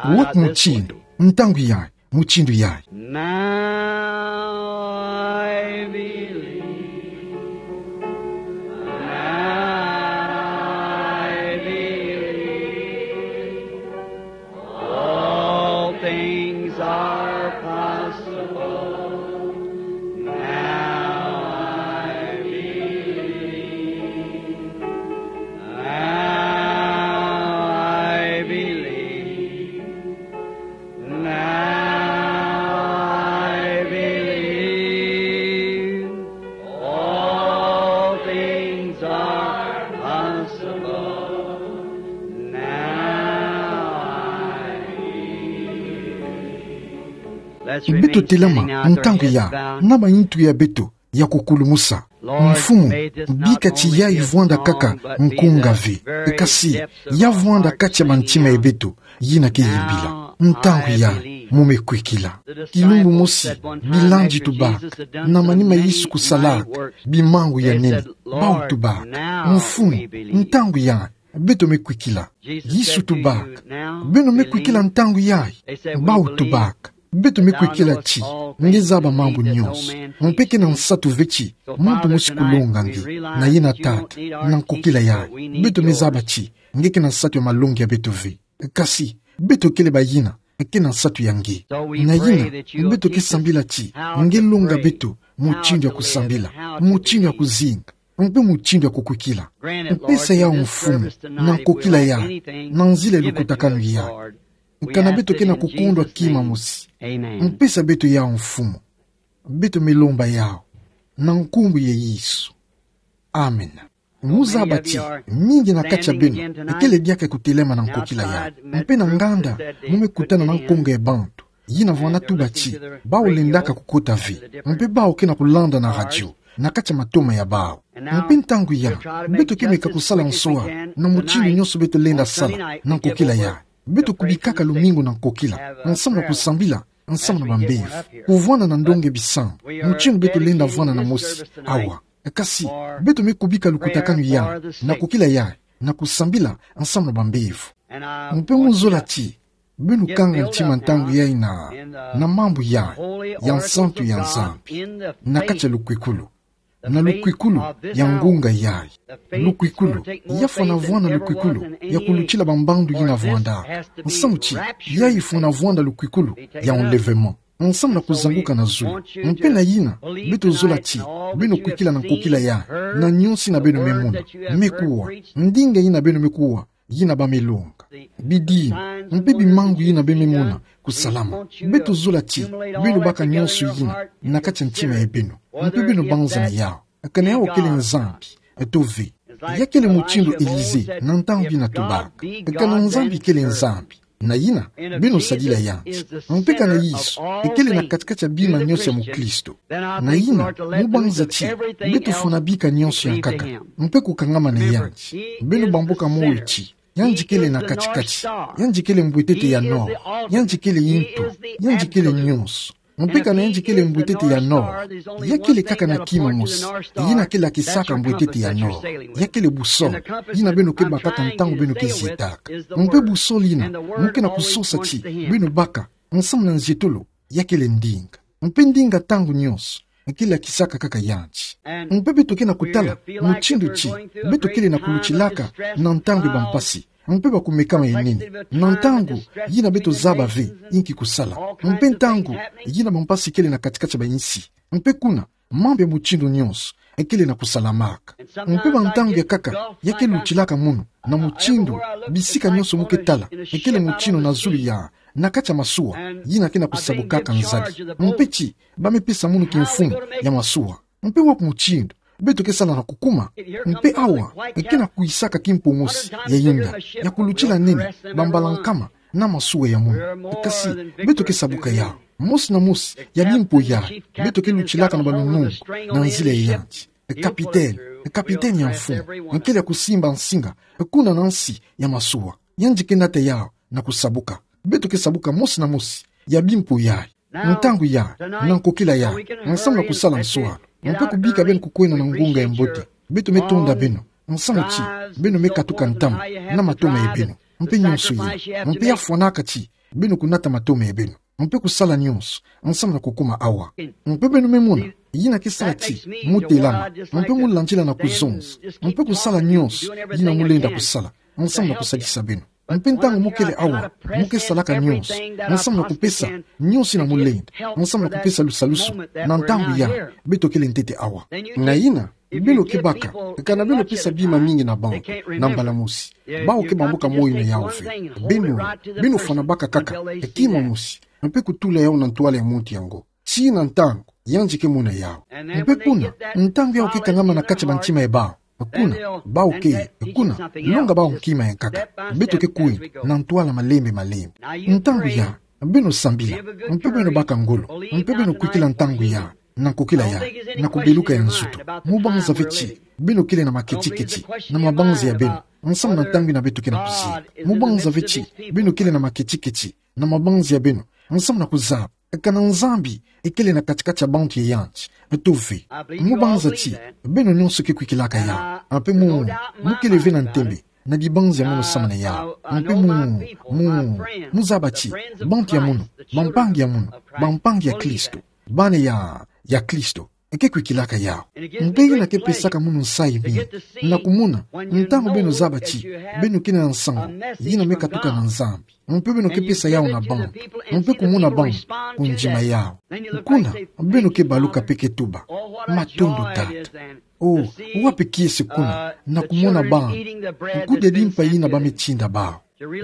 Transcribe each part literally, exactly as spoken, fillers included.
Wot mutindu, ntangu yayi, mutindu yayi. Now I believe. Now I believe. All things are possible. Now I believe. Now I believe. Now I believe. All things are possible. Now I believe. Beto telama, ntangu yayi, na maintu ya beto ya kukulumusa. Mfumu, bika ti yayi vwanda kaka nkunga ve, kasi ya vwanda kati ya mantima ya beto yina ke yimbila. Ntangu yayi, mo me kwikila. Kilumbu mosi bilandi tubaka, na manima Yesu kusalaka bimangu ya nene, bawu tubaka: Mfumu, ntangu yayi, beto me kwikila. Yesu tubaka: Beno me kwikila ntangu yayi? Bawu tubaka: Beto me kwikila ti nge zaba mambu nyonso. Mpe kena nsatu ve ti muntu mosi kulonga nge, na yina Tata, na nkokila yayi, beto me zaba ti nge kena nsatu ya malongi ya beto ve. Kasi beto kele bayina kena nsatu ya nge. Na yina, beto ke sambila ti nge longa beto mutindu ya kusambila, mutindu ya kuzinga, mpe mutindu ya kukwikila. Mpesa yawu, Mfumu, na nkokila yayi, na nzila ya lukutakanu yayi. Kana beto ke na kukondwa kima mosi, mpesa beto yawu, Mfumu. Beto me lomba yawu na nkumbu ya Yesu. Amen. Mo zaba ti mingi na kati ya beno kele diaka kutelama na nkokila yayi. Mpe na nganda, mo me kutana na nkonga ya bantu yina vwanda tuba ti bawu lendaka kukota ve, mpe bawu ke na kulanda na radio na kati ya matoma ya bawu. Mpe ntangu yayi, beto ke meka kusala nsoa na mutindu nyonso beto lenda sala na nkokila yayi. Beto kubikaka lumingu na nkokila, nsamu na kusambila, nsamu na bambevo, kuvwanda na ndonga ya bisambu, mutindu beto lenda vwanda na mosi awa. Kasi beto me kubika lukutakanu yayi na nkokila yayi, na kusambila nsamu na bambevo. Mpe mo zola ti beno kanga ntima ntangu yayi na, na mambu yayi ya nsantu ya Nzambi, na kati ya lukwikulu, na lukwikulu ya ngunga yayi. Lukwikulu, ya fwana vwanda lukwikulu ya kulutila bambandu yina vwanda. Nsamu ti yayi fwana vwanda lukwikulu ya enlèvement, nsamu na kuzanguka na zulu. Mpe na yina, beto zola ti beno kwikila na nkokila yayi, na nyonso yina beno me mona, me kuwa, ndinga yina beno me kuwa, yina ba me longa, bidimbu, mpe bimangu yina ba me mona kusalama. Beto zola ti beno baka nyonso yina na kati ya ntima ya beno, mpe beno banza na yawu. Kana yawu kele Nzambi, eto ve. Ya kele mutindu Elisée na ntangu yina tubaka: Kana Nzambi kele Nzambi, na yina beno sadila yandi. Mpe kana Yesu kele na kati-kati ya bima nyonso ya mukristo, na yina mo banza ti beto fwana bika nyonso ya nkaka mpe kukangama na yandi. Beno bambuka moyo ti yandi kele na kati-kati. Yandi kele mbwetete ya nord. Yandi kele ntu. Yandi kele nyonso. Mpe kana yandi kele mbwetete ya nord, ya kele kaka na kima mosi yina ke lakisaka mbwetete ya nord. Ya kele boussole yina beno ke bakaka ntangu beno ke zietaka. Mpe boussole yina mo ke na kusosa ti beno baka nsamu na nzietolo, ya kele ndinga. Mpe ndinga ntangu nyonso ke lakisaka kaka yandi. Mpe beto ke na kutala mutindu ti beto kele na kulutilaka na ntangu ya bampasi mpe bakumekama ya nene, na ntangu yina beto zaba ve inki kusala, mpe ntangu yina bampasi kele na kati-kati ya bayinsi. Mpe kuna, mambu ya mutindu nyonso kele na kusalamaka. Mpe bantangu ya nkaka, ya ke lutilaka munu na mutindu, bisika nyonso mo ke tala, kele mutindu na zulu ya, na kati ya masuwa yina ke na kusabukaka nzadi. Mpe ti ba me pesa munu kimfumu ya masuwa. Mpe wapi mutindu beto ke sala na kukuma? Mpe awa ke na kwisaka kimpo mosi ya yinda, ya kulutila nene bambala nkama na masuwa ya munu. Kasi beto ke sabuka yawu. Mosi na mosi ya bimpo yayi, beto ke lutilaka na balunungu na nzila ya yandi. Kapitene, kapitene ya mfumu, kele ya kusimba nsinga kuna na nsi ya masuwa. Yandi ke nata yawu na kusabuka. Beto ke sabuka mosi na mosi ya bimpo yayi, ntangu yayi, na nkokila yayi, nsamu na kusala nsoalo, mpe kubika beno kukwenda na ngunga ya mbote. Beto me tonda beno, nsamu ti beno me katuka ntama na matoma ya beno, mpe nyonso yina. Mpe ya fwanaka ti Beno kunata matomo beno. Mpe kusala nyonso, nsamu na kukuma awa. Mpe beno me mona, yina ke sala ti, mu telama, mpe mu landila na kuzonza. Mpe kusala nyonso, yina mu lenda kusala, nsamu na kusadisa beno. Mpe ntangu mu kele awa, mu ke salaka nyonso, nsamu na kupesa, nyonso yina mu lenda, nsamu na kupesa lusalusu, na ntangu ya, beto kele ntete awa. Na yina, beno ke baka, kana beno pesa bima mingi na bantu, na mbala mosi. Bawu ke bambuka moyo yina yawu ve. Beno, beno fwana baka kaka, kima mosi. Mpe kutula yawu na ntwala ya muntu yango. Tii na ntangu, yandi ke mona yawu. Mpe kuna, ntangu yawu ke kangama na kati ya bantima ya bawu. Kuna, bawu ke, kuna, longa bawu nkima ya nkaka. Beto ke kwenda, na ntwala malembe malembe. Ntangu ya, beno sambila, mpe beno baka ngolo, mpe beno kwikila ntangu ya, na nkokila ya, na kubeluka ya nzutu. Mu banza ve ti, beno kele na maketiketi, na mabanza ya beno, nsamu na ntangu yina beto ke na kuzika. Mu banza ve ti, beno kele na maketiketi, na mabanza ya beno, nsamu na kuzaba kana Nzambi, ekele na katikati ya bantu ya yandi, to ve. Mu banza ti, beno nyonso ke kwikilaka yawu, mpe mu, mu kele ve na ntembe, na dibanza ya munu samu na yawu. Mpe mu, mu, mu zaba ti, bantu ya munu, bampangi ya munu, bampangi ya Kristo, bana ya, ya Kristo, ke kwikilaka yawu. Mpe yina ke pesaka munu nsayi mingi, na kumona, ntangu beno zaba ti, beno kele na nsangu, yina me katuka na Nzambi. Mpe beno ke pesa yawu na bantu, mpe kumona bantu, kundima yawu. Kuna, beno ke baluka mpe ke tuba: Matondo, Tata. Oh, wapi kiese kuna, na kumona bantu, kudia dimpa yina ba me tinda bawu.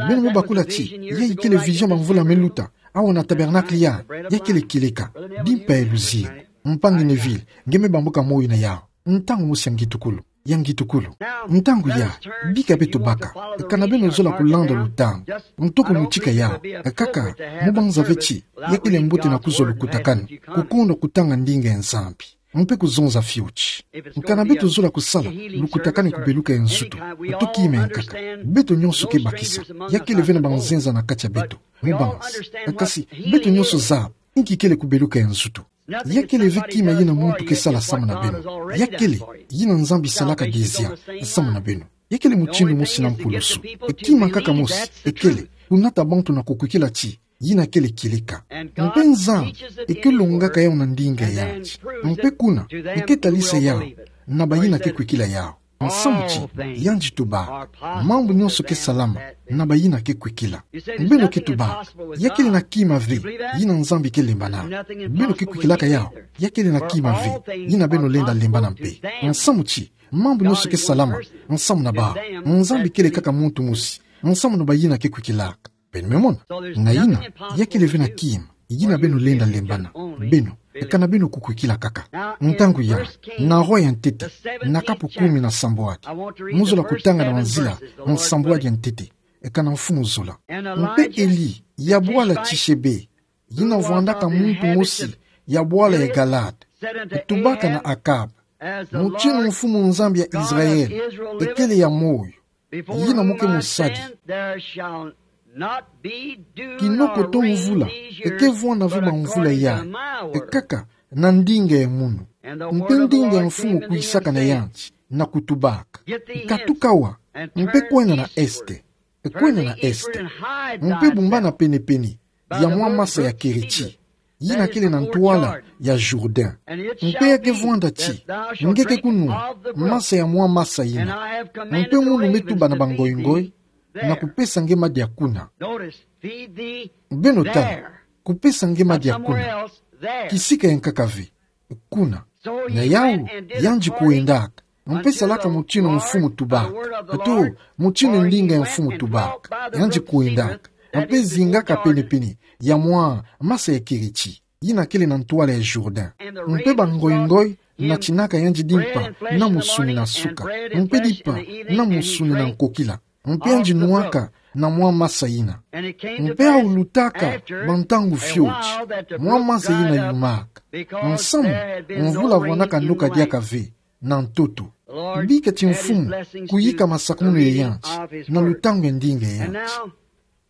Beno me bakula ti, yayi kele vision bamvula me luta, awa na tabernacle ya, ya kele kieleka, dimpa ya luzingu. Mpangi Neville, nge me bambuka moyo na yawu. Ntangu mosi ya ngitukulu, ya ngitukulu. Ntangu ya, bika beto baka, kana beno zola kulanda lutangu, nto kumutika yawu, kaka, mu banza ve ti, ya kele mbote na kuzwa lukutakanu, kukondo kutanga ndinga ya Nzambi. Mpe kuzonza fioti. Kana beto zola kusala lukutakanu kubeluka ya nzutu, to kima ya nkaka. Beto nyonso ke bakisa, ya kele ve na banzenza na kati ya beto. Mu banza. Kasi, beto nyonso zaba, inki kele kubeluka ya nzutu. Ya kele ve kima yina muntu ke sala samu na beno. Ya kele, yina Nzambi salaka dezia, samu na beno. Ya kele mutindu mosi na mpulusu. Kima nkaka mosi, ekele, kunata bantu na kukwikila ti, yina kele kieleka. Mpe Nzambi, eke longaka yawu na ndinga ya yandi. Mpe kuna, eke talisa yawu, na bayina ke kwikila yawu. Nsamu ti, yandi tuba, mambu nyonso ke salama, na bayina ke kwikila. Beno ke tuba, ya kele na kima ve, yina Nzambi ke lembanaka. Beno ke kwikilaka yawu, ya kele na kima ve, yina beno lenda lembana mpe. Nsamu ti, mambu nyonso ke salama, nsamu na bawu. Nzambi kele kaka muntu mosi, nsamu na bayina ke kwikilaka. Beno me mona. Na yina, ya kele ve na kima, yina beno lenda lembana. Beno, kana beno kukwikila kaka. Ntangu ya, na roi ya ntete, na kapu kumi na sambwadi. Mu zola kutanga na manzila, nsambwadi ya ntete. Kana mfumu zola. Mpe Eli, ya bwala Tishebe, yina vwandaka muntu mosi, ya bwala ya Galaad. Tubaka na Akab. Mutinu Mfumu Nzambi ya Israel, ekele ya moyo, yina mu ke musadi. Kinoko to mvula, eke vwanda ve bamvula yayi, kaka na ndinga ya munu. Mpe ndinga ya mfumu kwisaka na yandi, na kutubaka: Katuka awa, mpe kwenda na este. Kwenda na este. Mpe bumbana penepene ya mwa masa ya Keriti, yina kele na ntwala ya Jourdain. Mpe ya ke vwanda ti, nge ke kunwa masa ya mwa masa yina. Mpe munu me tuba na bangoingoi, na kupesa nge madia kuna. Beno tala, kupesa nge madia kuna. Kisika ya nkaka ve. Kuna. Na yawu, yandi kwendaka. Mpe salaka mutinu mfumu tubaka. To, mutinu ndinga ya mfumu tubaka. Yandi kwendaka. Mpe zingaka penepene ya mwa masa ya Keriti, yina kele na ntwala ya Jourdain. Mpe bangoingoi natinaka yandi dimpa na musuni na suka. Mpe dimpa na musuni na nkokila. Mpe yandi nwaka na mwa masa yina. Mpe awu lutaka bantangu fioti, mwa masa yina yumaka. Nsamu, mvula vwandaka noka diaka ve, na ntoto. Bika ti Mfumu kuyika masakumunu ya yandi, na lutangu ya ndinga ya yandi.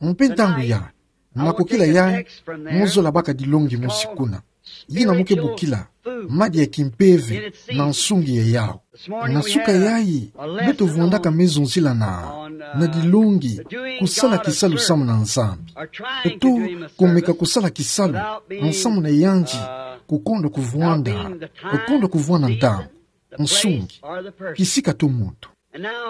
Mpe ntangu ya, na kokila yayi, mu zola baka dilongi mosi kuna. Yina mu ke bokila, madi ya kimpeve na nsungi ya yau. Na suka yayi, beto vwandaka me zonzila na, na dilongi, kusala kisalu samu na Nzambi. Eto, kumeka kusala kisalu, nsamu na yandi, kukonda kuvwanda, kukonda kuvwanda ntangu, nsungi, kisika to muntu.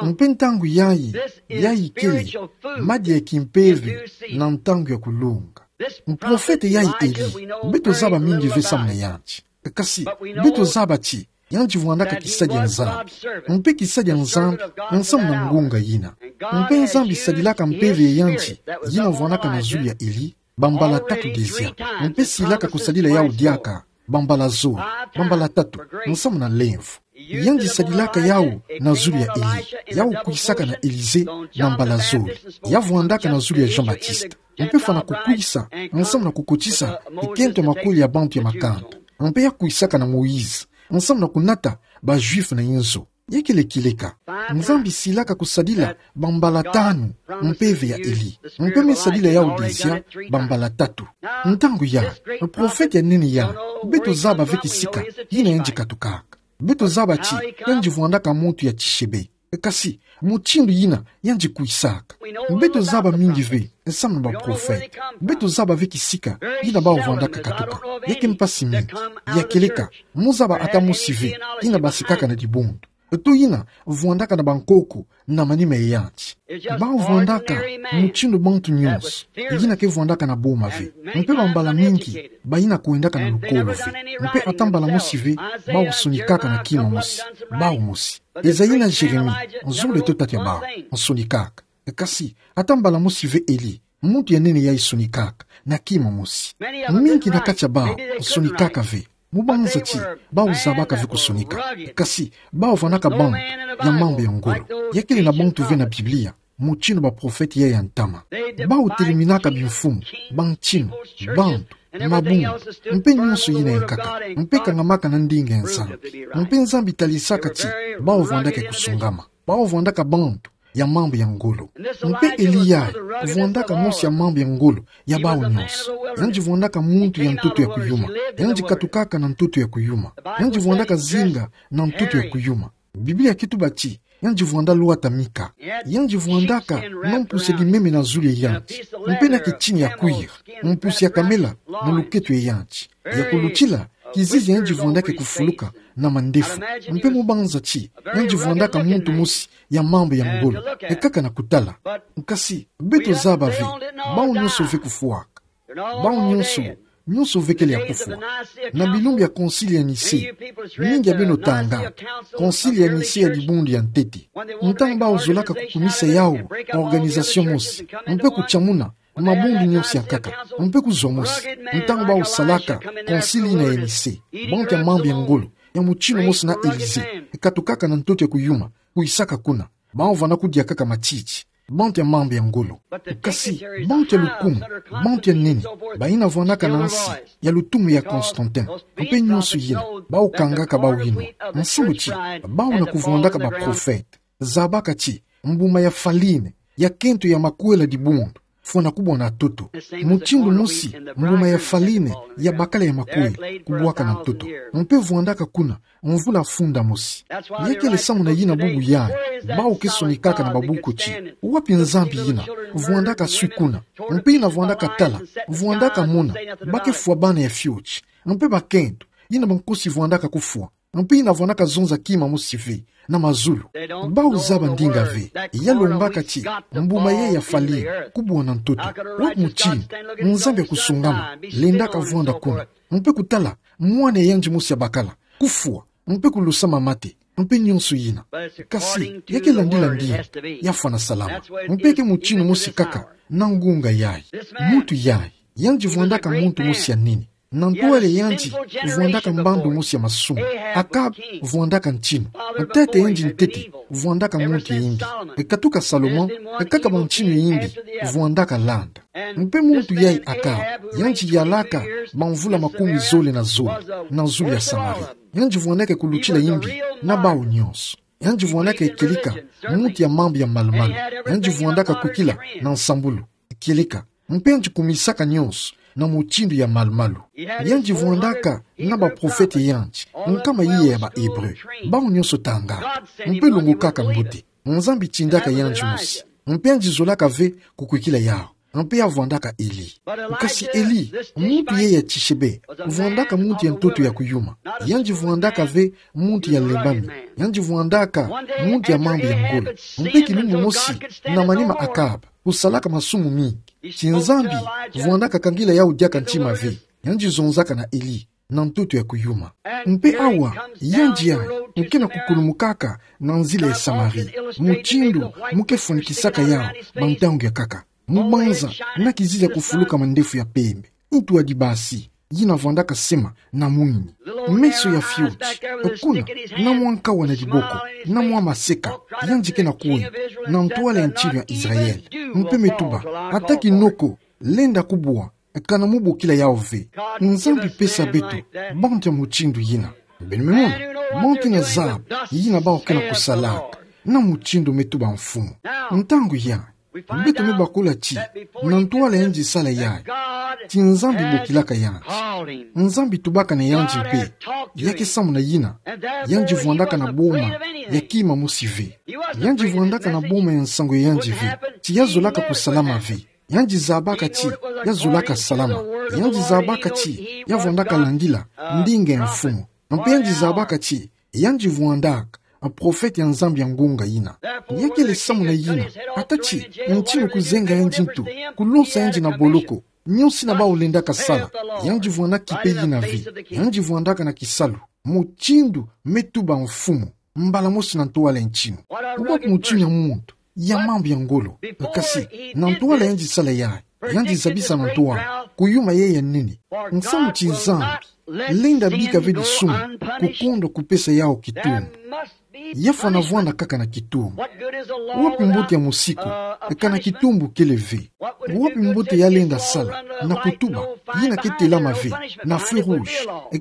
Mpe ntangu yayi, yayi kele, madi ya kimpeve, na ntangu ya kulonga. Mprofete yayi Eli, beto zaba mingi ve samu na yandi. Kasi, beto zaba ti, yandi vwandaka kisadi ya Nzambi. Mpe kisadi ya Nzambi, nsamu na ngunga yina. Mpe Nzambi sadilaka mpeve ya yandi, yina vwandaka na zulu ya Eli, bambala tatu dezia. Mpe silaka kusadila yau diaka, bambala zole, bambala tatu, nsamu na lemvo. Yandi sadilaka yau na zulu ya Eli, yau kwisaka na Elize, na mbala zole. Ya vwandaka na zulu ya Jean-Baptiste. Mpe fwana kukwisa, nsamu na kukotisa, ekento ya makweli ya bantu ya makanda. Mpe ya kwisaka na Moïse, nsamu na kunata, ba Juifs na inzo. Ya kele kieleka. Nzambi silaka kusadila, bambala tanu, mpeve ya Eli. Mpe me sadila yau dezia, bambala tatu. Ntangu ya, mprofete ya nene ya, beto zaba ve kisika, yina yandi katukaka. Beto zaba ti, yandi vwandaka muntu ya tishebe. Kasi, mutindu yina, yandi kwisaka. Beto zaba mingi ve, nsamu na baprofete. Beto zaba ve kisika, yina bau vwandaka katuka. Ya ke mpasi mingi. Ya kieleka, mu zaba ata mosi ve, yina basikaka na dibundu. Eto yina, vwandaka na bankoko, na manima ya yandi. Bau vwandaka, mutindu bantu nyonso, yina ke vwandaka na boma ve. Mpe bambala mingi, bayina kwendaka na lukolo ve. Mpe ata mbala mosi ve, bau sonikaka na kima mosi. Bau mosi. Ezali na Jérémie, nzole to tata ya bau, nsonikaka. Kasi, ata mbala mosi ve Eli, muntu ya nene yayi sonikaka, na kima mosi. Mingi na kati ya bau, nsonikaka ve. Mu banza ti, bau zabaka ve kusonika. Kasi, bau vwandaka bantu, ya mambu ya ngolo. Ya kele na bantu ve na Biblia, mutindu baprofete ya ya ntama. Bau teliminaka bimfumu, bantinu, bantu, mabundu, mpe nyonso yina yankaka, mpe kangamaka na ndinga ya Nzambi. Mpe Nzambi talisaka ti, bau vwandaka ya kusungama. Bau vwandaka bantu, ya mambu ya ngolo. Mpe Eli yayi, vwandaka mosi ya mambu ya ngolo, ya bau nyonso. Yandi vwandaka muntu ya ntoto ya kuyuma. Yandi katukaka na ntoto ya kuyuma. Yandi vwandaka zinga na ntoto ya kuyuma. Biblia ke tuba ti, yandi vwanda lwata mika. Yandi vwandaka na mpusi ya dimeme na zulu ya yandi. Mpe na ketini ya kwiri, mpusi ya kamela, na luketo ya yandi. Ya kulutila, kizizi yandi vwandaka kufuluka, na mandefu. Mpe mu banza ti, yandi vwandaka muntu mosi, ya mambu ya ngolo, ekaka na kutala. Kasi, beto zaba ve, bau nyonso ve kufwaka. Bau nyonso, nyonso ve kele ya kufwa. Na bilumbu ya Concile ya Nicée, mingi ya beno tangaka, Concile ya Nicée ya dibundu ya ntete. Ntangu bau zolaka kukumisa yau, organisation mosi, mpe kutiamuna, mabundu nyonso yankaka, mpe kuzwa mosi. Ntangu bau salaka, Concile yina ya Nicée, bantu ya mambu ya ngolo, ya mutinu mosi na Élysée, ekatukaka na ntoto ya kuyuma, kwisaka kuna. Bau vwanda kudia kaka matiti. Bantu ya mambu ya ngolo. Kasi, bantu ya lukumu, bantu ya nene, bayina vwandaka na nsi, ya lutumu ya Constantin, mpe nyonso yina, bau kangaka bau yinwa. Nsimu ti, bau na kuvwandaka baprofete. Zabaka ti, mbuma ya falene, ya kento ya makwela dibundu, fwana kubwa na ntoto. Mutindu mosi, mbuma ya falene, ya bakala ya makwela, kubwaka na ntoto. Mpe vwandaka kuna, mvula funda mosi. Ya kele samu na yina bubu yayi, bau ke sonikaka na babuku ti, wapi Nzambi yina, vwandaka swi kuna. Mpe yina vwandaka tala, vwandaka mona, ba ke fwa bana ya fioti. Mpe bakento, yina bankosi vwandaka kufwa. Mpe yina vwandaka zonza kima mosi ve, na mazulu. Bau zaba ndinga ve, ya lombaka ti, mbuma yayi ya falene, kubwa na ntoto. Wapi mutinu, Nzambi ya kusungama, lendaka vwanda kuna. Mpe kutala, mwana ya yandi mosi ya bakala, kufwa, mpe kulusa mama te, mpe nyonso yina. Kasi, ya ke landila ndinga, ya fwana salama. Mpe ke mutinu mosi kaka, na ngunga yayi. Muntu yayi, yandi vwandaka muntu mosi ya nene. Na ntwala ya yandi, vwandaka mbandu mosi ya masumu. Akab, vwandaka ntinu. Ntete yandi ntete, vwandaka muntu ya yimbi. Ekatuka Salomon, ekaka bantinu ya yimbi, vwandaka landa. Mpe muntu yayi Akab, yandi yalaka, bamvula makumi zole na zole, na zulu ya Samarie. Yandi vwandaka kulutila yimbi, na bau nyonso. Yandi vwandaka ya kieleka, muntu ya mambu ya malu-malu. Yandi vwandaka kwikila, na nsambulu. Kieleka, mpe yandi kumisaka nyonso, na mutindu ya malu-malu. Yandi vwandaka na baprofete ya yandi, nkama yiya ya ba Hébreu, bawu nyonso tanga. Mpe lungukaka mbote, Nzambi tindaka yandi mosi, mpe yandi zolaka ve kukwikila yawu. Mpe ya vwandaka Eli. Kasi Eli, muntu ye ya Tishebe, vwandaka muntu ya ntoto ya kuyuma. Yandi vwandaka ve muntu ya lembami. Yandi vwandaka muntu ya mambu ya ngolo. Mpe kilumbu mosi, na manima Akab kusalaka masumu mingi, ti Nzambi vwandaka kangila yawu diaka ntima ve. Yandi zonzaka na Eli na ntoto ya kuyuma. Mpe awa, yandi yayi, mu ke na kukulumukaka na nzila ya Samarie, mutindu mu ke fwanikisaka yawu ba ntangu ya nkaka. Mu banza na kizizi ya kufuluka mandefu ya mpembe, ntu ya dibasi, yina vwandaka sema na mwini. Meso ya fioti, kuna, na mwa nkawa na diboko, na mwa maseka, yandi ke na kwenda na ntwala ya ntilu ya Israël. Mpe me tuba, ata kinoko lenda kubwa, kana mu bokila yawu ve. Nzambi pesa beto bantu ya mutindu yina. Beno me mona, bantu yina zaba yina bawu ke na kusalaka, na mutindu me tuba mfumu. Ntangu yayi, beto me bakula ti, na ntwala yandi sala yayi, ti Nzambi bokilaka yandi. Nzambi tubaka na yandi mpe, ya ke samuna yina, yandi vwandaka na boma ya kima mosi ve. Yandi vwandaka na boma ya nsangu ya yandi ve, ti ya zolaka kusalama ve. Yandi zabaka ti ya zolaka salama. Yandi zabaka ti ya vwandaka landila ndinga ya mfumu. Mpe yandi zabaka ti yandi vwandaka a profete ya Nzambi ya ngunga yina. Ya kele samuna yina, ata ti ntinu kuzenga yandi ntu, kulonsa yandi na boloko, nyonso yina bawu lendaka sala, yandi vwandaka kipe yina ve. Yandi vwandaka na kisalu, mutindu me tuba mfumu, mbala mosi na ntwala ya ntinu. Wapi mutinu ya muntu ya mambu ya ngolo, kasi, na ntwala yandi sala yayi, yandi zabisa na ntwala kuyuma yayi ya nene. Nsamu ti Nzambi lenda bika ve disumu, kukondwa kupesa yawu kitumbu. Ya fwana vwanda kaka na kitumbu. Wapi mbote ya musiku, kana kitumbu kele ve? Wapi mbote ya lenda sala na kutuba, yina ke telama ve na feu rouge,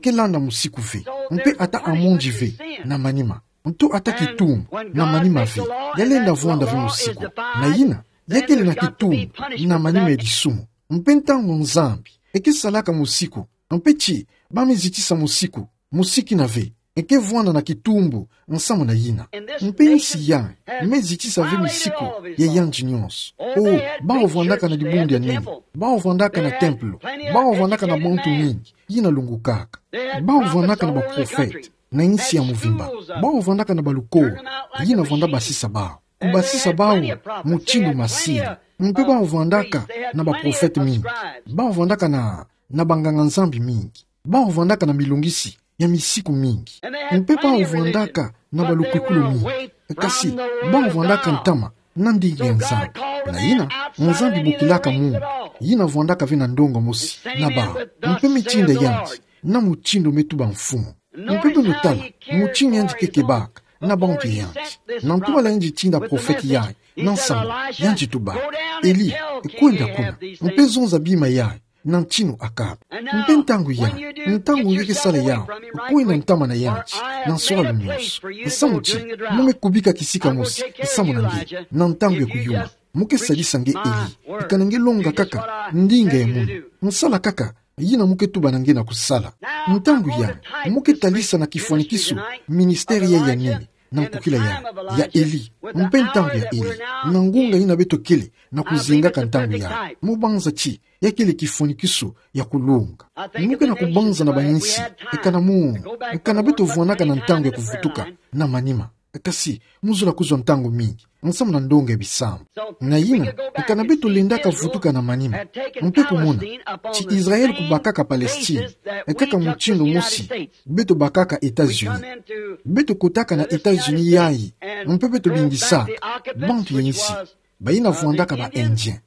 ke landa musiku ve? Mpe ata amende ve na manima, nto ata kitumbu na manima ve, ya lenda vwanda ve musiku. Na yina, ya kele na kitumbu na manima ya disumu. Mpe ntangu Nzambi ke salaka musiku, mpe ti ba me zitisa musiku, musiku yina ve ke vwanda na kitumbu nsamu na yina. Mpe nsi yayi me zitisa ve misiku ya yandi nyonso. O, bawu vwandaka na dibundu ya nene, bawu vwandaka na tempelo, bawu vwandaka na bantu mingi, yina lungukaka. Bawu vwandaka na baprofete, na nsi ya muvimba. Bawu vwandaka na balukolo, yina vwanda basisa bawu, kubasisa bawu mutindu masini. Mpe bawu vwandaka na baprofete mingi. Bawu vwandaka na, na banganga-Nzambi mingi. Bawu vwandaka na milungisi ya misiku mingi. Mpe bawu vwandaka na balukwikulu mingi. Kasi, bawu vwandaka ntama na ndinga ya Nzambi. Na yina, Nzambi bokilaka muntu yina vwandaka ve na ndonga mosi na bawu, mpe me tinda yandi na mutindu me tuba mfumu. Mpe beno tala mutindu yandi ke kebaka na bantu ya yandi. Na ntwala yandi tinda profete yayi, na nsamu, yandi tuba: Eli, kwenda kuna, mpe zonza bima yayi na ntinu Akab. Mpe ntangu yayi, ntangu nge ke sala yawu, kwenda ntama na yandi na nswalu nyonso. Nsamu ti mu me kubika kisika mosi nsamu na nge na ntangu ya kuyuma. Mu ke sadisa nge Eli, kana nge longa kaka ndinga ya munu. Nsala kaka yina mu ke tuba na nge na kusala. Ntangu yayi, mu ke talisa na kifwanikiso ministère yayi ya nene, na nkukila yayi, ya Eli, mpe ntangu ya Eli, na ngunga yina beto kele na kuzingaka ntangu yayi. Mu banza ti ya kele kifwanikiso ya kulonga. Mu ke na kubanza na bayinsi, kana mu, kana beto vwandaka na ntangu ya kuvutuka na manima. Kasi, mu zola kuzwa ntangu mingi nsamu na ndonga ya bisambu. Na yina, kana beto lendaka vutuka na manima, mpe kumona ti Israël kubakaka Palestine kaka mutindu mosi beto bakaka États-Unis. Beto kotaka na États-Unis yayi, mpe beto bingisaka bantu ya insi, bayina vwandaka ba Indiens.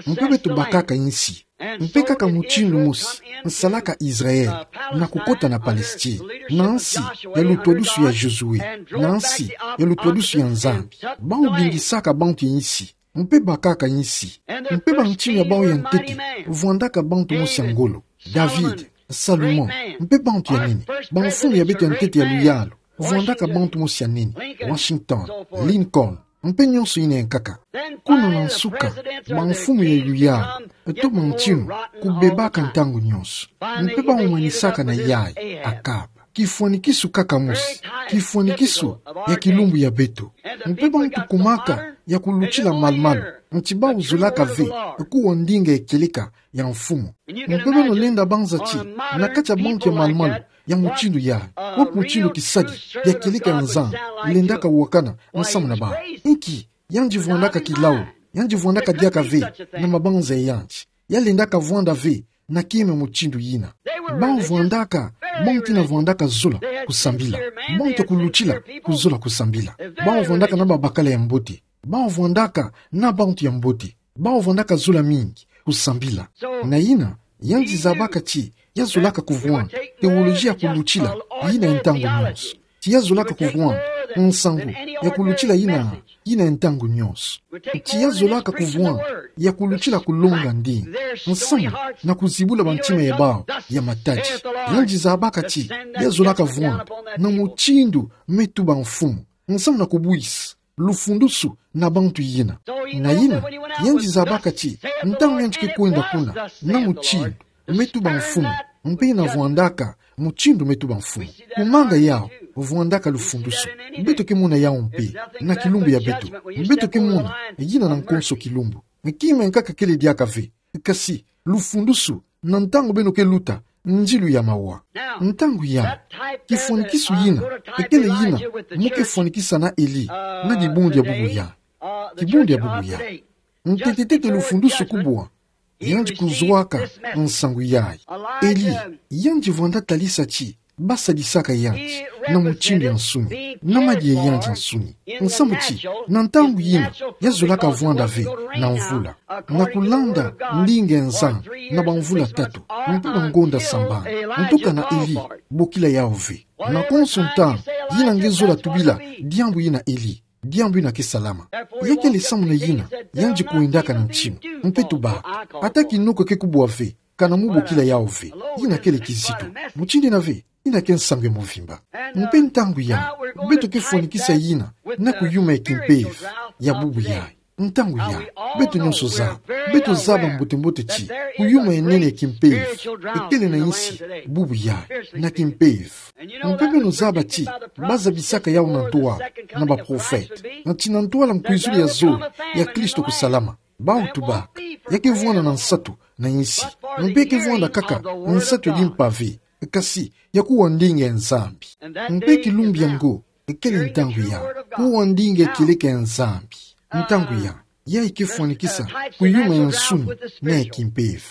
Mpe beto bakaka insi. Mpe kaka mutindu mosi nsalaka Israël na kukota na Palestine, na nsi ya lutwadusu ya Josué, na nsi ya lutwadusu ya Nzambi. Bawu bingisaka bantu ya insi, mpe bakaka insi. Mpe bantinu ya bawu ya ntete vwandaka bantu mosi ya ngolo: David, Salomon, mpe bantu ya nene, bamfumu ya beto ya ntete ya luyalu, vwandaka bantu mosi ya nene: Washington, Lincoln, mpe nyonso ina yankaka. Kuna na nsuka, bamfumu ya yuyala, to bantinu, kubebaka ntangu nyonso. Mpe bau manisaka na yayi, Akaba. Kifwanikisu kaka mosi, kifwanikisu ya kilumbu ya beto. Mpe bantu kumaka ya kulutila malumalu, nti bau zolaka ve kuwa ndinga ya kieleka ya mfumu. Mpe beno lenda banza ti, na kati ya bantu ya malumalu ya mutindu yayi, wapi mutindu kisadi ya kieleka ya Nzambi lendaka wakana nsamu na bau? Inki, yandi vwandaka kilau, yandi vwandaka diaka ve na mabanza ya yandi. Ya lendaka vwanda ve na kima mutindu yina. Bau vwandaka, bantu ina vwandaka zola kusambila. Bantu ya kulutila kuzola kusambila. Bau vwandaka na babakala ya mbote. Bau vwandaka na bantu ya mbote. Bau vwandaka zola mingi kusambila. Na yina, yandi zabaka ti ya zolaka kuvwanda teoloji ya kulutila yina ya ntangu nyonso. Ti ya zolaka kuvwanda nsangu ya kulutila yina, yina ya ntangu nyonso. Ti ya zolaka kuvwanda ya kulutila kulonga ndinga, nsamu na kuzibula bantima ya bau ya matadi. Yandi zabaka ti ya zolaka vwanda na mutindu me tuba mfumu, nsamu na kubwisa lufundusu na bantu yina. Na yina, yandi zabaka ti ntangu yandi ke kwenda kuna na mutindu me tuba mfumu, mpe ina vwandaka mutindu me tuba mfumu. Kumanga yau vwandaka lufundusu. Beto ke mona yau mpe na kilumbu ya beto. Beto ke mona yina na nkonso kilumbu. Kima yankaka kele diaka ve, kasi lufundusu na ntangu beno ke luta ndilu ya mawa. Ntangu ya, kifwanikisu yina, ekele yina mu ke fwanikisa na Eli na dibundu ya bubu yayi. Kibundu ya bubu yayi. Ntete-tete lufundusu kubwa, yandi kuzwaka nsangu yayi. Eli, yandi vwanda talisa ti basadisaka yandi na mutindu ya nsuni, na madia ya yandi ya nsuni. Nsamu ti, na ntangu yina, ya zolaka vwanda ve na mvula, na kulanda ndinga ya Nzambi na bamvula tatu, mpe bangonda sambanu. Ntuka na Eli, bokila yau ve. Na konso ntangu, yina nge zola tubila diambu yina Eli, diambu yina ke salama. Ya kele samu na yina, yandi kwendaka na ntima, mpe tubaka, ata kinoko ke kubwa ve, kana mu bokila yau ve, yina kele kizito. Mutindu yina ve, yina ke nsangu ya mvimba. Mpe ntangu ya, beto ke fwanikisa yina na kuyuma ya kimpeve ya bubu yayi. Ntangu ya, beto nyonso zaba, beto zaba mbote-mbote ti kuyuma ya nene ya kimpeve ekele na insi bubu yayi, na kimpeve. Mpe beno zaba ti bazabisaka yau na ntwala na baprofete, na ti na ntwala nkwizulu ya zole ya Kristo kusalama. Bau tubaka, ya ke vwanda na nsatu na insi, mpe ya ke vwanda kaka nsatu ya dimpa ve, kasi ya kuwa ndinga ya Nzambi. Mpe kilumbu yango, ekele ntangu ya kuwa ndinga ya kieleka ya Nzambi. Ntangu ya, yayi ke fwanikisa kuyuma ya nsuni na ya kimpeve.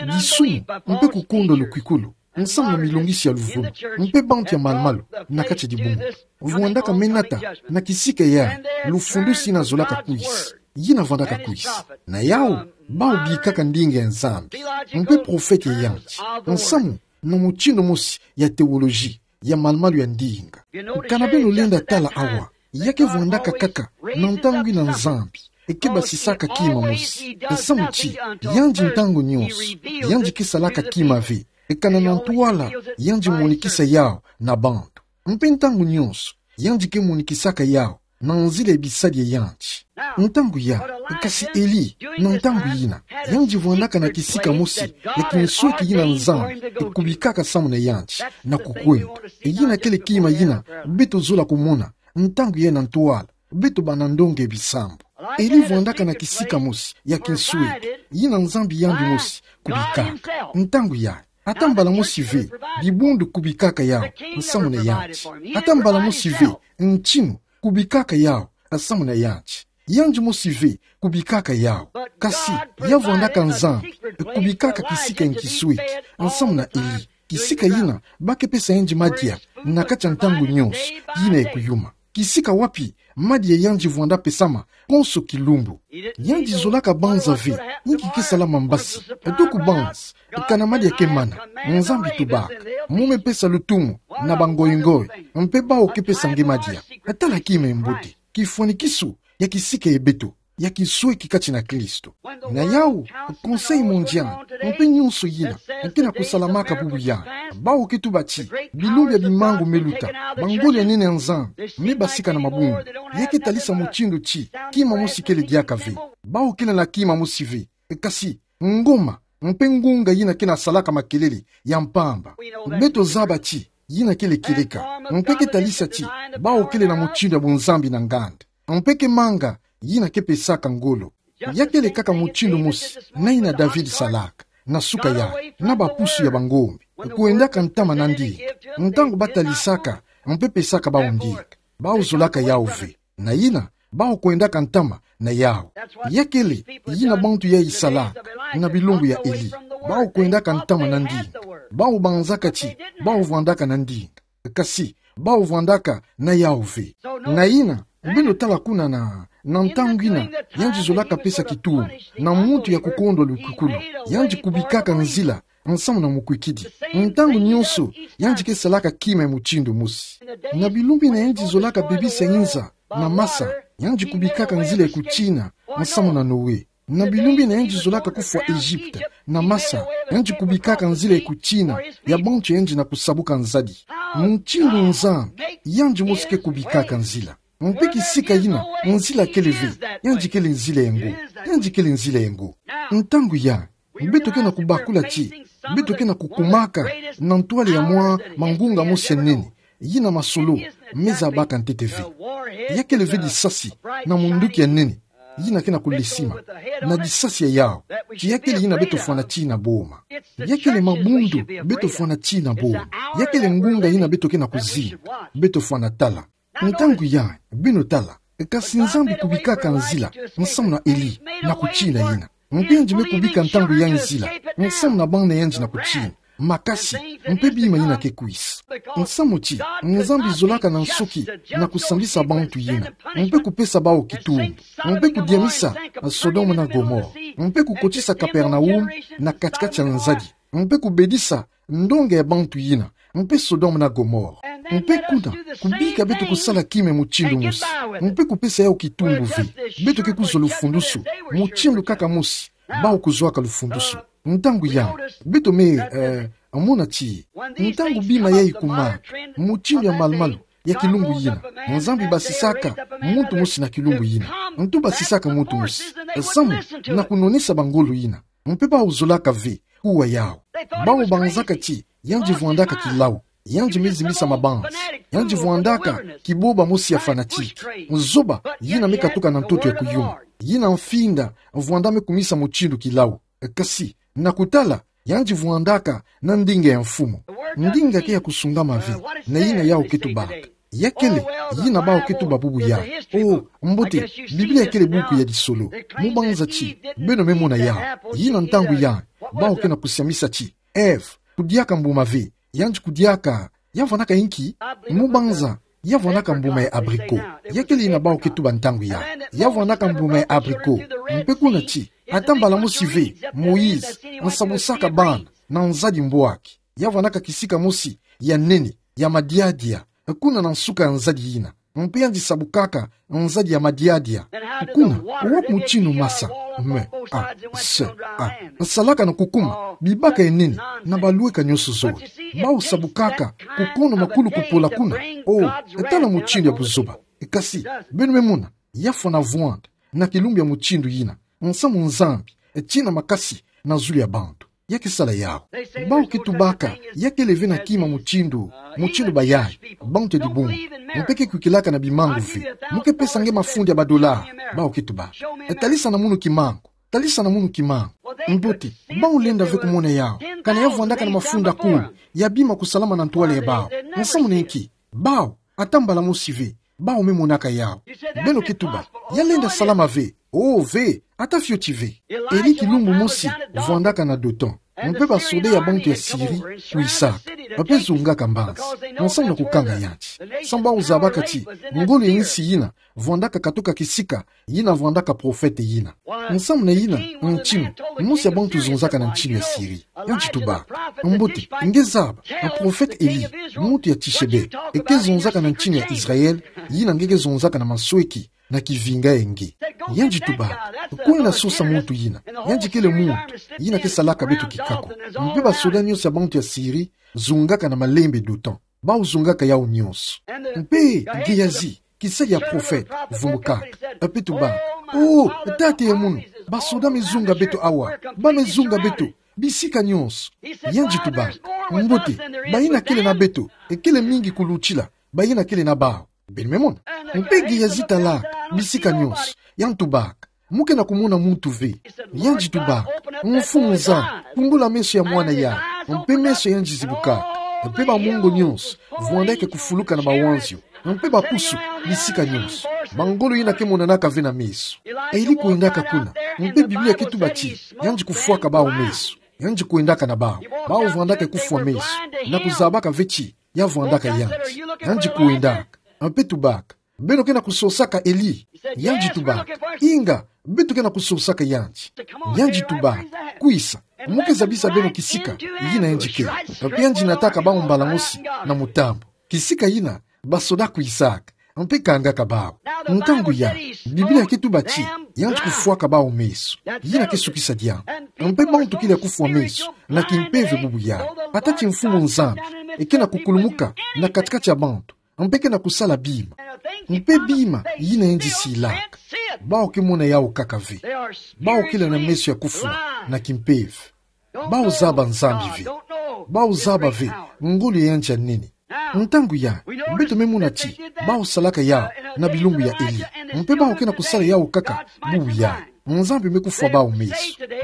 Disumu, mpe kukondwa lukwikulu, nsamu na milongisi ya luvunu, mpe bantu ya malumalu na kati ya dibundu. Vwandaka menata na kisika ya lufundusu yina zolaka kwisa, yina vwandaka kwisa. Na yau, bau bikaka ndinga ya Nzambi, mpe profete ya yandi, nsamu na mutindu mosi ya teoloji ya malumalu ya ndinga. Kana beno lenda tala awa, ya ke vwandaka kaka na ntangu yina Nzambi e ke basisaka kima mosi. Nsamu ti, yandi ntangu nyonso, yandi ke salaka kima ve, kana na ntwala yandi monikisa yau na bantu. Mpe ntangu nyonso, yandi ke monikisaka yau na nzila ya bisadi ya yandi. Ntangu ya, kasi Eli, na ntangu yina, yandi vwandaka na kisika mosi ya kinsweki yina Nzambi e kubikaka samu na yandi, na kukwenda. Yina kele kima yina beto zola kumona ntangu ya na ntwala beto bana ndonga ya bisambu. Eli vwandaka na kisika mosi ya kinsweki yina Nzambi yandi mosi kubikaka. Ntangu ya, ata mbala mosi ve dibundu kubikaka yau nsamu na yandi. Ata mbala mosi ve ntinu kubikaka yau nsamu na yandi. Yandi mosi ve kubikaka yau. Kasi ya vwandaka Nzambi kubikaka kisika ya kinsweki nsamu na Eli, kisika yina ba ke pesa yandi madia na kati ya ntangu nyonso yina ya kuyuma. Kisika wapi madia yandi vwanda pesama konso kilumbu. Yandi zolaka banza ve inki ke salama mbasi. To kubanza kana madia ke mana. Nzambi tubaka: Mu me pesa lutumu na bangoingoi, mpe bau ke pesa nge madia. Tala kima ya mbote, kifwanikisu ya kisika ya beto. ya kisweki kati na Kristo. Na yawu, Conseil Mondial, mpe nyonso yina ke na kusalamaka bubu yai, bawu ke tuba ti bilumbu ya bimangu meluta, bangolo ya nene ya Nzambi, me basika na mabundu, ya ke talisa mutindu ti kima mosi kele diaka ve. Bawu kele na kima mosi ve, kasi ngoma mpe ngunga yina ke na salaka makelele ya mpamba. Beto zaba ti yina kele kieleka, mpe ke talisa ti bawu kele na mutindu ya bunzambi na nganda, mpe ke manga yina ke pesaka ngolo. Ya kele kaka mutindu mosi na yina David salaka na suka yai, na bapusu ya bangombe, kwendaka ntama na ndinga, ntangu batalisaka mpe pesaka bawu ndinga. Bawu zolaka yawu ve. Na yina, bawu kwendaka ntama na yawu. Ya kele yina bantu yai salaka na bilumbu ya Eli. Bawu kwendaka ntama na ndinga. Bawu banzaka ti bawu vwandaka na ndinga, kasi bawu vwandaka na yawu ve. Na yina, beno tala kuna na, na ntangu yina, yandi zolaka pesa kitumbu na muntu ya kukondwa lukukulu, yandi kubikaka nzila nsamu na mukwikidi. Ntangu nyonso, yandi ke salaka kima ya mutindu mosi. Na bilumbu yina yandi zolaka bebisa inza na masa, yandi kubikaka nzila ya kutina nsamu na Noe. Na bilumbu yina yandi zolaka kufwa Egypte na masa, yandi kubikaka nzila ya kutina ya bantu ya yandi na kusabuka nzadi. Mutindu Nzambi, yandi mosi ke kubikaka nzila. Mpe kisika yina nzila kele ve, yandi kele nzila ya ngo. Yandi kele nzila ya ngo. Ntangu yai, beto ke na kubakula ti beto ke na kukumaka na ntwala ya mwa mangunga mosi ya nene, yina masolo me zabaka ntete ve. Ya kele ve disasi na munduki ya nene yina ke na kulesima, na disasi ya yawu, ti ya kele yina beto fwana tii na boma. Ya kele mabundu beto fwana tii na boma. Ya kele ngunga yina beto ke na kuzinga, beto fwana tala. Ntangu yai, beno tala, kasi Nzambi kubikaka nzila nsamu na Eli na kutina yina. Mpe yandi me kubika ntangu yai nzila nsamu na bana yandi na kutina, makasi, mpe bima yina ke kwisa. Nsamu ti Nzambi zolaka na nsuki na kusambisa bantu yina, mpe kupesa bawu kitumbu, mpe kudiamisa Sodome na Gomore, mpe kukotisa Kapernaum na kati-kati ya nzadi, mpe kubedisa ndonga ya bantu yina, mpe Sodome na Gomore. Mpe kuna, kubika beto kusala kima ya mutindu mosi, mpe kupesa yawu kitumbu ve, beto ke kuzwa lufundusu mutindu kaka mosi bawu kuzwaka lufundusu. Ntangu yai, beto me, eh, mona ti ntangu bima yai kumaka mutindu ya malu-malu ya kilumbu yina, Nzambi basisaka muntu mosi na kilumbu yina. Ntu basisaka muntu mosi, samu na kunonisa bangolo yina. Mpe bawu zolaka ve kuwa yawu. Bawu banzaka ti yandi vwandaka kilawu, yandi me zimbisa mabanza, yandi vwandaka kiboba mosi ya fanatique, zoba yina me katuka na ntoto ya kuyuma, yina mfinda vwanda me kumisa mutindu kilawu. Kasi, na kutala, yandi vwandaka na ndinga ya mfumu. Ndinga ke ya kusungama ve na yina yawu ke tubaka. Ya kele yina bawu ke tuba bubu yai. Oh, mbote, Biblia kele buku ya lisolo. Mu banza ti beno me mona yawu. Yina ntangu yai, bawu ke na kusiamisa ti Ève kudiaka mbuma ve, yandi kudiaka, ya vwandaka inki? Mu banza, ya vwandaka mbuma ya abricot. Ya kele yina bawu ke tuba ntangu yai. Ya vwandaka mbuma ya abricot. Mpe kuna ti, ata mbala mosi ve, Moïse nsabusaka bana na nzadi mbwaki. Ya vwandaka kisika mosi ya nene ya madiadia kuna na nsuka ya nzadi yina. Mpe yandi sabukaka nzadi ya madiadia. Kuna, wapi mutindu masa, me, a, se, a, nsalaka na kukuma bibaka ya nene na balweka nyonso zole? Bawu sabukaka kukono makulu kupola kuna. Oh, tala mutindu ya buzoba. Kasi, beno me mona, ya fwana vwanda na kilumbu ya mutindu yina, nsamu Nzambi, tina makasi na zulu ya bantu. Ya ke sala yawu. Bawu ke tubaka, ya kele ve na kima mutindu, mutindu bayai, bantu ya dibungu. Mpe ke kwikilaka na bimangu ve. Mu ke pesa nge mafundi ya badola. Bawu ke tuba, talisa na munu kimangu. Talisa na munu kimangu. Mbote, bawu lenda ve kumona yawu. Kana ya vwandaka na mafunda kumi ya bima kusalama na ntwala ya bawu. Nsamu na inki? Bawu, ata mbala mosi ve, bawu me monaka yawu. Beno ke tuba, ya lenda salama ve. Oh, ve, ata fioti ve. Eli kilumbu mosi vwandaka na Dothan. Mpe basoda ya bantu ya Syrie kwisaka. Ba pe zongaka mbanza, nsamu na kukanga yandi. Samu bawu zabaka ti ngolo ya insi yina vwandaka katoka kisika yina vwandaka profete yina. Nsamu na yina, ntinu mosi ya bantu zonzaka na ntinu ya Syrie. Yandi tuba, mbote, nge zaba, na profete Eli, muntu ya Tishebe, e ke zonzaka na ntinu ya Israël, yina nge ke zonzaka na masweki na kivinga ya nge. Yandi tubaka: Kwenda sosa muntu yina. Yandi kele muntu yina ke salaka beto kikako. Mpe basoda nyonso ya bantu ya Siri zungaka na malembe d'OTAN. Bau zungaka yau nyonso. Mpe Gehazi, kisadi ya profete, vumbukaka. Mpe tubaka: Oh, tata ya munu, basoda me zunga beto awa. Ba me zunga beto bisika nyonso. Yandi tubaka: Mbote, bayina kele na beto, ekele mingi kulutila bayina kele na bau. Beno me mona? Mpe Gehazi talaka bisika nyonso. Yandi tubaka: Mu ke na kumona muntu ve. Yandi tubaka: Mfumu Nzambi, pungula meso ya mwana yai. Mpe meso ya yandi zibukaka. Mpe bamongo nyonso vwandaka kufuluka na bawanzio. Mpe bapusu bisika nyonso. Bangolo yina ke monanaka ve na meso. Eli kwendaka kuna. Mpe Biblia ke tuba ti yandi kufwaka bau meso. Yandi kwendaka na bau. Bau vwandaka kufwa meso na kuzabaka ve ti ya vwandaka yandi. Yandi kwendaka. Mpe tubaka: Beno ke na kusosaka Eli? Yandi tubaka: Inga, beto ke na kusosaka yandi. Yandi tubaka: Kwisa, mu ke zabisa beno kisika yina yandi kele. Mpe yandi nataka bau mbala mosi na mutambu. Kisika yina basoda kwisaka, mpe kangaka bau. Ntangu yai, Biblia ke tuba ti yandi kufwaka bau meso. Yina ke sukisa diambu. Mpe bantu kele ya kufwa meso na kimpeve bubu yai. Ata ti Mfumu Nzambi eke na kukulumuka na kati-kati ya bantu, mpe ke na kusala bima. Mpe bima yina yandi silaka, bau ke mona yau kaka ve. Bau kele na meso ya kufwa na kimpeve. Bau zaba Nzambi ve. Bau zaba ve ngolo ya yandi ya nene. Ntangu yai, beto me mona ti bau salaka yau na bilumbu ya Eli. Mpe bau ke na kusala yau kaka bubu yai. Nzambi me kufwa bau meso.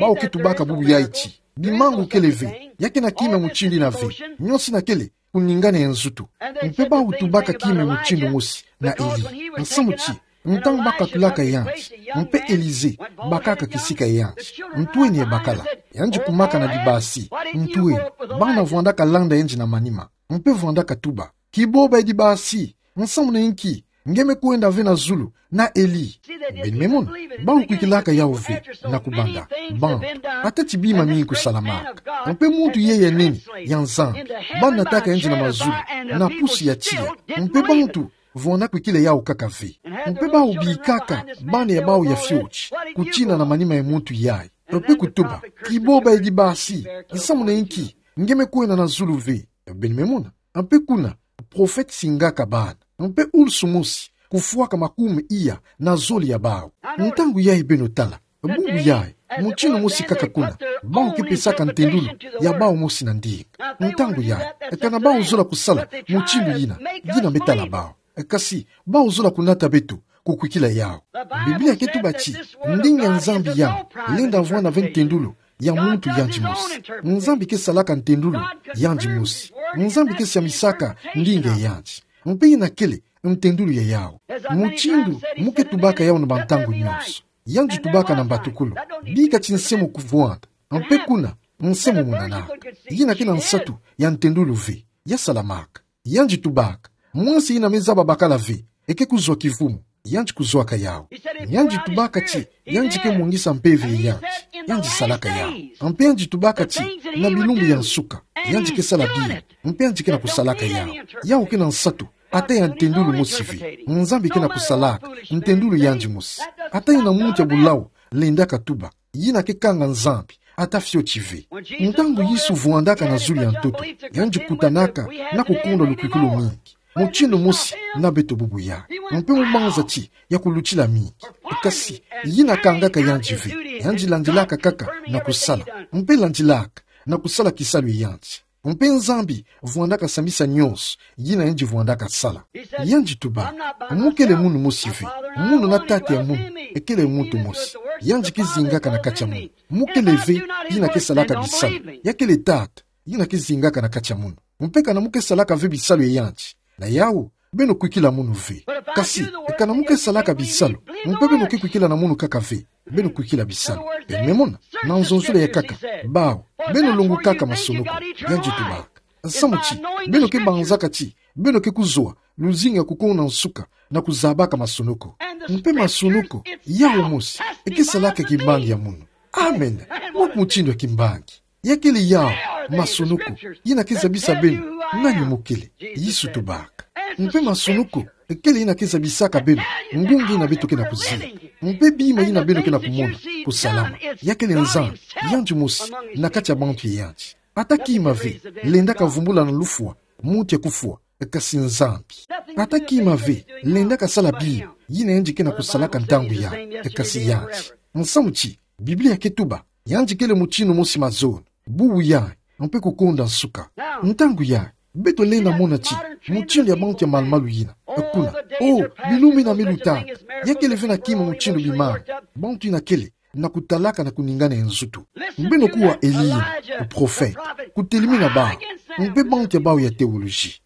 Bau ke tubaka bubu yai ti bimangu kele ve, ya ke na kima mutindu yina ve. Nyonso yina kele kuningana ya nzutu. Mpe bau tubaka kima mutindu mosi na Eli. Nsamu ti, ntangu ba katulaka yandi, mpe Elize bakaka kisika ya yandi, ntu eni ya bakala? Yandi kumaka na dibasi. Ntu eni? Bana vwandaka landa yandi na manima, mpe vwandaka tuba: Kiboba ya dibasi, nsamu na inki nge me kwenda ve na zulu na Eli? Beno me mona? Bau kwikilaka yau ve na kubanda bantu. Ata ti bima mingi kusalamaka, mpe muntu yai ya nene ya Nzambi, ba nataka yandi na mazulu na pusi ya tiya. Mpe bantu vwanda kwikila yau kaka ve. Mpe bau bikaka bana ya bau ya fioti kutina na manima ya muntu yai, mpe kutuba: Kiboba ya dibasi, nsamu na inki nge me kwenda na zulu ve? Beno me mona? Mpe kuna, profete singaka bana. Mpe ulusu mosi kufwaka makume iya na zole ya bau. Ntangu yai beno tala, bubu yai, mutindu mosi kaka kuna, bau ke pesaka ntendulu ya bau mosi na ndinga. Ntangu yai, kana bau zola kusala mutindu yina, yina me tala bau. Kasi bau zola kunata beto kukwikila yau. Biblia ke tuba ti ndinga ya Nzambi yau lenda vwanda ve ntendulu ya muntu yandi mosi. Nzambi ke salaka ntendulu yandi mosi. Nzambi ke siamisaka ndinga ya yandi. Mpe yina kele ntendulu ya yau. Mutindu mu ke tubaka yau na bantangu nyonso, yandi tubaka na mbatukulu: Bika ti nse mo kuvwanda. Mpe kuna, nse mo monanaka. Yina ke na nsatu ya ntendulu ve. Ya salamaka. Yandi tubaka: Mwasi yina me zaba bakala ve, eke kuzwa kivumu. Yandi kuzwaka yau. Yandi tubaka ti yandi ke mwangisa mpeve ya yandi. Yandi salaka yau. Mpe yandi tubaka ti na bilumbu ya nsuka, yandi ke sala bima. Mpe yandi ke na kusalaka yau. Yau ke na nsatu ata ya ntendulu mosi ve. Nzambi ke na kusalaka ntendulu yandi mosi. Ata yina muntu ya bulau lendaka tuba, yina ke kanga Nzambi ata fioti ve. Ntangu Yesu vwandaka na zulu ya ntoto, yandi kutanaka na kukonda lukwikulu mingi, mutindu mosi na beto bubu yai. Mpe mu banza ti ya kulutila mingi. Kasi yina kangaka yandi ve. Yandi landilaka kaka na kusala. Mpe landilaka na kusala kisalu ya yandi. Mpe Nzambi vwandaka sambisa nyonso yina yandi vwandaka sala. Yandi tuba: Mu kele munu mosi ve. Munu na Tata ya munu ekele muntu mosi. Yandi ke zingaka na kati ya munu. Mu kele ve yina ke salaka bisalu. Ya kele Tata yina ke zingaka na kati ya munu. Mpe kana mu ke salaka ve bisalu ya yandi, na yau, beno kwikila munu ve. Kasi kana mu ke salaka bisalu, mpe beno ke kwikila na munu kaka ve, beno kwikila bisalu. Beno me mona? Na nzonzolo ya nkaka, bau: Beno longokaka masonoko. Yandi tubaka: Samu ti beno ke banzaka ti beno ke kuzwa luzingu ya kukonda nsuka na kuzabaka masonoko. Mpe masonoko yau mosi eke salaka kimbangi ya munu. Amen. Wapi mutindu ya kimbangi? Ya kele yau masonoko yina ke zabisa beno nani mu kele. Yesu tubaka. Mpe masonoko Kele yina ke zabisaka beno ngunga yina beto ke na kuzila, mpe bima yina beno ke na kumona kusalama. Ya kele Nzambi, yandi mosi na kati ya bantu ya yandi. Ata kima ve lenda kavumbula na lufwa muntu ya kufwa, kasi Nzambi. Ata kima ve lenda kasala bima yina yandi ke na kusalaka ntangu yayi, kasi yandi. Nsamu ti, Biblia ke tuba, yandi kele mutindu mosi mazono, bubu yayi, mpe kukonda nsuka. Ntangu yayi, beto lenda mona ti mutindu ya bantu ya malu-malu yina, kuna, oh, bilumbu yina me lutaka, ya kele ve na kima mutindu bimanga. Bantu yina kele na kutalaka na kuningana ya nzutu. Beno kuwa Eli yina, muprofete, kutelemi na bawu mpe bantu ya bawu ya théologie.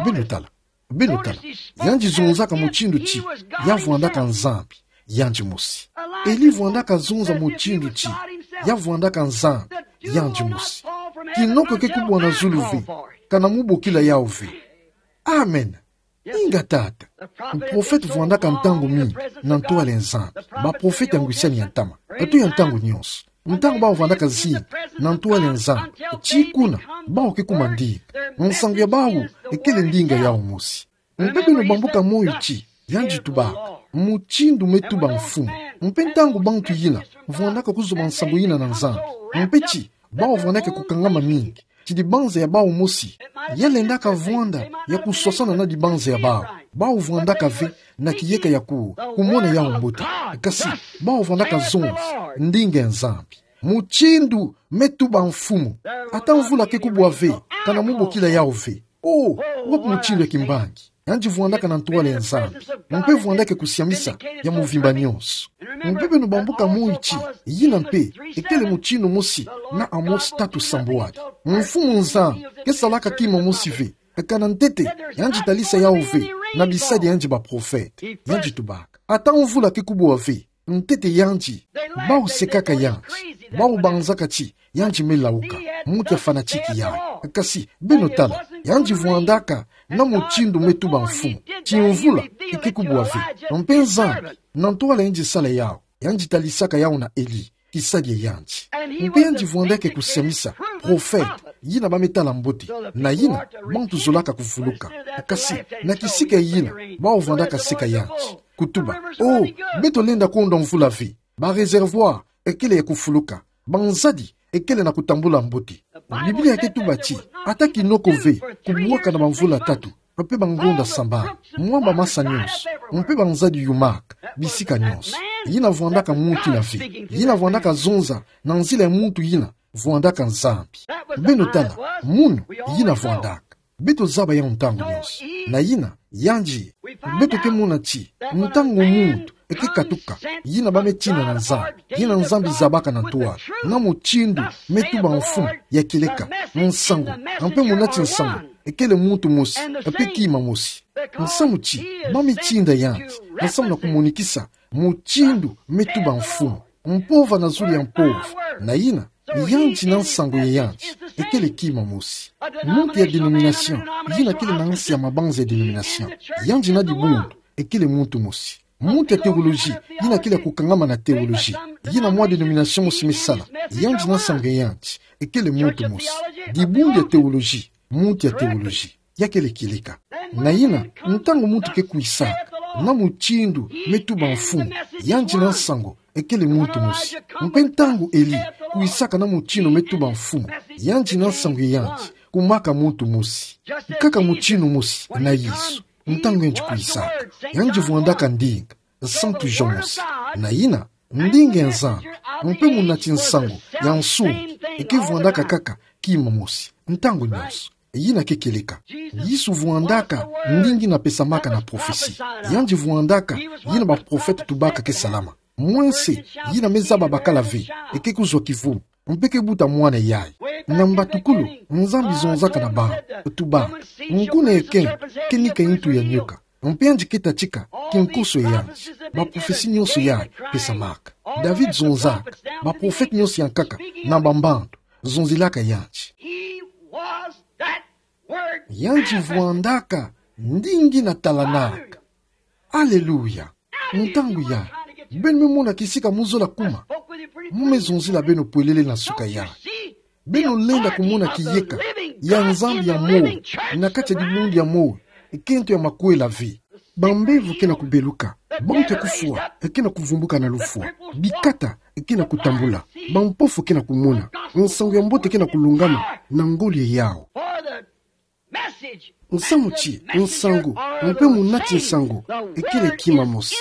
Beno tala, beno tala. Yandi zonzaka mutindu ti ya vwandaka Nzambi yandi mosi. Eli vwandaka zonza mutindu ti ya vwandaka Nzambi yandi mosi. Kinoko ke kubwa na zulu ve, kana mubokila yawu ve. Amen. Inga tata. Muprofete vwandaka ntangu mingi na ntwala ya Nzambi. Baprofete ya ngwisani ya ntama, eto ya ntangu nyonso. Ntangu bawu vwandaka zinga na ntwala ya Nzambi, ti kuna bawu ke kuma ndinga. Nsangu ya bawu ekele ndinga yawu mosi. Mpe beno bambuka moyo ti yandi tubaka mutindu me tuba mfumu. Mpe ntangu bantu yina vwandaka kuzwa bansangu yina na Nzambi, mpe ti bawu vwandaka kukangama mingi ti dibanza ya bawu mosi ya lendaka vwanda ya kuswasana na dibanza ya bawu. Bawu vwandaka ve na kiyeka ya ku-, kumona yawu mbote. Kasi bawu vwandaka zonza ndinga ya Nzambi. Mutindu me tuba mfumu. Ata mvula ke kubwa ve, kana mubokila yawu ve. Oh, wapi mutindu ya kimbangi yandi vwandaka na ntwala ya Nzambi, mpe vwandaka kusiamisa ya mvimba nyonso. Mpe beno bambuka moyo ti yina mpe ekele mutindu mosi na Amos tatu sambwadi. Mfumu Nzambi ke salaka kima mosi ve, kana ntete yandi talisa yawu ve na bisadi ya yandi baprofete. Yandi tubaka, ata mvula ke kubwa ve, ntete yandi, bawu sekaka yandi, bawu banzaka ti yandi me lauka, muntu ya fanatique yayi. Kasi beno tala, yandi vwandaka na mutindu me tuba mfumu. Ti mvula ke kubwa ve, mpe Nzambi, na ntwala yandi sala yawu, yandi talisaka yawu na Eli, kisadi ya yandi. Mpe yandi vwandaka kusiamisa profete yina ba me tala mbote, na yina bantu zolaka kuvuluka. Kasi na kisika yina, bawu vwandaka seka yandi, kutuba: Oh, beto lenda konda mvula ve. Ba réservoir ekele ya kufuluka. Banzadi ekele na kutambula mbote. Biblia ke tuba ti ata kinoko ve kubwaka na bamvula tatu, mpe bangonda sambanu, mwamba masa nyonso, mpe banzadi yumaka bisika nyonso. Yina vwandaka muntu yina ve. Yina vwandaka zonza na nzila ya muntu yina vwandaka Nzambi. Beno tala, munu yina vwandaka. Beto zaba yawu ntangu nyonso. Na yina, yandi, beto ke mona ti ntangu muntu ke katuka, yina ba me tina na Nzambi, yina Nzambi zabaka na ntwala, na mutindu me tuba mfumu ya kieleka. Nsangu, mpe munati nsangu ekele muntu mosi, mpe kima mosi. Nsamu ti ba me tinda yandi, nsamu na kumonikisa mutindu me tuba mfumu. Mpova na zulu ya mpova. Na yina, yandi na nsangu ya yandi ekele kima mosi. Muntu ya dénomination yina kele na nsi ya mabanza ya dénomination, yandi na dibundu ekele muntu mosi. Muntu ya théologie yina kele ya kukangama na théologie, yina mwa dénomination mosi me sala, yandi na nsangu ya yandi ekele muntu mosi. Dibundu ya théologie, muntu ya théologie, ya kele kieleka. Na yina, ntangu muntu ke kwisaka na mutindu me tuba mfumu, yandi na nsangu ekele muntu mosi. Mpe ntangu Eli kwisaka na mutindu me tuba mfumu, yandi na nsangu ya yandi kumaka muntu mosi. Kaka mutindu mosi na Yesu. Ntangu yandi kwisaka, yandi vwandaka ndinga, Santu Jean mosi. Na yina, ndinga ya Nzambi, mpe munati nsangu ya nsungi, ke vwandaka kaka kima mosi ntangu nyonso. Yina ke kieleka. Yesu vwandaka ndinga yina pesamaka na prophetie. Yandi vwandaka yina baprofete tubaka ke salama. Mwense yina me zaba bakala ve ke kuzwa kivumu, mpe ke buta mwana yayi. Na mbatukulu, Nzambi zonzaka na bawu, tuba: Nkuna ya kento ke nika ntu ya nyoka. Mpe yandi ke tatika kinkoso ya yandi. Baprophetie nyonso yayi pesamaka. David zonzaka, baprofete nyonso ya nkaka na bambandu zonzelaka yandi. He was that word. Yandi vwandaka ndinga yina talanaka. Aleluya. Ntangu yayi, beno me mona kisika muzola kuma. Mu me zonzila beno pwelele na suka yayi. Beno lenda kumona kiyeka ya Nzambi ya moyo na kati ya dibundu ya moyo, kento ya makwela ve. Bambevo ke na kubeluka. Bantu ya kufwa ke na kuvumbuka na lufwa. Bikata ke na kutambula. Bampofu ke na kumona. Nsangu ya mbote ke na kulungama na ngoli yawu. Nsamu ti nsangu, mpe muna ti nsangu, ekele kima mosi.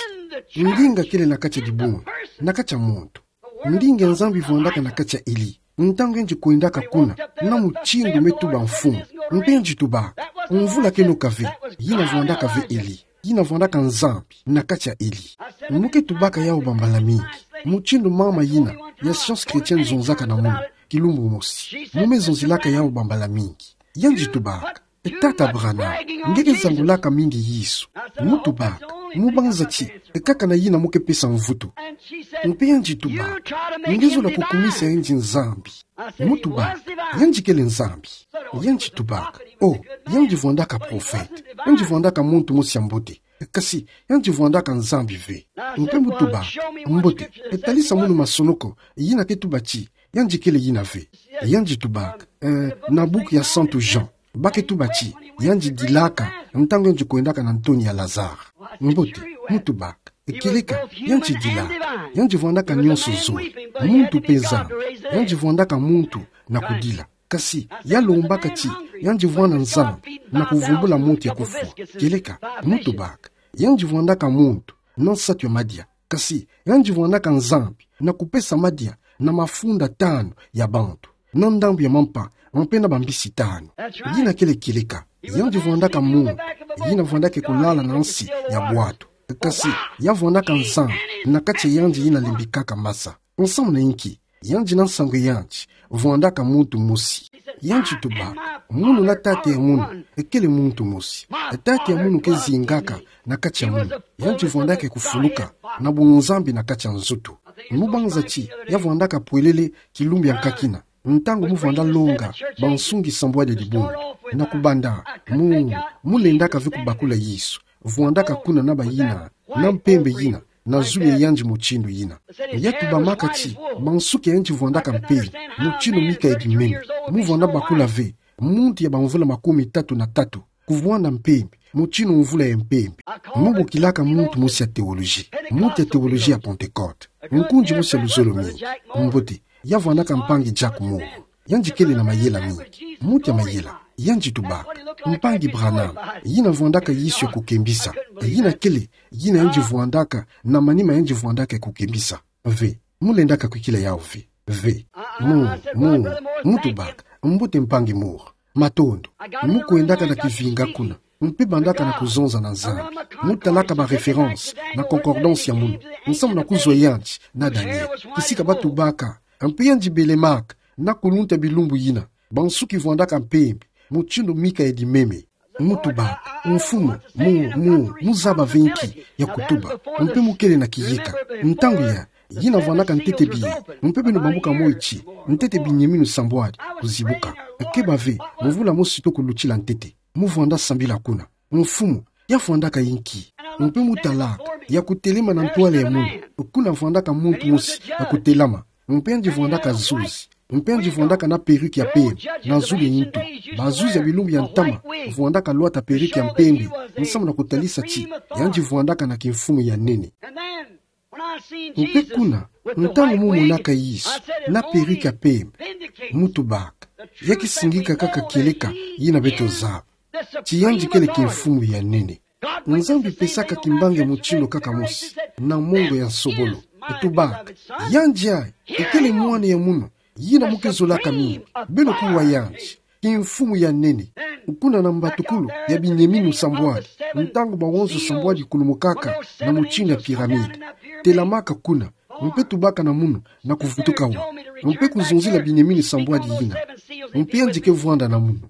Ndinga kele na kati ya dibunga, na kati ya muntu. Ndinga ya Nzambi vwandaka na kati ya Eli. Ntangu yandi kwendaka kuna, na mutindu me tuba mfumu. Mpe yandi tubaka, mvula ke noka ve, yina vwandaka ve Eli. Yina vwandaka Nzambi na kati ya Eli. Mu ke tubaka yawu bambala mingi. Mutindu mama yina ya Science Chrétienne zonzaka na munu, kilumbu mosi. Mu me zonzilaka yawu bambala mingi. Yandi tubaka, e Tata Branham, nge ke zangulaka mingi Yesu. Mu tubaka, mu banza ti, e kaka na yina mu ke pesa mvutu. Mpe yandi tubaka, nge zola kukumisa yandi Nzambi. Mu tubaka, yandi kele Nzambi. Yandi tubaka, oh, yandi vwandaka prophète. Yandi vwandaka muntu mosi ya mbote. Kasi, yandi vwandaka Nzambi ve. Mpe mu tubaka, mbote, e talisa munu masonoko, yina ke tuba ti, yandi kele yina ve. Yandi tubaka, eh, na buku ya Santu Jean, ba ke tuba ti, yandi dilaka, ntangu yandi kwendaka na ntoni ya Lazare. Mbote, mu tubaka, e kieleka, yandi dilaka, yandi vwandaka nyonso zole, muntu mpe Nzambi, yandi vwandaka muntu na kudila. Kasi, ya lombaka ti, yandi vwanda Nzambi, na kuvumbula muntu ya kufwa. Kieleka, mu tubaka, yandi vwandaka muntu, na nsatu ya madia. Kasi, yandi vwandaka Nzambi, na kupesa madia, na mafunda tanu ya bantu. Na ndambu ya mampa, mpe na bambisi tanu. Yina kele kieleka, yandi vwandaka muntu, yina vwandaka kulala na nsi ya bwatu. Kasi, ya vwandaka Nzambi, na kati ya yandi yina lembikaka masa. Nsamu na inki, yandi na nsangu ya yandi, vwandaka muntu mosi. Yandi tubaka, munu na tata ya munu, ekele muntu mosi. Tata ya munu ke zingaka na kati ya munu. Yandi vwandaka kufuluka, na bunzambi na kati ya nzutu. Mu banza ti, ya vwandaka pwelele kilumbu ya nkakina. Ntangu mu vwanda longa, bansungi sambwadi dibunga. Na kubanda, mu, mu lendaka ve kubakula Yesu. Vwandaka kuna na bayina, na mpembe yina, na zulu ya yandi mutindu yina. Ya tubamaka ti, mansuki ya yandi vwandaka mpembe, mutindu mika ya bimeme, mu vwanda bakula ve, muntu ya bamvula makumi tatu na tatu, kuvwanda mpembe, mutindu mvula ya mpembe. Mu bokilaka muntu mosi ya théologie, muntu ya théologie ya Pentecôte, nkundi mosi ya luzolo mingi, mbote, ya vwandaka mpangi Jack Moore. Yandi kele na mayela mingi. Muntu ya mayela. Yandi tubaka, mpangi Branham, yina vwandaka Yesu ya kukembisa. Yina kele, yina yandi vwandaka, na manima yandi vwandaka ya kukembisa. Ve, mu lendaka kwikila yawu ve. Ve, mu, mu, mu tubaka, mbote mpangi Moore. Matondo, mu kwendaka na kivinga kuna. Mpe bandaka na kuzonza na Nzambi. Mu talaka ba référence, na concordance ya munu. Nsamu na kuzwa yandi, na Daniel. Kisika ba tubaka, mpe yandi belemaka, na kulunta bilumbu yina, bansuki vwandaka mpembe, mutindu mika ya dimeme. Mu tubaka, mfumu, mu, mu, mu zaba ve nki ya kutuba, mpe mu kele na kiyika. Ntangu ya, yina vwandaka ntete biye, mpe beno bambuka moyo ti, ntete binyeminu sambwadi kuzibuka. Keba ve, mvula mosi to kulutila ntete. Mu vwanda sambila kuna. Mfumu, ya vwandaka inki? Mpe mu talaka, ya kutelema na ntwala ya munu. Kuna vwandaka muntu mosi, ya kutelama. Mpe yandi vwandaka zuzi. Mpe yandi vwandaka na perruque ya pembe, na zulu ya ntu. Bazuzi ya bilumbu ya ntama, vwandaka lwata perruque ya mpembe, nsamu na kutalisa ti, yandi vwandaka na kimfumu ya nene. Mpe kuna, ntangu mu monaka Yesu, na perruque ya pembe, mu tubaka, ya ke singika kaka kieleka, yina beto zaba. Ti yandi kele kimfumu ya nene. Nzambi pesaka kimbangi mutindu kaka mosi, na mongo ya nsobolo. Tubaka, yandi ayi, ekele mwana ya munu, yina mu ke zolaka mingi, beno kuwa yandi. Kimfumu ya nene. Kuna na mbatukulu ya binyeminu sambwadi, ntangu bawonso sambwadi kulumukaka na mutindu ya pyramide. Telamaka kuna, mpe tubaka na munu, na kuvutuka wa. Mpe kuzonzila binyeminu sambwadi yina. Mpe yandi ke vwanda na munu.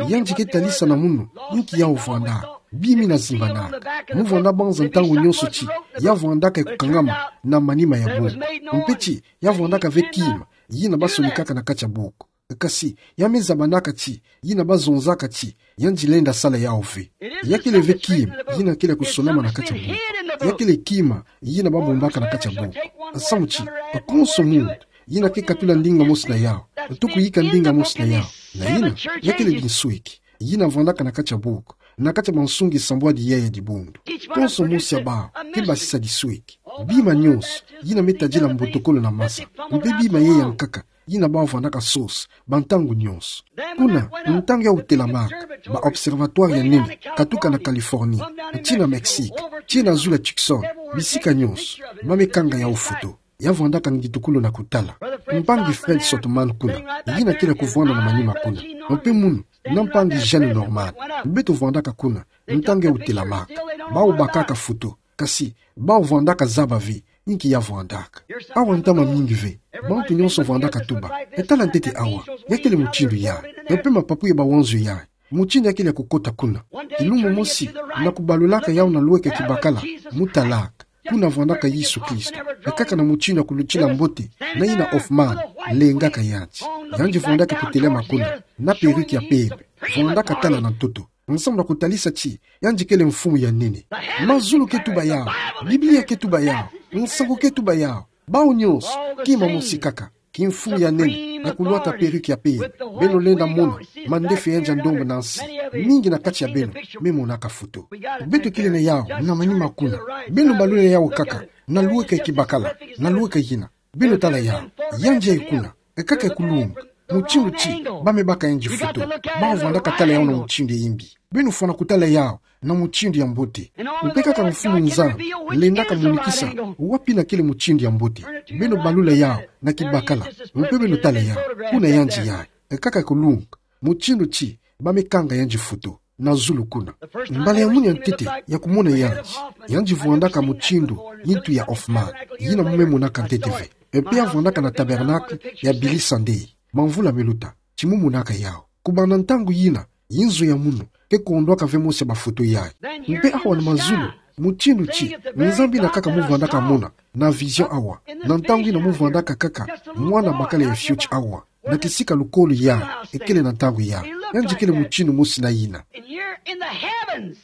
Yandi ke talisa na munu, nki yawu vwandaka. Bimi na zimbanaka. Mu vwanda banza ntangu nyonso ti, ya vwandaka ya kukangama na manima ya buku. Mpe ti, ya vwandaka ve kima, yina ba sonikaka na kati ya buku. Kasi, ya me zabanaka ti, yina ba zonzaka ti, yandi lenda sala yawu ve. Ya kele ve kima, yina kele kusolama na kati ya buku. Ya kele kima, yina ba bombaka na kati ya buku. Samu ti, konso muntu, yina ke katula ndinga mosi na yawu, to kuyika ndinga mosi na yawu. Na yina, ya kele binsweki, yina vwandaka na kati ya buku. na kati ya bansungi sambwadi ya ya dibundu. Konso mosi ya bawu ke basisa disweki. Bima nyonso yina me tadila mbotokolo na masa, mpe bima ye ya nkaka yina bawu vandaka sosa bantangu nyonso. Kuna, ntangu ya utelamaka, ba observatoire ya nene katuka na Californie, tii na Mexique, tii na zulu ya Tucson, bisika nyonso ba me kanga yawu foto, ya vandaka ngitukulu na kutala. Mpangi Fred Sothmann kuna, yina kele kuvwanda na manima kuna, mpe munu na mpangi Gene Norman, beto vandaka kuna ntangu ya utelamaka. Bawu bakaka foto, kasi bawu vandaka zaba ve inki ya vandaka. Awa ntama mingi ve, bantu nyonso vandaka tuba: E tala ntete awa, ya kele mutindu yayi, mpe mapapu ya bawanzo yayi, mutindu ya kele ya kukota kuna. Kilumbu mosi, na kubalulaka yawu na lweka ya kibakala, mu talaka. Kuna vandaka Yesu Kristo, e kaka na mutindu ya kulutila mbote na yina Hoffman lengaka yandi. Yandi vandaka kutelema kuna na perruque ya pembe, vandaka tala na ntoto, nsamu na kutalisa ti yandi kele mfumu ya nene. Mazulu ke tuba yawu, Biblia ke tuba yawu, nsangu ke tuba yawu. Bawu nyonso, kima mosi kaka: kimfumu ya nene, na kulwata perruque ya pembe. Beno lenda mona mandefu ya yandi ya ndombe na nsi. Mingi na kati ya beno me monaka foto. Beto kele na yawu na manima kuna. Beno balula yawu kaka na lweka ya kibakala, na lweka yina. Beno tala yawu, yandi yayi kuna, e kaka ya kulunga, mutindu ti ba me baka yandi foto. Bawu vandaka tala yawu na mutindu ya imbi. Beno fwana kutala yawu na mutindu ya mbote. Mpe kaka Mfumu Nzambi lendaka monikisa wapi yina kele mutindu ya mbote. Beno balula yawu na kibakala, mpe beno tala yawu. Kuna yandi yayi, e kaka ya kulunga, mutindu ti ba me kanga yandi foto na zulu kuna. Mbala ya munu ya ntete ya kumona yandi, yandi vandaka mutindu yintu ya Hoffman, yina mu me monaka ntete ve. Mpe ya vandaka na Tabernacle ya Billy Sunday, bamvula me luta, ti mu monaka yawu. Kubanda ntangu yina, yinzo ya munu ke kondwaka ve mosi ya bafoto yayi. Mpe awa na mazulu, mutindu ti Nzambi yina kaka mu vandaka mona na vision awa, na ntangu yina mu vandaka kaka mwana bakala ya fioti awa, na kisika lukolo yayi, e kele na ntangu yayi. Yandi kele mutindu mosi na yina. And here in the heavens,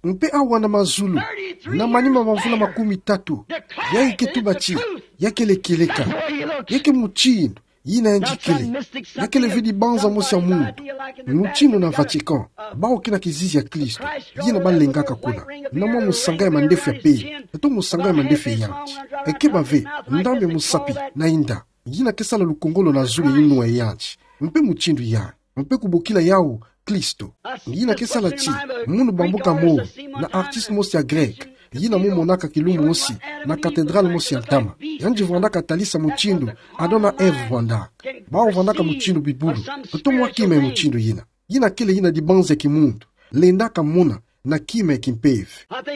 Mpe awa na mazulu, na manima ma mvula makumi tatu, yayi ke tuba ti ya kele kieleka. Ya ke mutindu yina yandi kele. Ya kele ve dibanza mosi ya muntu. Mutindu na Vatican, bawu ke na kizizi ya Kristo, yina ba lengaka kuna na mwa musanga ya mandefu ya pembe, eto musanga ya mandefu ya yandi. E keba ve ndambu ya musapi na inda, yina ke sala lukongolo na zulu ya inwa ya yandi. Mpe mutindu yayi, mpe kubokila yawu Kristo, yina ke sala ti munu bambuka moyo na artiste mosi ya Grec, yina mu monaka kilumbu mosi na cathédrale mosi ya ntama. Yandi vandaka talisa mutindu Adam na Ève vandaka. Bawu vandaka mutindu bibulu, eto mwa kima ya mutindu yina. Yina kele yina dibanza ya kimuntu lendaka mona na kima ya kimpeve.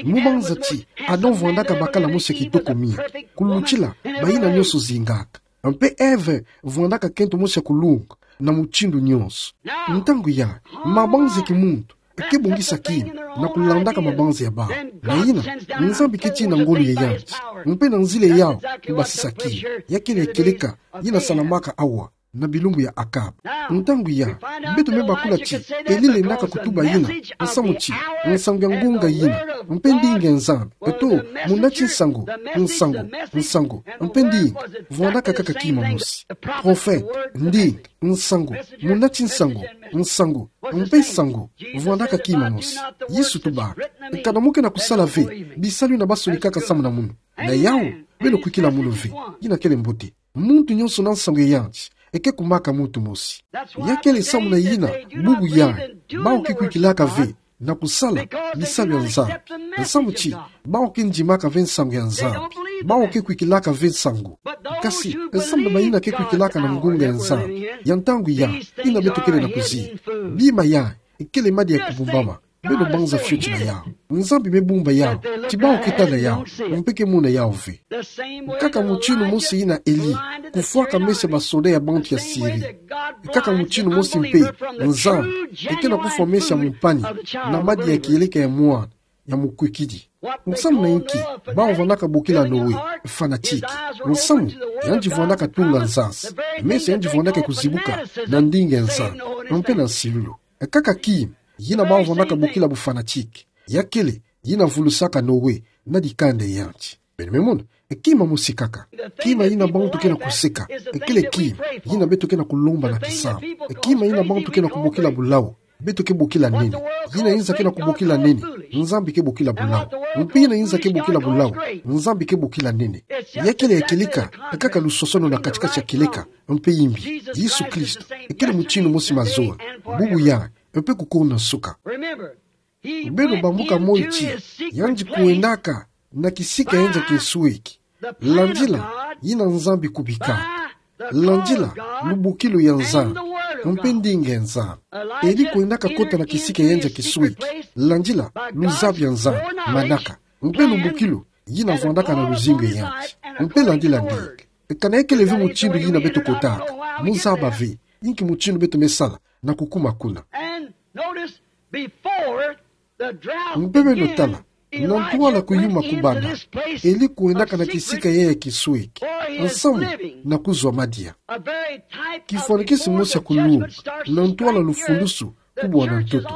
Mu banza ti Adam vandaka bakala mosi ya kitoko mingi, kulutila bayina nyonso zingaka. Mpe Ève vandaka kento mosi ya kulunga na mutindu nyonso. Ntangu yayi, mabanza ya kimuntu ke bongisa kima na kulandaka mabanza ya bawu. Na yina, Nzambi ke tina ngolo ya yandi, mpe na nzila yawu ke basisa kima. Ya kele kieleka yina salamaka awa na bilumbu ya Akab. Ntangu yayi, beto me bakula ti Eli lendaka kutuba yina, nsamu ti nsangu ya ngunga yina, mpe ndinga ya Nzambi, eto muna ti nsangu, nsangu, nsangu, mpe ndinga, vandaka kaka kima mosi. Prophète, ndinga, nsangu, muna ti nsangu, nsangu, mpe nsangu, vandaka kima mosi. Yesu tuba: Kana mu ke na kusala ve bisalu yina ba sonikaka samu na munu? Na yawu, beno kwikila munu ve. Yina kele mbote. Muntu nyonso na nsangu ya yandi, e ke kumaka muntu mosi. Ya kele samu na yina, bubu yayi, bawu ke kwikilaka ve na kusala bisalu ya Nzambi. Nsamu ti bawu ke ndimaka ve nsangu ya Nzambi. Bawu ke kwikilaka ve nsangu. Kasi nsamu na bayina ke kwikilaka na ngunga ya Nzambi ya ntangu yayi, yina beto kele na kuziba, bima yayi e kele madi ya kubumbama. Beno banza fioti na yawu. Nzambi me bumba yawu ti bawu ke tala yawu, mpe ke mona yawu ve. Kaka mutindu mosi yina Eli kufwaka meso ya basoda ya bantu ya Siri, kaka mutindu mosi mpe Nzambi e ke na kufwa meso ya mumpani na madi ya kieleka ya mwana ya mukwikidi. Nsamu na inki bawu vandaka bokila Noe fanatique? Nsamu yandi vandaka tunga nzansi, meso ya yandi vandaka kuzibuka na ndinga ya Nzambi, mpe na nsilulu. Kaka kima yina bawu vandaka bokila bu fanatique, ya kele yina vulusaka Noe na dikanda ya yandi. Beno me mona, kima mosi kaka. Kima yina bantu ke na kuseka e kele kima yina beto ke na kulomba na kisambu. Kima yina bantu ke na kubokila bu lawu Beto ke bokila nene. Yina yinza ke na kubokila nene, Nzambi ke bokila bulau. Mpe yina yinza ke bokila bulau, Nzambi ke bokila nene. Ya kele ya kieleka, kaka lusosono na kati-kati ya kieleka mpe yimbi. Yesu Kristo, e kele mutindu mosi mazowa, bubu yai, mpe kukuna nsuka. Beno bambuka moi ti, yandi kwendaka na kisika ya yandi ya kinsueki. Landila yina Nzambi kubika. Landila lubukilu ya Nzambi, mpe ndinga ya Nzambi. Eli kwendaka kota na kisika ya yandi ya kinsueki. Landila luzabi ya Nzambi, manaka. Mpe lubukilu yina vwandaka na luzingu ya yandi. Mpe landila ndinga. Kana ya kele ve mutindu yina beto kotaka, muzaba ve inki mutindu beto me sala na kukuma kuna. Mpe beno tala, na ntwala kuyuma kubanda, eli kwendaka na kisika yai ya kinsueki, nsamu na kuzwa madia. Kifwanikisi mosi ya kulunga, na ntwala lufundusu kubwa na ntoto.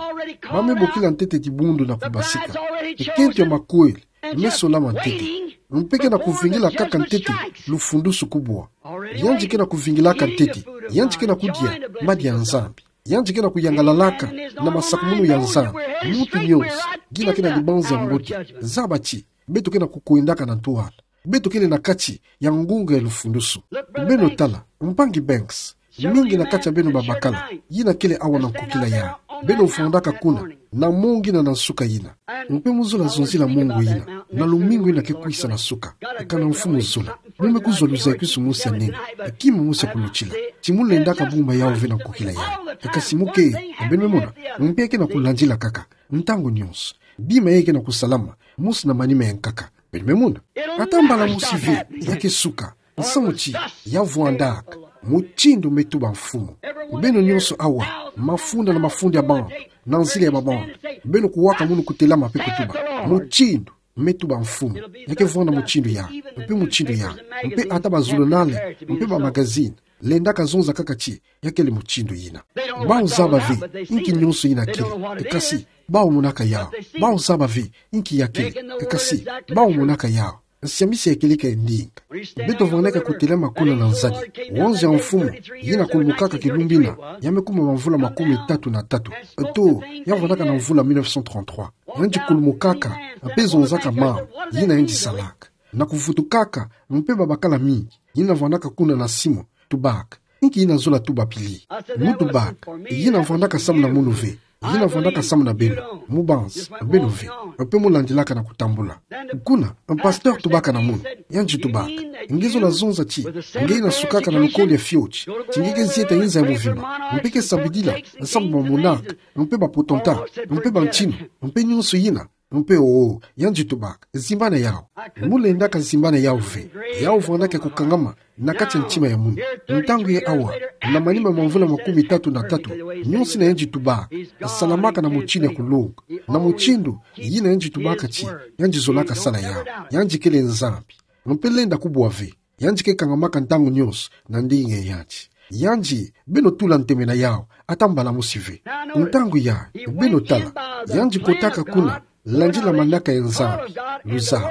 Ba me bokila ntete dibundu na kubasika. Ekento ya makweli me solama ntete. Mpe ke na kuvingila kaka ntete lufundusu kubwa. Yandi ke na kuvingilaka ntete. Yandi ke na kudia madia ya Nzambi. Yandi ke na kuyangalalaka na masakumunu ya Nzambi. Muntu nyonso, ngina ke na dibanza ya mbote, zaba ti, beto ke na kukwendaka na ntwala. Beto kele na kati ya ngunga ya lufundusu. Beno tala, mpangi Banks, mingi na kati ya beno babakala, yina kele awa na nkukila yai. Beno vwandaka kuna, na mongo yina na nsuka yina. Mpe muzola zonzila mongo yina, na lumingu yina ke kwisa na suka. Kana mfumu zola. Mu me kuzwa luzakisu mosi ya nene, kima mosi ya kulutila. Ti mu lendaka bumba yau ve na nkukila yai. Kasi mu ke, beno me mona, mpe ke na kulandila kaka. Ntangu nyonso. Bima yai ke na kusalama, mosi na manima ya nkaka. Beno me mona. Ata mbala mosi ve, ya ke suka. Nsamu ti, ya vwandaka mutindu me tuba mfumu. Beno nyonso awa, mafunda na mafunda ya bantu, na nzila ya babantu. Beno kuwaka munu kutelama mpe kutuba. Mutindu me tuba mfumu. Ya ke vwanda mutindu yai, mpe mutindu yai. Mpe ata bazulunale, mpe bamagazini. Lendaka zonza kaka ti, ya kele mutindu yina. Bau zaba ve inki nyonso yina kele, kasi bau monaka yau. Bau zaba ve inki ya kele, kasi bau monaka yau. Nsiamisi ya kieleka e ndinga. Beto vwandaka kutelama kuna na nzadi. Wanzi ya mfumu, yina kulumukaka kilumbu yina, ya me kuma mamvula makumi tatu na tatu. To, ya vwandaka na mvula mille neuf cent trente-trois. Yandi kulumukaka, mpe zonzaka mambu yina yandi salaka. Na kuvutukaka, mpe babakala mingi, yina vwandaka kuna na simu, tubaka: Inki yina zola tuba pili? Mu tubaka: Yina vwandaka samu na munu ve. Yina vwandaka samu na beno. Mu banza, beno ve. Mpe mu landilaka na kutambula. Kuna, pasteur tubaka na munu. Yandi tubaka: Nge zola zonza ti, nge yina sukaka na lukolo ya fioti, ti nge ke zieta inza ya mvimba. Mpe ke sambidila, samu bamonaka, mpe bapotonta, mpe bantinu, mpe nyonso yina. Mpe o, yandi tubaka: Zimbana yau. Mu lendaka zimbana yau ve. Yau vwandaka ya kukangama na kati ya ntima ya munu. Ntangu yai awa, na manima mamvula makumi tatu na tatu, nyonso yina yandi tubaka, salamaka na mutindu ya kulonga. Na mutindu yina yandi tubaka ti, yandi zolaka sala yau. Yandi kele Nzambi. Mpe lenda kubwa ve. Yandi ke kangamaka ntangu nyonso na ndinga ya yandi. Yandi, beno tula ntemena yau, ata mbala mosi ve. Ntangu yai, beno tala, yandi kotaka kuna, landila manaka ya Nzambi, luzabu,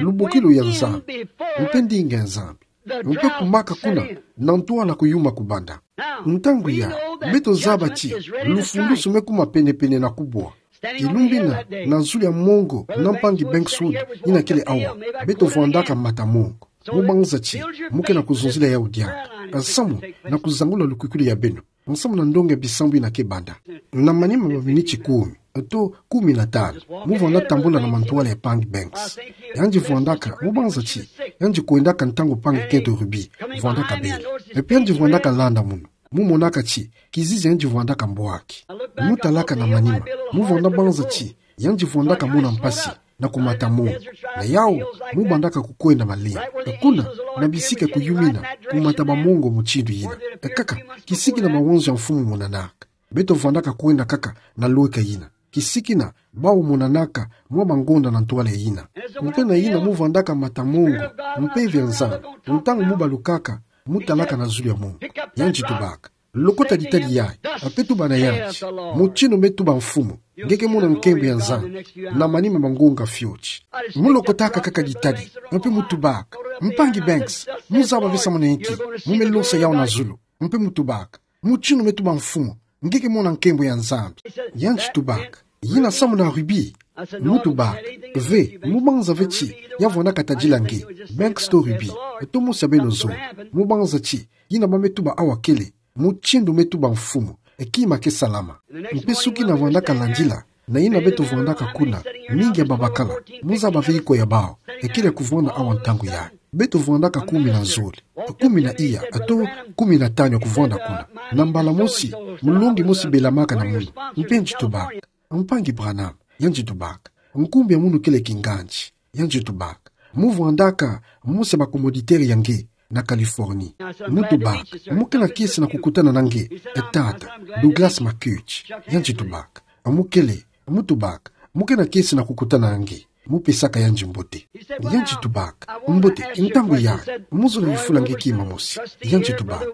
lubukilu ya Nzambi, mpe ndinga ya Nzambi. Mpe kumaka kuna, na ntwala kuyuma kubanda. Ntangu yai, beto zaba ti, lufundusu me kuma pene-pene na kubwa. Kilumbu yina, na zulu ya mongo na mpangi Banks Wood, yina kele awa, beto vwandaka mata-mongo. Mu banza ti, mu ke na kuzonzila yau diaka. Nsamu na kuzangula lukwikilu ya beno. Nsamu na ndonga ya bisambu yina ke banda. Na manima ma miniti kumi, to kumi na tanu, mu vwanda tambula na mantwala ya mpangi Banks. Yandi vwandaka, mu banza ti, yandi kwendaka ntangu mpangi Kento Ruby vwandaka bele. Mpe yandi vwandaka landa munu. Mu monaka ti, kizizi yandi vwandaka mbwaki. Mu talaka na manima, mu vwanda banza ti, yandi vwandaka mona mpasi na kumata mongo. Na yau, mu bandaka kukwenda malembe. Kuna, na bisika kuyumina, kumata bamongo mutindu yina. Kaka, kisiki na mawanzo ya mfumu monanaka. Beto vwandaka kwenda kaka na lweka yina. Kisiki na, bau monanaka, mwa bangonda na ntwala yina. Mpe na yina mu vwandaka mata mongo, mpeve ya Nzambi. Ntangu mu balukaka, mu talaka na zulu ya mongo. Yandi tubaka: Lokota ditadi yai, mpe tuba na yandi: Mutindu me tuba mfumu, nge ke mona nkembo ya Nzambi na manima ma ngonga fioti. Mu lokotaka kaka ditadi, mpe mu tubaka: Mpangi Banks, mu zaba ve samu na inki mu me losa yau na zulu? Mpe mu tubaka: Mutindu me tuba mfumu, Nge ke mona nkembo ya Nzambi. Yandi tubaka: Yina samu na rubis? Mu tubaka: Ve, mu banza ve ti ya vwandaka tadila nge, Banks to rubis, to mosi ya beno zole. Mu banza ti, yina ba me tuba awa kele mutindu me tuba mfumu, e kima ke salama. Mpe suki na vwandaka landila, na yina beto vwandaka kuna, mingi ya babakala, mu zaba ve iko ya bawu, e kele ya kuvwanda awa ntangu yayi. Beto vwandaka kumi na zole, kumi na iya, to kumi na tanu ya kuvwanda kuna. Na mbala mosi, mulongi mosi belamaka na munu. Mpe yandi tubaka: Mpangi Branham, yandi tubaka, nkumbu ya munu kele kingandi. Yandi tubaka: Mu vwandaka mosi ya ba commoditaire ya nge na Californie. Mu tubaka: Mu ke na kiese na kukutana na nge, e tata, Douglas McCutcheon. Yandi tubaka: Mu kele, mu tubaka, mu ke na kiese na kukutana na nge. Mu pesaka yandi mbote. Yandi tubaka: Mbote, ntangu yayi, mu zole yufula nge kima mosi. Yandi tubaka: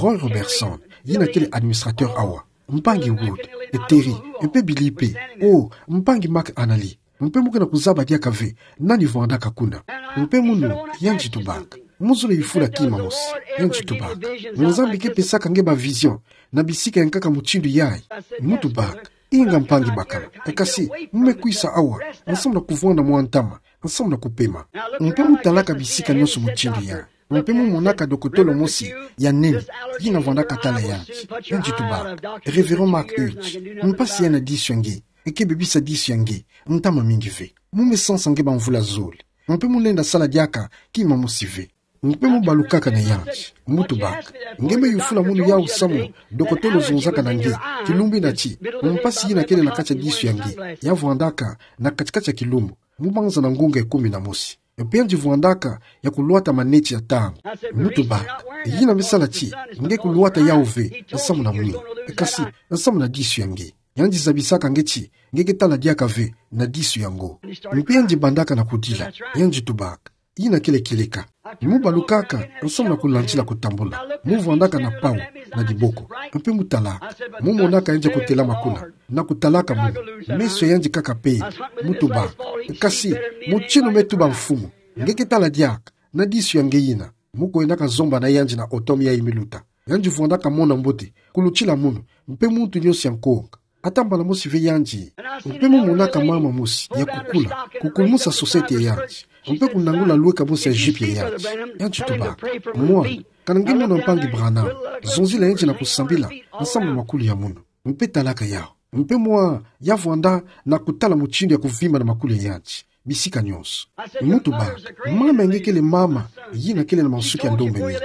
Roy Robertson, yina kele administrateur awa, mpangi Wood, e Terry, mpe Billy pe, o, mpangi Mark Anally, mpe mu ke na kuzaba diaka ve nani vwandaka kuna. Mpe munu, yandi tubaka: Mu zole yufula kima mosi. Yandi tubaka: Nzambi ke pesaka nge ba vision na bisika ya nkaka mutindu yayi? Mu tubaka: Inga mpangi bakala, e kasi, mu me kwisa awa, nsamu na kuvwanda mwa ntama, nsamu na kupema. Mpe mu talaka bisika nionso mutindu yayi. Mpe mu monaka dokotolo mosi ya nene, yina vwandaka tala yandi. Yandi tubaka: Révérend Mark Hughes, mpasi ya na disu ya nge, e ke bebisa disu ya nge, ntama mingi ve. Mu me sansa nge ba mvula zole. Mpe mu lenda sala diaka kima mosi ve. Mpe mu balukaka na yandi, mu tubaka: Nge me yufula munu yawu samu dokotolo zonzaka na nge, kilumbu ina ti, mpasi yina kele na kati ya disu ya nge, ya vwandaka na kati-kati ya kilumbu, mu banza na ngonga ya kumi na mosi. Mpe yandi vwandaka ya kulwata maneti ya ntangu. Mu tubaka: Yina me sala ti nge kulwata yawu ve, nsamu na mwini. E kasi, nsamu na disu ya nge. Yandi zabisaka nge ti nge ke tala diaka ve na disu yango. Mpe yandi bandaka na kudila. Yandi tubaka: Yina kele kieleka. Mu balukaka nsamu na kulandila kutambula. Mu vwandaka na pawu na diboko. Mpe mu talaka. Mu monaka yandi kutelama kuna, na kutalaka munu, meso ya yandi kaka pele. Mu tubaka: Kasi, mutinu me tuba mfumu, nge ke tala diaka na disu ya nge yina. Mu kwendaka zomba na yandi na automne yayi me luta. Yandi vwandaka mona mbote kulutila munu, mpe muntu nionso ya nkonga. Ata mbala mosi ve yandi. Mpe mu monaka mama mosi ya kukula kukulumusa sosete ya yandi, mpe kunangula lweka mosi ya jupe ya yandi. Yandi tubaka: Mwana, kana nge mona mpangi Branham, zonzila yandi na kusambila nsamu na makulu ya munu. Mpe talaka yawu. Mpe mwa ya vwanda na kutala mutindu ya kuvimba na makulu ya yandi bisika nionso. Mu tubaka: Mama ya nge kele mama yina kele na mansuki ya ndombe mingi.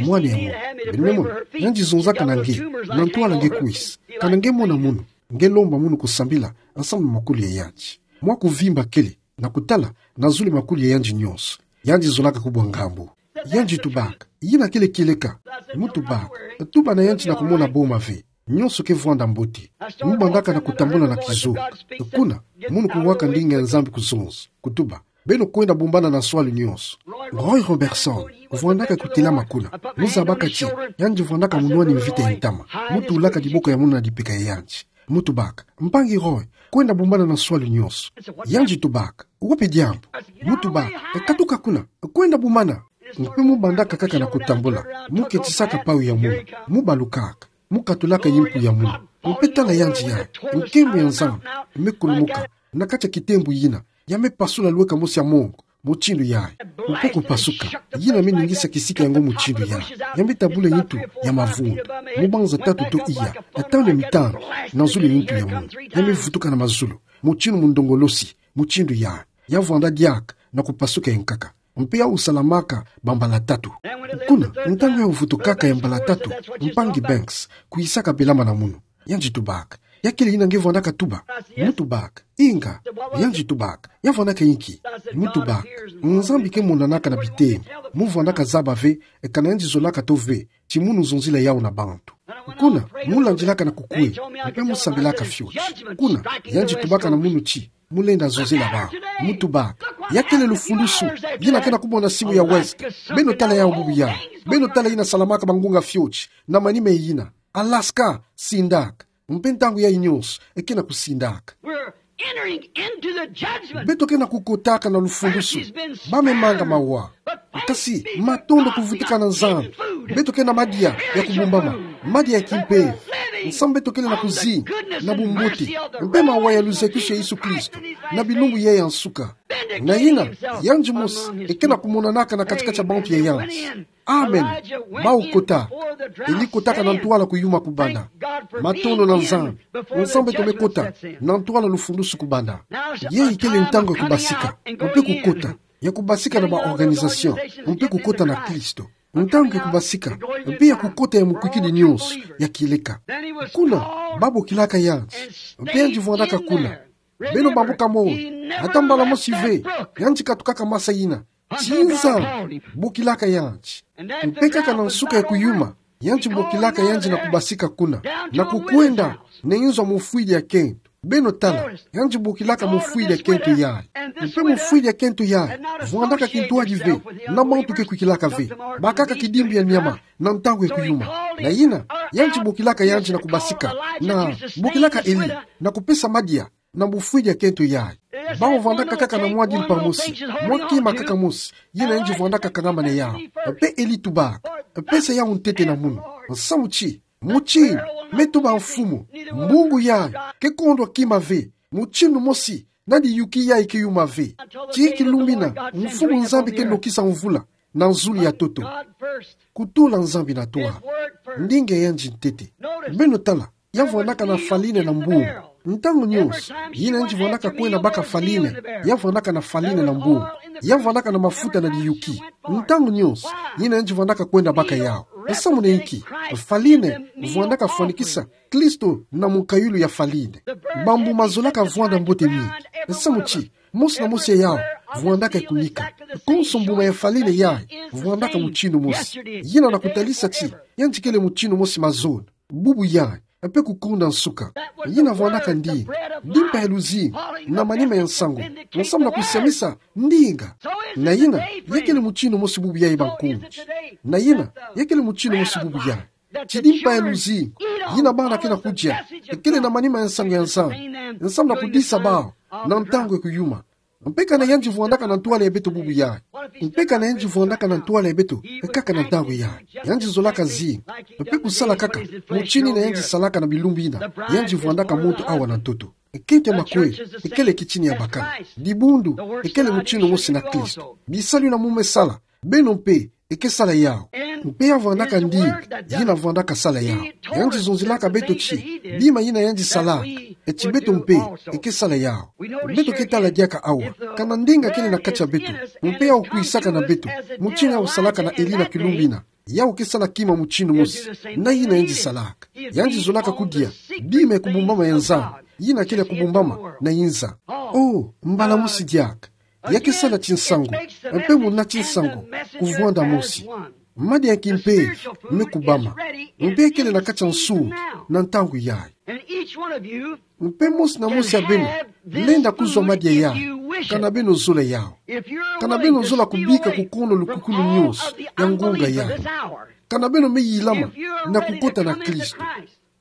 Mwana ya munu, beno me mona, yandi zonzaka na nge, na ntwala nge kwisa. Kana nge mona munu, nge lomba munu kusambila nsamu na makulu ya yandi. Mwa kuvimba kele, na kutala, na zulu makulu ya yandi nionso. Yandi zolaka kubwa ngambu. Yandi tubaka: Yina kele kieleka. Mu tubaka: Tuba na yandi na kumona boma ve. Nionso ke vwanda mbote. Mu bandaka na kutambula na kizoka. Kuna, munu kuwaka ndinga ya Nzambi kuzonza, kutuba: Beno kwenda bumbana na nswalu nionso. Roy Robertson vwandaka kutelama kuna. Mu zabaka ti yandi vwandaka munwani mvita ya ntama. Mu tulaka diboko ya munu na dipeka ya yandi. Mu tubaka: Mpangi Roy, kwenda bumbana na nswalu nionso. Yandi tubaka: Wapi diambu? Mu tubaka: Katuka kuna, kwenda bumbana. Mpe mu bandaka kaka na kutambula, mu ketisaka pawu ya munu, mu balukaka, mu katulaka yimpu ya munu. Mpe tala yandi yayi, nkembo ya Nzambi me kulumuka na kati ya kitembo yina, ya me pasula lweka mosi ya mongo mutindu yayi. Mpe kupasuka, yina me ningisa kisika yango mutindu yayi, ya me tabula yintu ya mavundu, mu banza tatu to iya, atanu ya mitanu, na zulu ya yintu ya munu, ya me vutuka na mazulu, mutindu mundongolosi, mutindu yayi, ya vwanda diaka na kupasuka ya nkaka. Mpe yawu salamaka bambala tatu. Kuna, ntangu yawu vutukaka ya mbala tatu, mpangi Banks kwisaka belama na munu. Yandi tubaka: Ya kele yina nge vwandaka tuba? Mu tubaka: Inga. Yandi tubaka: Ya vwandaka inki? Mu tubaka: Nzambi ke monanaka na bitembo. Mu vwandaka zaba ve kana yandi zolaka to ve ti munu zonzila yawu na bantu. Kuna, mu landilaka na kukwe, mpe mu sambilaka fioti. Kuna, yandi tubaka na munu ti mu lenda zonzila bawu. Mu tubaka: Ya kele lufulusu yina ke na kubwa na simu ya West. Beno tala yawu bubu yayi. Beno tala yina salamaka bangunga fioti na manima yina. Alaska, sindaka. Mpe ntangu yayi nionso, e ke na kusindaka. We're entering into the judgment. Beto ke na kukotaka na lufulusu. Ba me manga mawa. Kasi, matondo kuvutuka na Nzambi, beto ke na madia ya kubumbama, madia ya kimpeve. Nsamu beto kele na kuzinga na bumbote mpe mawa ya luzakisu ya Yesu Kristo na bilumbu yayi ya nsuka. Na yina, yandi mosi eke na kumonanaka na kati-kati ya bantu ya yansi. Amen. Bawu kota. Eli kotaka na ntwala kuyuma kubanda. Matondo na Nzambi. Nsamu beto me kota na ntwala lufundusu kubanda. Yayi kele ntangu ya kubasika mpe kukota, ya kubasika na ba organisation mpe kukota na Kristo. Ntangu ya kubasika mpe ya kukota ya mukwikidi nyonso ya kieleka. Kuna babokilaka yandi, mpe yandi vwandaka kuna. Beno bambuka moi, ata mbala mosi ve yandi katukaka masa yina. Ti Nzambi bokilaka yandi. Mpe kaka na nsuka ya kuyuma, yandi bokilaka yandi na kubasika kuna, na kukwenda na inzo ya mufwidi ya kento. Beno tala, yandi bokilaka mufwidi ya kento yayi. Mpe mufwidi ya kento yayi vwandaka kintwadi ve na bantu ke kwikilaka ve, bakaka kidimbu ya nyama na ntangu ya kuyuma. Na yina, yandi bokilaka yandi na kubasika, na bokilaka Eli na kupesa madia na mufwidi ya kento yayi. Bawu vwandaka kaka na mwa dimpa mosi, mwa kima kaka mosi, yina yandi vwandaka kangama na yawu. Mpe Eli tubaka: Pesa yawu ntete na munu. Nsamu ti, mutindu me tuba mfumu, mbungu yayi ke kondwa kima ve, mutindu mosi na diyuki yayi ke yuma ve, tii kilumbina Mfumu Nzambi ke nokisa mvula na zulu ya ntoto. Kutula Nzambi na ntwala. Ndinga ya yandi ntete. Beno tala, ya vwandaka na faline na mbungu. Ntangu nyonso yina yandi vwandaka kwenda baka faline, ya vwandaka na faline na mbungu. Ya vwandaka na mafuta na diyuki. Ntangu nyonso yina yandi vwandaka kwenda baka yawu. Nsamu na inki? Faline vwandaka fwanikisa Kristo na mukayulu ya faline. Bambu mazolaka vwanda mbote mingi. Nsamu ti, mosi na mosi ya yawu vwandaka kunika. Konso mbuma ya faline yayi vwandaka mutindu mosi. Yina na kutalisa ti yandi kele mutindu mosi mazono, bubu yayi, mpe kukonda nsuka. Yina vwandaka ndinga, dimpa ya luzingu, na manima ya nsangu, nsamu na kusiamisa ndinga. Na yina, ya kele mutindu mosi bubu yayi, bankundi. Na yina, ya kele mutindu mosi bubu yayi. Ti dimpa ya luzingu yina bana ke na kudia, ekele na manima ya nsangu ya Nzambi, nsamu na kudisa bawu na ntangu ya kuyuma. Mpe kana yandi vwandaka na ntwala ya beto bubu yayi. Mpe kana yandi vwandaka na ntwala ya beto kaka na ntangu yayi. Yandi zolaka zinga mpe kusala kaka mutindu yina yandi salaka na bilumbu yina yandi vwandaka muntu awa na ntoto. Kento ya makwela ekele kitini ya bakala. Dibundu ekele mutindu mosi na Kristo. Bisalu yina mu me sala, beno mpe eke sala yawu. Mpe ya vwandaka ndinga yina vwandaka sala yawu. Yandi zonzilaka beto ti bima yina yandi salaka, ti beto mpe eke sala yawu. Beto ke tala diaka awa, kana ndinga kele na kati ya beto, mpe yawu kwisaka na beto, mutindu yawu salaka na Eli na kilumbu yina, yawu ke sala kima mutindu mosi na yina yandi salaka. Yandi zolaka kudia bima ya kubumbama ya Nzambi, yina kele ya kubumbama na inza. Oh, mbala mosi diaka, ya ke sala tinsangu, mpe muna tinsangu kuvwanda mosi. Madia ya kimpeve me kubama, mpe kele na kati ya nsungi na ntangu yayi. Mpe mosi na mosi ya beno lenda kuzwa madia yayi, kana beno zola yawu. Kana beno zola kubika kukono lukukulu nyonso ya ngonga yayi. Kana beno me yilama na kukota na Kristo.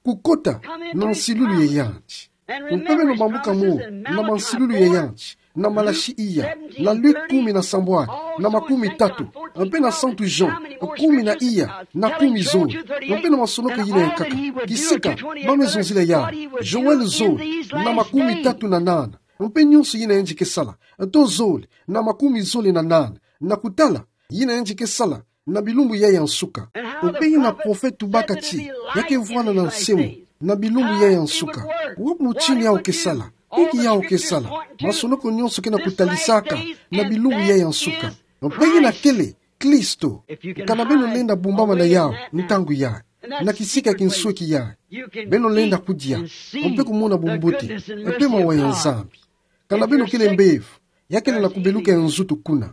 Kukota na nsilulu ya yandi. Mpe beno bambuka moi na mansilulu ya yandi, na Malaki iya, na Luke kumi na sambwadi na makumi tatu, mpe na Santu Jean kumi na iya na kumi zole, mpe na masonoko yina ya nkaka. Kisika ba me zonzila yawu, Joël zole na makumi tatu na nana, mpe nyonso yina yandi ke sala, to zole na makumi zole na nana, na kutala yina yandi ke sala na bilumbu yayi ya nsuka. Mpe yina profete tubaka ti ya ke vwanda na nsemo na bilumbu yayi ya nsuka. Wapi mutindu yawu ke sala? Inki yawu ke sala? Masonoko nyonso ke na kutalisaka na bilumbu yayi ya nsuka. Mpe yina kele Kristo. Kana beno lenda bumbama na yawu ntangu yayi, na kisika ya kinsweki yayi, beno lenda kudia mpe kumona bumbote mpe mawa ya Nzambi. Kana beno kele mbevo ya kele na kubeluka ya nzutu kuna,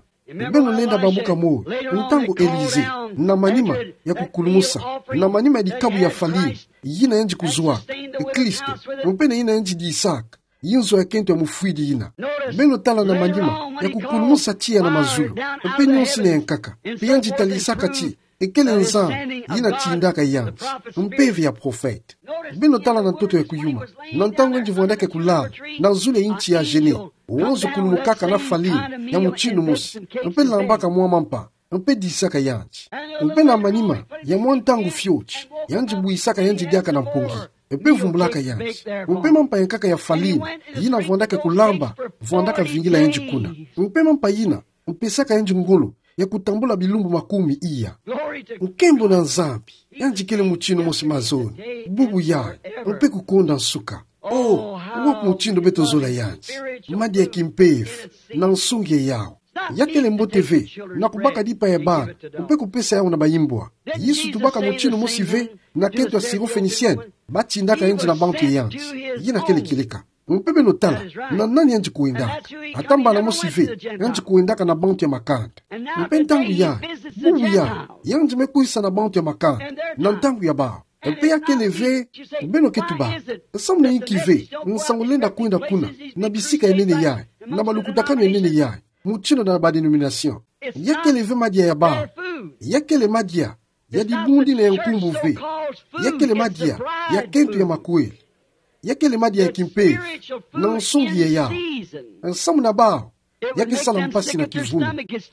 beno lenda bambuka moi ntangu Elisée, na manima ya kukulumusa, na manima ya dikabu ya farine yina yandi kuzwaka, Kristo, mpe na yina yandi disaka inzo ya kento ya mufwidi yina. Beno tala, na manima ya kukulumusa tiya na mazulu, mpe nyonso yina ya nkaka, mpe yandi talisaka ti ekele Nzambi yina tindaka yandi, mpeve ya profete. Beno tala na ntoto ya kuyuma, na ntangu yandi vwandaka kulala na zulu ya insi ya Genèse, wonzo kulumukaka na farine ya mutindu mosi, mpe lambaka mwa mampa, mpe disaka yandi. Mpe na manima ya mwa ntangu fioti, yandi bwisaka yandi diaka na mpongi. mpe vumbulaka yandi. Mpe mampa yankaka ya Faline, yina vwandaka kulamba, vwandaka vingila yandi kuna. Mpe mampa yina, mpesaka yandi ngolo ya kutambula bilumbu makumi iya. Nkembo na Nzambi, yandi kele mutindu mosi mazono, bubu yayi, mpe kukonda nsuka. Oh, wapi mutindu beto zola yandi? Madia ya kimpeve, na nsungi ya yawu. Ya kele mbote ve na kubaka dipa ya bana, mpe kupesa yawu na baimbwa. Yesu tubaka mutindu mosi ve na kento ya Syrophénicienne, batindaka yandi na bantu ya yandi. Yina kele kieleka. Mpe beno tala na nani yandi kuendaka. Ata mbala mosi ve, yandi kuendaka na bantu ya makanda. Mpe ntangu yayi, bubu yayi, yandi me kwisa na bantu ya makanda, na ntangu ya bawu. Mpe ya kele ve, beno ke tuba: Nsamu na inki ve nsangu lenda kwenda kuna, na bisika ya nene yayi, na balukutakanu ya nene yayi, mutindu na ba dénomination? Ya kele ve madia ya bawu. Ya kele madia ya dibundi na ya nkumbu ve. Ya kele madia ya kento ya makweli. Ya kele madia ya kimpeve, na nsungi ya yawu. Nsamu na bawu, ya ke sala mpasi na kivumi.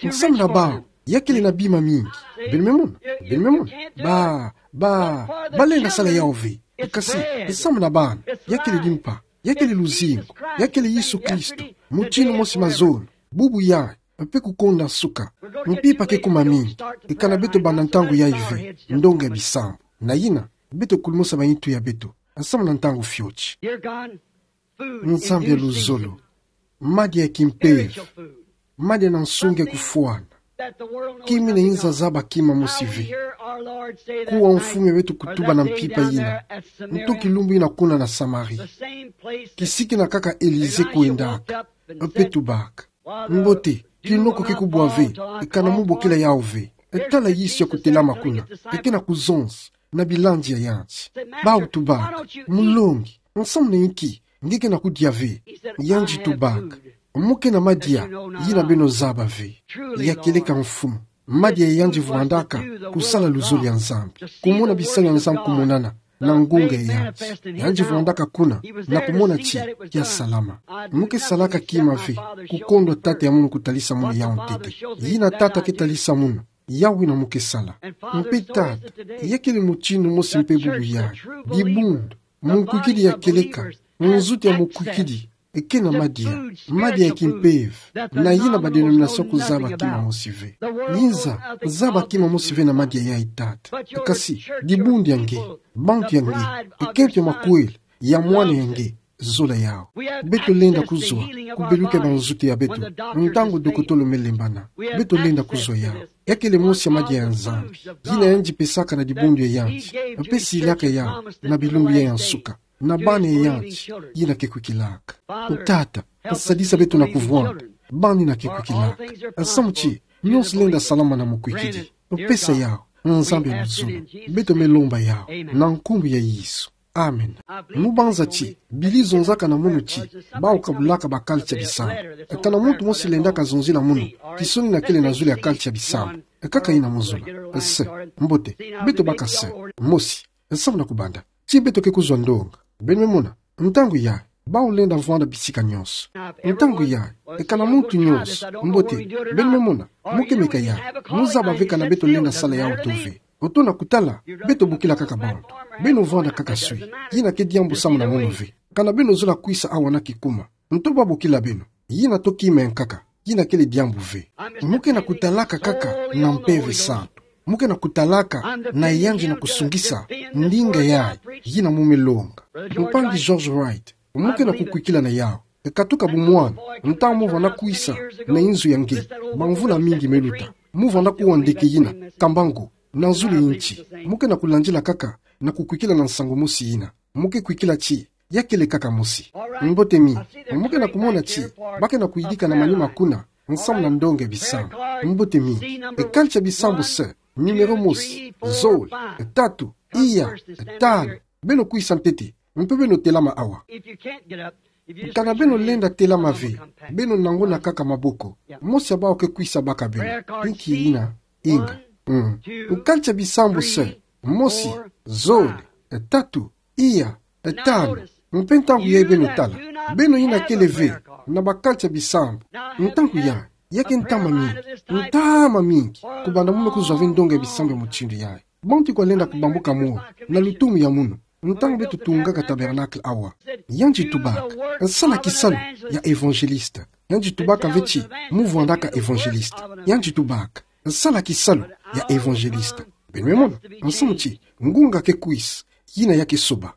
Nsamu na bawu, ya kele na bima mingi. Beno me mona, beno me mona. Ba, ba, balenda sala yawu ve. Kasi, nsamu na bana, ya kele dimpa, ya kele luzingu, ya kele Yesu Kristo, mutindu mosi mazono, bubu yayi, mpe kukonda nsuka. Mpimpa ke kuma mingi, e kana beto banda ntangu yayi ve ndonga ya bisambu. Na yina, beto kulumusa baintu ya beto nsamu na ntangu fioti. Nzambi ya luzolo, madia ya kimpeve, madia na nsungi ya kufwana. Kima ina inza zaba kima mosi ve. Kuwa Mfumu ya beto kutuba na mpimpa yina, nto kilumbu yina kuna na Samarie, kisiki na kaka Elisée kwendaka, mpe tubaka: Mbote, kinoko ke kubwa ve, e kana mu bokila yawu ve. E tala Yesu ya kutelama kuna, e ke na kuzonza na bilandi ya yandi. Bawu tubaka: Mulongi, nsamu na inki nge ke na kudia ve? Yandi tubaka: Mu ke na madia yina beno zaba ve. Ya kieleka, Mfumu. Madia ya yandi vwandaka kusala luzolo ya Nzambi, kumona bisalu ya Nzambi kumonana na ngunga ya yandi. Yandi vwandaka kuna na kumona ti kia salama. Mu ke salaka kima ve kukondwa tata ya mono kutalisa mono yawu ntete. Yina tata ke talisa mono, yawu yina mu ke sala. Mpe tata, ya kele mutindu mosi mpe bubu yayi. Dibundu, mukwikidi ya kieleka, nzutu ya mukwikidi, e ke na madia, madia ya kimpeve, na yina ba dénomination kuzaba kima mosi ve. Inza zaba kima mosi ve na madia yayi, tata. Kasi, dibundu ya nge, bantu ya nge, e kento ya makweli ya mwana ya nge, zola yawu. Beto lenda kuzwa ku beluka ba nzutu ya beto ntangu dokotolo me lembana. Beto lenda kuzwa yawu. Ya kele mosi ya madia ya Nzambi yina yandi pesaka na dibundu ya yandi, mpe silaka yawu na bilumbu yayi ya nsuka, na bana ya yandi yina ke kwikilaka. Tata, sadisa beto na kuvwanda bana yina ke kwikilaka. Nsamu ti nyonso lenda salama na mukwikidi. Pesa yawu, Nzambi ya luzolo. Beto me lomba yawu na nkumbu ya Yesu. Amen. Mu banza ti Billy zonzaka na munu ti bawu kabulaka ba kalitsa bisambu. Kana muntu mosi lenda kazonzila munu kisoni yina kele na zulu ya kalitsa bisambu. Kaka yina mu zola. Sœur, mbote, beto baka sœur mosi. Nsamu na kubanda ti beto ke kuzwa ndonga. Beno me mona, ntangu yayi bawu lenda vwanda bisika nyonso. Ntangu yayi, kana muntu nyonso, mbote, beno me mona, mu ke meka yawu. Mu zaba ve kana beto lenda sala yawu to ve. Oto na kutala, beto bokila kaka bantu. Beno vwanda kaka swi. Yina ke diambu samu na munu ve. Kana beno zola kwisa awa na kikuma, nto babokila beno. Yina to kima ya nkaka. Yina kele diambu ve. Mu ke na kutalaka kaka na Mpeve Santu. Mu ke na kutalaka na yandi na kusungisa ndinga yayi yina mu me longa. Mpangi George Wright, mu ke na kukwikila na yawu. Katuka bumwana, ntangu mu vwanda kwisa na inzo ya nge, bamvula mingi me luta, mu vwanda kuwa ndeke yina, kambangu, na zulu ya nti. Mu ke na kulandila kaka na kukwikila na nsangu mosi yina. Mu ke kwikila ti ya kele kaka mosi. Mbote mingi. Mu ke na kumona ti ba ke na kuyidika na manima kuna nsamu na ndonga ya bisambu. Mbote mingi. Kalitsa bisambu, sœur. Numéro mosi, zole, tatu, iya, tanu. Beno kwisa ntete, mpe beno telama awa. Kana beno lenda telama ve, beno nanguna kaka maboko. Mosi ya bawu ke kwisa baka beno. Inki yina? Inga. Mm. Kalitsa bisambu, sœur. Mosi, zole, tatu, iya, tanu. Mpe ntangu yayi beno tala. Beno yina kele ve na ba kalitsa bisambu. Ntangu yayi, ya ke ntama mingi. Ntama mingi. Kubanda mu me kuzwa ve ndonga ya bisambu ya mutindu yayi, bantu ke lenda kubambuka moyo na lutumu ya munu. ntangu beto tungaka tabernacle awa. Yandi tubaka: Sala kisalu ya évangéliste. Yandi tubaka ve ti mu vwandaka évangéliste. Yandi tubaka: Sala kisalu ya évangéliste. Beno me mona, nsamu ti ngunga ke kwisa, yina ya ke soba.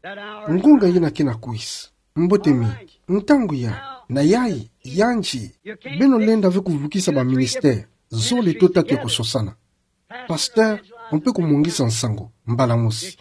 Ngunga yina ke na kwisa. Mbote mingi. Ntangu ya, na yayi, yandi. Beno lenda ve kuvukisa ba ministère zole to tatu ya kusosana. Pasteur, on peut kumungisa nsangu mbala mosi.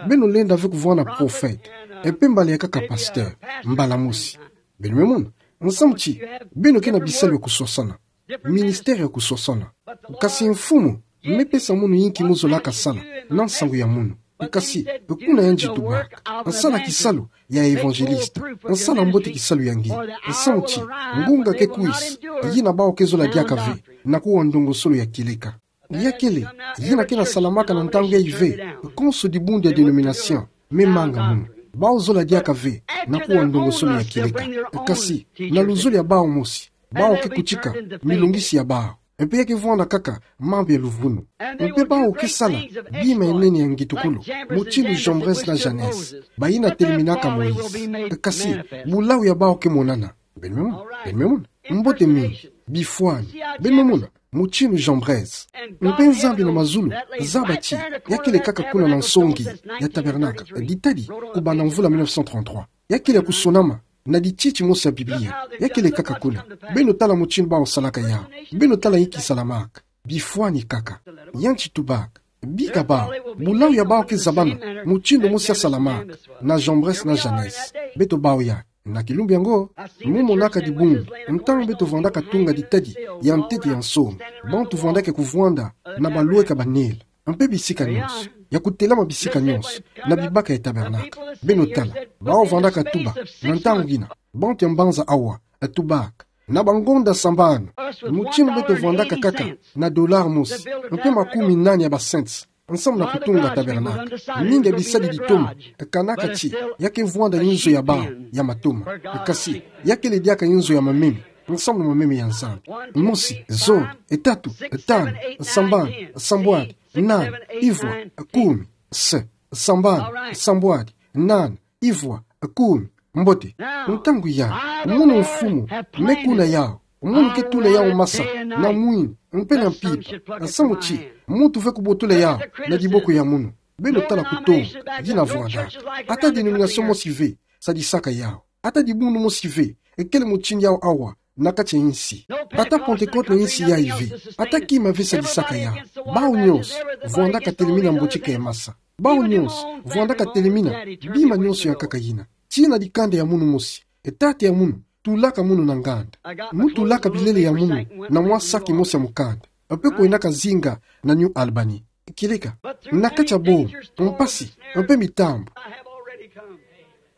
Beno lenda ve kuvwanda prophète, e mpe mbala ya nkaka pasteur mbala mosi. Beno me mona, nsamu ti beno ke na bisalu ya kusosana, ministère ya kusosana. Kasi mfumu me pesa munu yinki mu zolaka sala na nsangu ya munu. Kasi kuna yandi tubaka: Sala kisalu ya évangéliste. Sala mbote kisalu ya nge. Nsamu ti ngunga ke kwisa, yina bawu ke zola diaka ve na kuwa ndongosolo ya kieleka. Ya kele yina ke na salamaka na ntangu yayi ve. Konso dibundu ya dénomination me manga munu. Bawu zola diaka ve na kuwa ndongosolo ya kieleka. Kasi na luzolo ya bawu mosi, bawu ke kutika milongisi ya bawu. E mpe ya ke vwanda kaka mambu ya luvunu. E mpe bawu ke sala bima ya nene ya ngitukulu, mutindu Jambres na Jannes, bayina teleminaka Moïse. Kasi bulawu ya bawu ke monana. Beno me mona, beno me mona. Mbote mingi, bifwani. Beno me mona, mutindu Jambres. Mpe Nzambi na mazulu zaba ti ya kele kaka kuna na nsongi ya tabernacle, ditadi, kubanda mvula mille neuf cent trente-trois. Ya kele ya kusonama na dititi mosi ya Biblia. Ya kele kaka kuna. Beno tala mutindu bawu salaka yawu. Beno tala yinki salamaka. Bifwani kaka. Yandi tubaka: Bika bawu, bulawu ya bawu ke zabana mutindu mosi ya salamaka na Jambres na Jannes. Beto bawu ya. Na kilumbu yango, mu monaka dibundu, ntangu beto vwandaka tunga ditadi ya ntete ya nsombe, bantu vwandaka kuvwanda na balweka banele, mpe bisika nyonso, ya kutelama bisika nyonso, na bibaka ya tabernacle. Beno tala, bawu vwandaka tuba, na ntangu yina, bantu ya mbanza awa, e tubaka: Na bangonda sambanu, mutindu beto vwandaka kaka na dollar mosi, mpe makumi nani ya ba cents, nsamu na kutunga tabernacle. Mingi ya bisadi ditoma e kanaka ti ya ke vwanda inzo ya bawu ya matoma. Kasi ya kele diaka inzo ya mameme, nsamu na mameme ya Nzambi. Mosi, zole, tatu, tanu, sambanu, sambwadi, nani, ivwa, kumi, se, sambanu, sambwadi, nani, ivwa, kumi. Mbote. Ntangu ya, munu mfumu me kuna yawu, munu ke tula yawu masa na mwini mpe na mpimpa. Nsamu ti muntu ve kubotola yawu na diboko ya munu. Beno tala kutonga yina vwandaka. Ata dénomination mosi ve sadisaka yawu. Ata dibundu mosi ve e kele mutindu yawu awa na kati ya insi. Ata Pentecôte na insi yayi ve. Ata kima ve sadisaka yawu. Bawu nyonso vwandaka telemina mbotika ya masa. Bawu nyonso vwandaka telemina bima nyonso ya nkaka yina. Tii na dikanda ya munu mosi, tata ya munu tulaka munu na nganda. Mu tulaka bilele ya munu na mwa saki mosi ya mukanda, mpe kwendaka zinga na New Albany. Kieleka, na kati ya boma, mpasi, mpe mitambu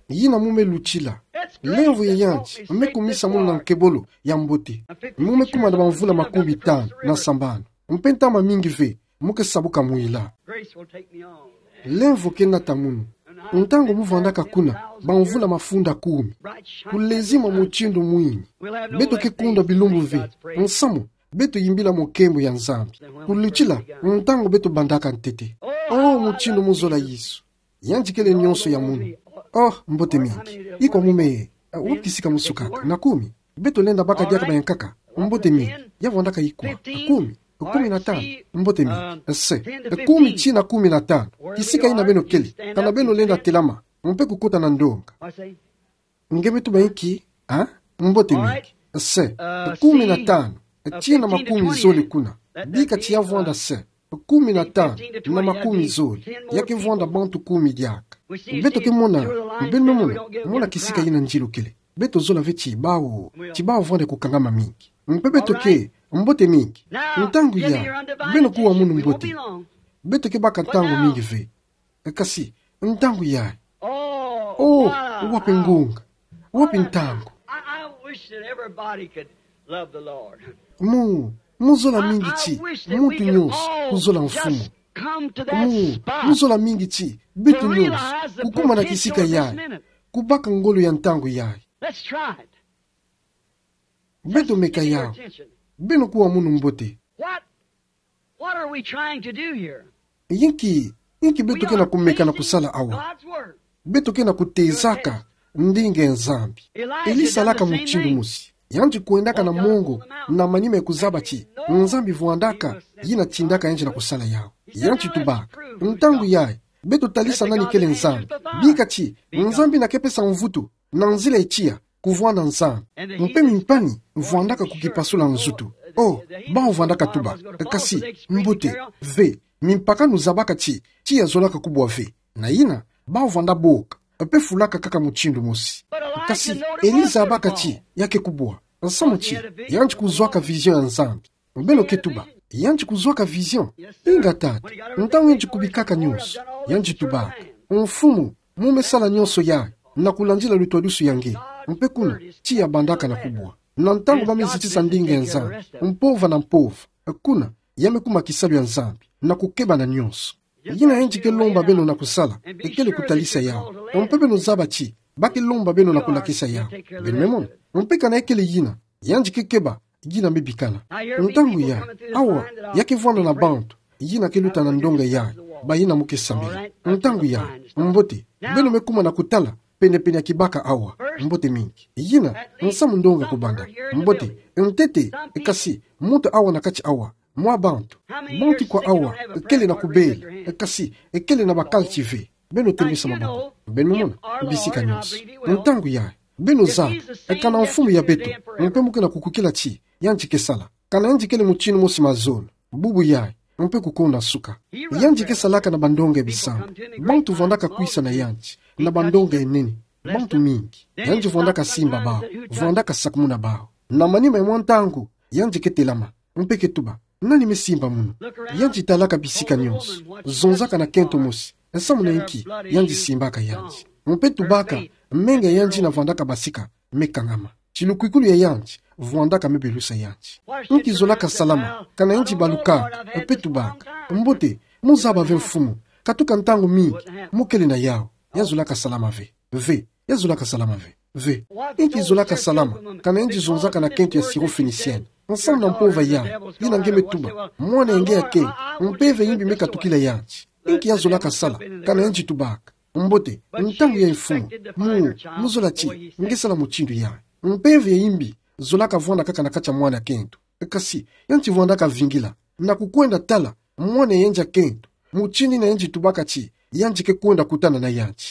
yina mu me lutila, lemvo ya yandi me kumisa munu na nkebolo ya mbote. Mu me kuma na bamvula makumi tanu na sambanu, mpe ntama mingi ve mu ke sabuka mwila. Lemvo ke nata munu. Ntangu mu vwandaka kuna bamvula mafunda kumi, kulezima mutindu mwini, beto ke kunda bilumbu ve, nsamu beto yimbila mwa nkembo ya Nzambi. Kulutila ntangu beto bandaka ntete. Oh, mutindu mu zola Yesu. Yandi kele nyonso ya munu. Oh, mbote mingi. Ikwa mu me, eh, wapi kisika mu sukaka? Na kumi. Beto lenda baka diaka bayankaka. Mbote mingi. Ya vwandaka ikwa? Kumi. Kumi na tanu. Mbote mingi. Se. Kumi tii na kumi na tanu. Kisika yina beno kele, kana beno lenda telama mpe kukota na ndonga? Nge me tuba inki? Ah? Mbote mingi. Se. Kumi na tanu tii na makumi zole kuna. Bika ti ya vwanda se kumi na tanu na makumi zole, ya ke vwanda bantu kumi diaka. Beto ke mona, beno me mona, mona kisika yina nzilo kele. Beto zola ve ti bawu, ti bawu vwanda kukangama mingi. Mpe beto ke, mbote mingi. Ntangu ya, beno kuwa munu mbote. Beto ke baka ntangu mingi ve. Kasi, ntangu ya. Oh, wapi ngunga? Wapi ntangu? Mu, mu zola mingi ti muntu nyonso kuzola Mfumu. Mu, mu zola mingi ti beto nyonso kukuma na kisika yayi, kubaka ngolo ya ntangu yayi. Beto meka yawu. Beno kuwa munu mbote. What are we trying to do here? Inki, inki beto ke na kumeka na kusala awa? beto ke na kutezaka ndinga ya Nzambi. Eli salaka mutindu mosi. Yandi kwendaka na mongo, na manima ya kuzaba ti Nzambi vwandaka, yina tindaka yandi na kusala yawu. Yandi tubaka. Ntangu yayi, beto talisa nani kele Nzambi. Bika ti Nzambi na kepesa mvutu na nzila ya tiya, kuvwanda Nzambi. Mpe mimpani vwandaka kukipasula nzutu. Oh, bawu vwandaka tuba: Kasi, mbote, ve, mimpakanu zabaka ti tiya zolaka kubwa ve. Na yina, bawu vwanda boka, mpe fulaka kaka mutindu mosi. Kasi, Eli zabaka ti ya ke kubwa. Nsamu ti, yandi kuzwaka vision ya Nzambi. Beno ke tuba: Yandi kuzwaka vision? Inga tata, ntangu yandi kubikaka nyonso, yandi tubaka: Mfumu, mu me sala nyonso yayi na kulandila lutwadusu ya nge. Mpe kuna, tiya bandaka na kubwa. Na ntangu ba me zitisa ndinga ya Nzambi, mpova na mpova, kuna, ya me kuma kisalu ya Nzambi, na kukeba na nyonso. Yina yandi ke lomba beno na kusala, ekele kutalisa yawu. Mpe beno zaba ti ba ke lomba beno na kulakisa yawu. Beno me mona. Mpe kana ekele yina, yandi ke keba yina me bikana. Ntangu yayi, awa, ya ke vwanda na bantu yina ke luta na ndonga yayi, bayina mu ke sambila. Ntangu yayi, mbote, beno me kuma na kutala penepene ya kibaka awa. Mbote mingi. Yina nsamu ndonga kubanda. Mbote, ntete, kasi, muntu awa na kati awa, mwa bantu, bantu kwa awa kele na kubela, kasi kele na bakala ti ve? Beno tembesa maboko. Beno me mona, bisika nyonso. Ntangu yayi, beno zaba: Kana Mfumu ya beto, mpe mu ke na kukwikila ti yandi ke sala, kana yandi kele mutindu mosi mazono, bubu yayi, mpe kukonda suka. Yandi ke salaka na bandonga ya bisambu. Bantu vwandaka kwisa na yandi na bandonga ya nene. Bantu mingi. Yandi vwandaka simba bawu, vwandaka sakumuna bawu. Na manima ya mwa ntangu, yandi ke telama, mpe ke tuba: Nani me simba munu? Yandi talaka bisika nyonso, zonzaka na kento mosi, nsamu na inki yandi simbaka yandi. Mpe tubaka: Menga ya yandi yina vwandaka basika me kangama. Ti lukwikulu ya yandi vwandaka me belusa yandi. Inki zolaka salama kana yandi balukaka, mpe tubaka: Mbote, mu zaba ve Mfumu, katuka ntangu mingi mu kele na yawu. Ya zolaka salama ve? Ve. Ya zolaka salama ve? Ve. Inki zolaka salama kana yandi zonzaka na kento ya sirop phénicienne, nsamu na mpova yayi, yina nge me tuba mwana ya nge ya kento, mpeve ya imbi me katukila yandi? Inki ya zolaka sala kana yandi tubaka: Mbote, ntangu yayi Mfumu, mu, mu zola ti nge sala mutindu yayi? Mpeve ya imbi zolaka vwanda kaka na kati ya mwana ya kento. Kasi, yandi vwandaka vingila na kukwenda tala mwana ya yandi ya kento, mutindu yina yandi tubaka ti yandi ke kwenda kutana na yandi.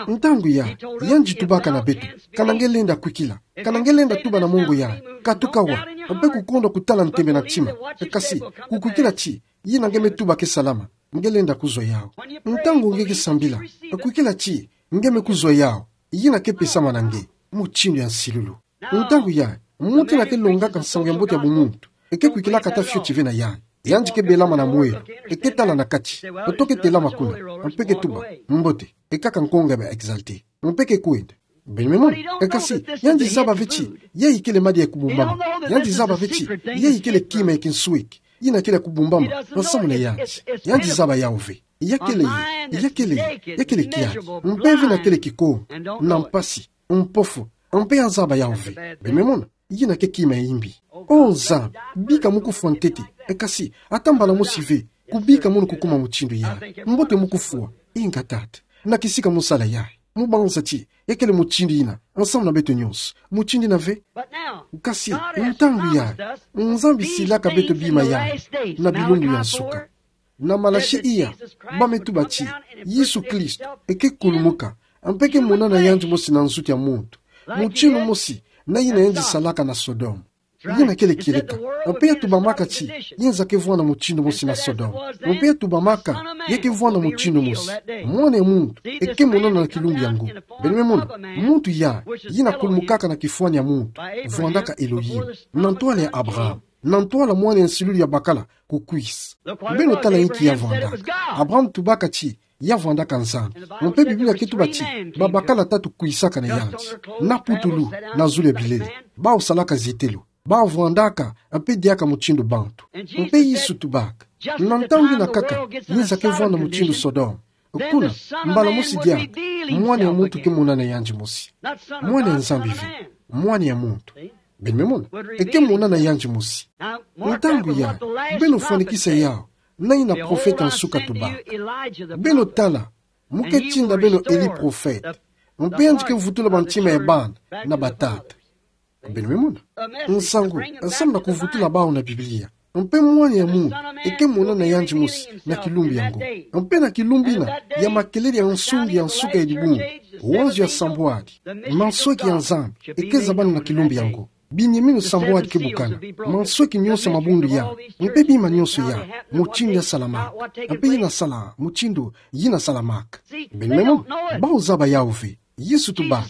Ntangu yayi, yandi tubaka na beto: Kana nge lenda kwikila? Kana nge lenda tuba na mongo yayi: Katuka awa, mpe kukonda kutala ntembe na ntima, kasi kukwikila ti yina nge me tuba ke salama, nge lenda kuzwa yawu? Ntangu nge ke sambila, kwikila ti nge me kuzwa yawu, yina ke pesama na nge, mutindu ya nsilulu. Ntangu yayi, muntu yina ke longaka nsangu ya mbote ya bumuntu, e ke kwikilaka ata fioti ve na yayi. Yandi ke belama na mwelo, e ke tala na kati, oto ke telama kuna, mpe ke tuba: Mbote, e kaka nkonga ya ba exalté. Mpe ke kwenda. Beno me mona. Kasi, yandi zaba ve ti yayi kele madia ya kubumbama. Yandi zaba ve ti yayi kele kima ya kinsweki yina kele ya kubumbama nsamu na yandi. Yandi zaba yawu ve. Ya kele, ya kele, ya kele kiaki. Mpeve yina kele kikongo, na mpasi, mpofu, mpe ya zaba yawu ve. Beno me mona. Yina ke kima ya imbi. Oh Nzambi, bika mu kufwa ntete, kasi ata mbala mosi ve kubika munu kukuma mutindu yayi. Mbote, mu kufwa. Inga tata, na kisika mu sala yayi, mu banza ti ya kele mutindu yina nsamu na beto nyonso, mutindu yina ve? Kasi ntangu yayi, Nzambi silaka beto bima yayi na bilumbu ya nsuka. Na Malachi iya, ba me tuba ti Yesu Kristo e ke kulumuka, mpe ke monana yandi mosi na nsuka ya muntu, mutindu mosi na yina yandi salaka na Sodome. Yina kele kieleka. Mpe ya tubamaka ti yinzaka vwanda mutindu mosi na Sodome. Mpe ya tubamaka ya ke vwanda mutindu mosi. Mwana ya muntu e ke monana na kilumbu yango. Beno me mona, muntu yayi, yina kulumukaka na kifwani ya muntu, vwandaka Elohim, na ntwala ya Abraham, na ntwala mwana ya nsilulu ya bakala kukwisa. Beno tala inki ya vwandaka. Abraham tubaka ti ya vwandaka Nzambi. Mpe Biblia ke tuba ti babakala tatu kwisaka na yandi, na putulu, na zulu ya bilele. Bawu salaka zietelo, bawu vwandaka mpe diaka mutindu bantu. Mpe Yesu tubaka, na ntangu yina kaka yinzaka vwanda mutindu Sodome. Kuna, mbala mosi diaka, mwana ya muntu ke monana yandi mosi. Mwana ya Nzambi ve, mwana ya muntu. Beno me mona, e ke monana yandi mosi. Ntangu yayi, beno fwanikisa yawu na yina profeta nsuka tubaka. Beno tala Mo ke tinda beno Eli prophète. Mpe yandi ke vutula bantima ya bana na batata. Beno me mona. Nsangu, samu na kuvutula bawu na Biblia. Mpe Mwana ya Munu, e ke monana yandi mosi, na kilumbu yango. Mpe na kilumbu ina, ya makelele ya nsungi ya nsuka ya dibungu, wanzo ya sambwadi, mansweki ya Nzambi, e ke zabana na kilumbu yango. Binyeminu sambwadi ke bukana, mansweki nyonso ya mabundu ya, mpe bima nyonso ya, mutindu ya salamaka, mpe yina sala, mutindu yina salamaka. Beno me mona, bawu zaba yawu ve. Yesu tuba,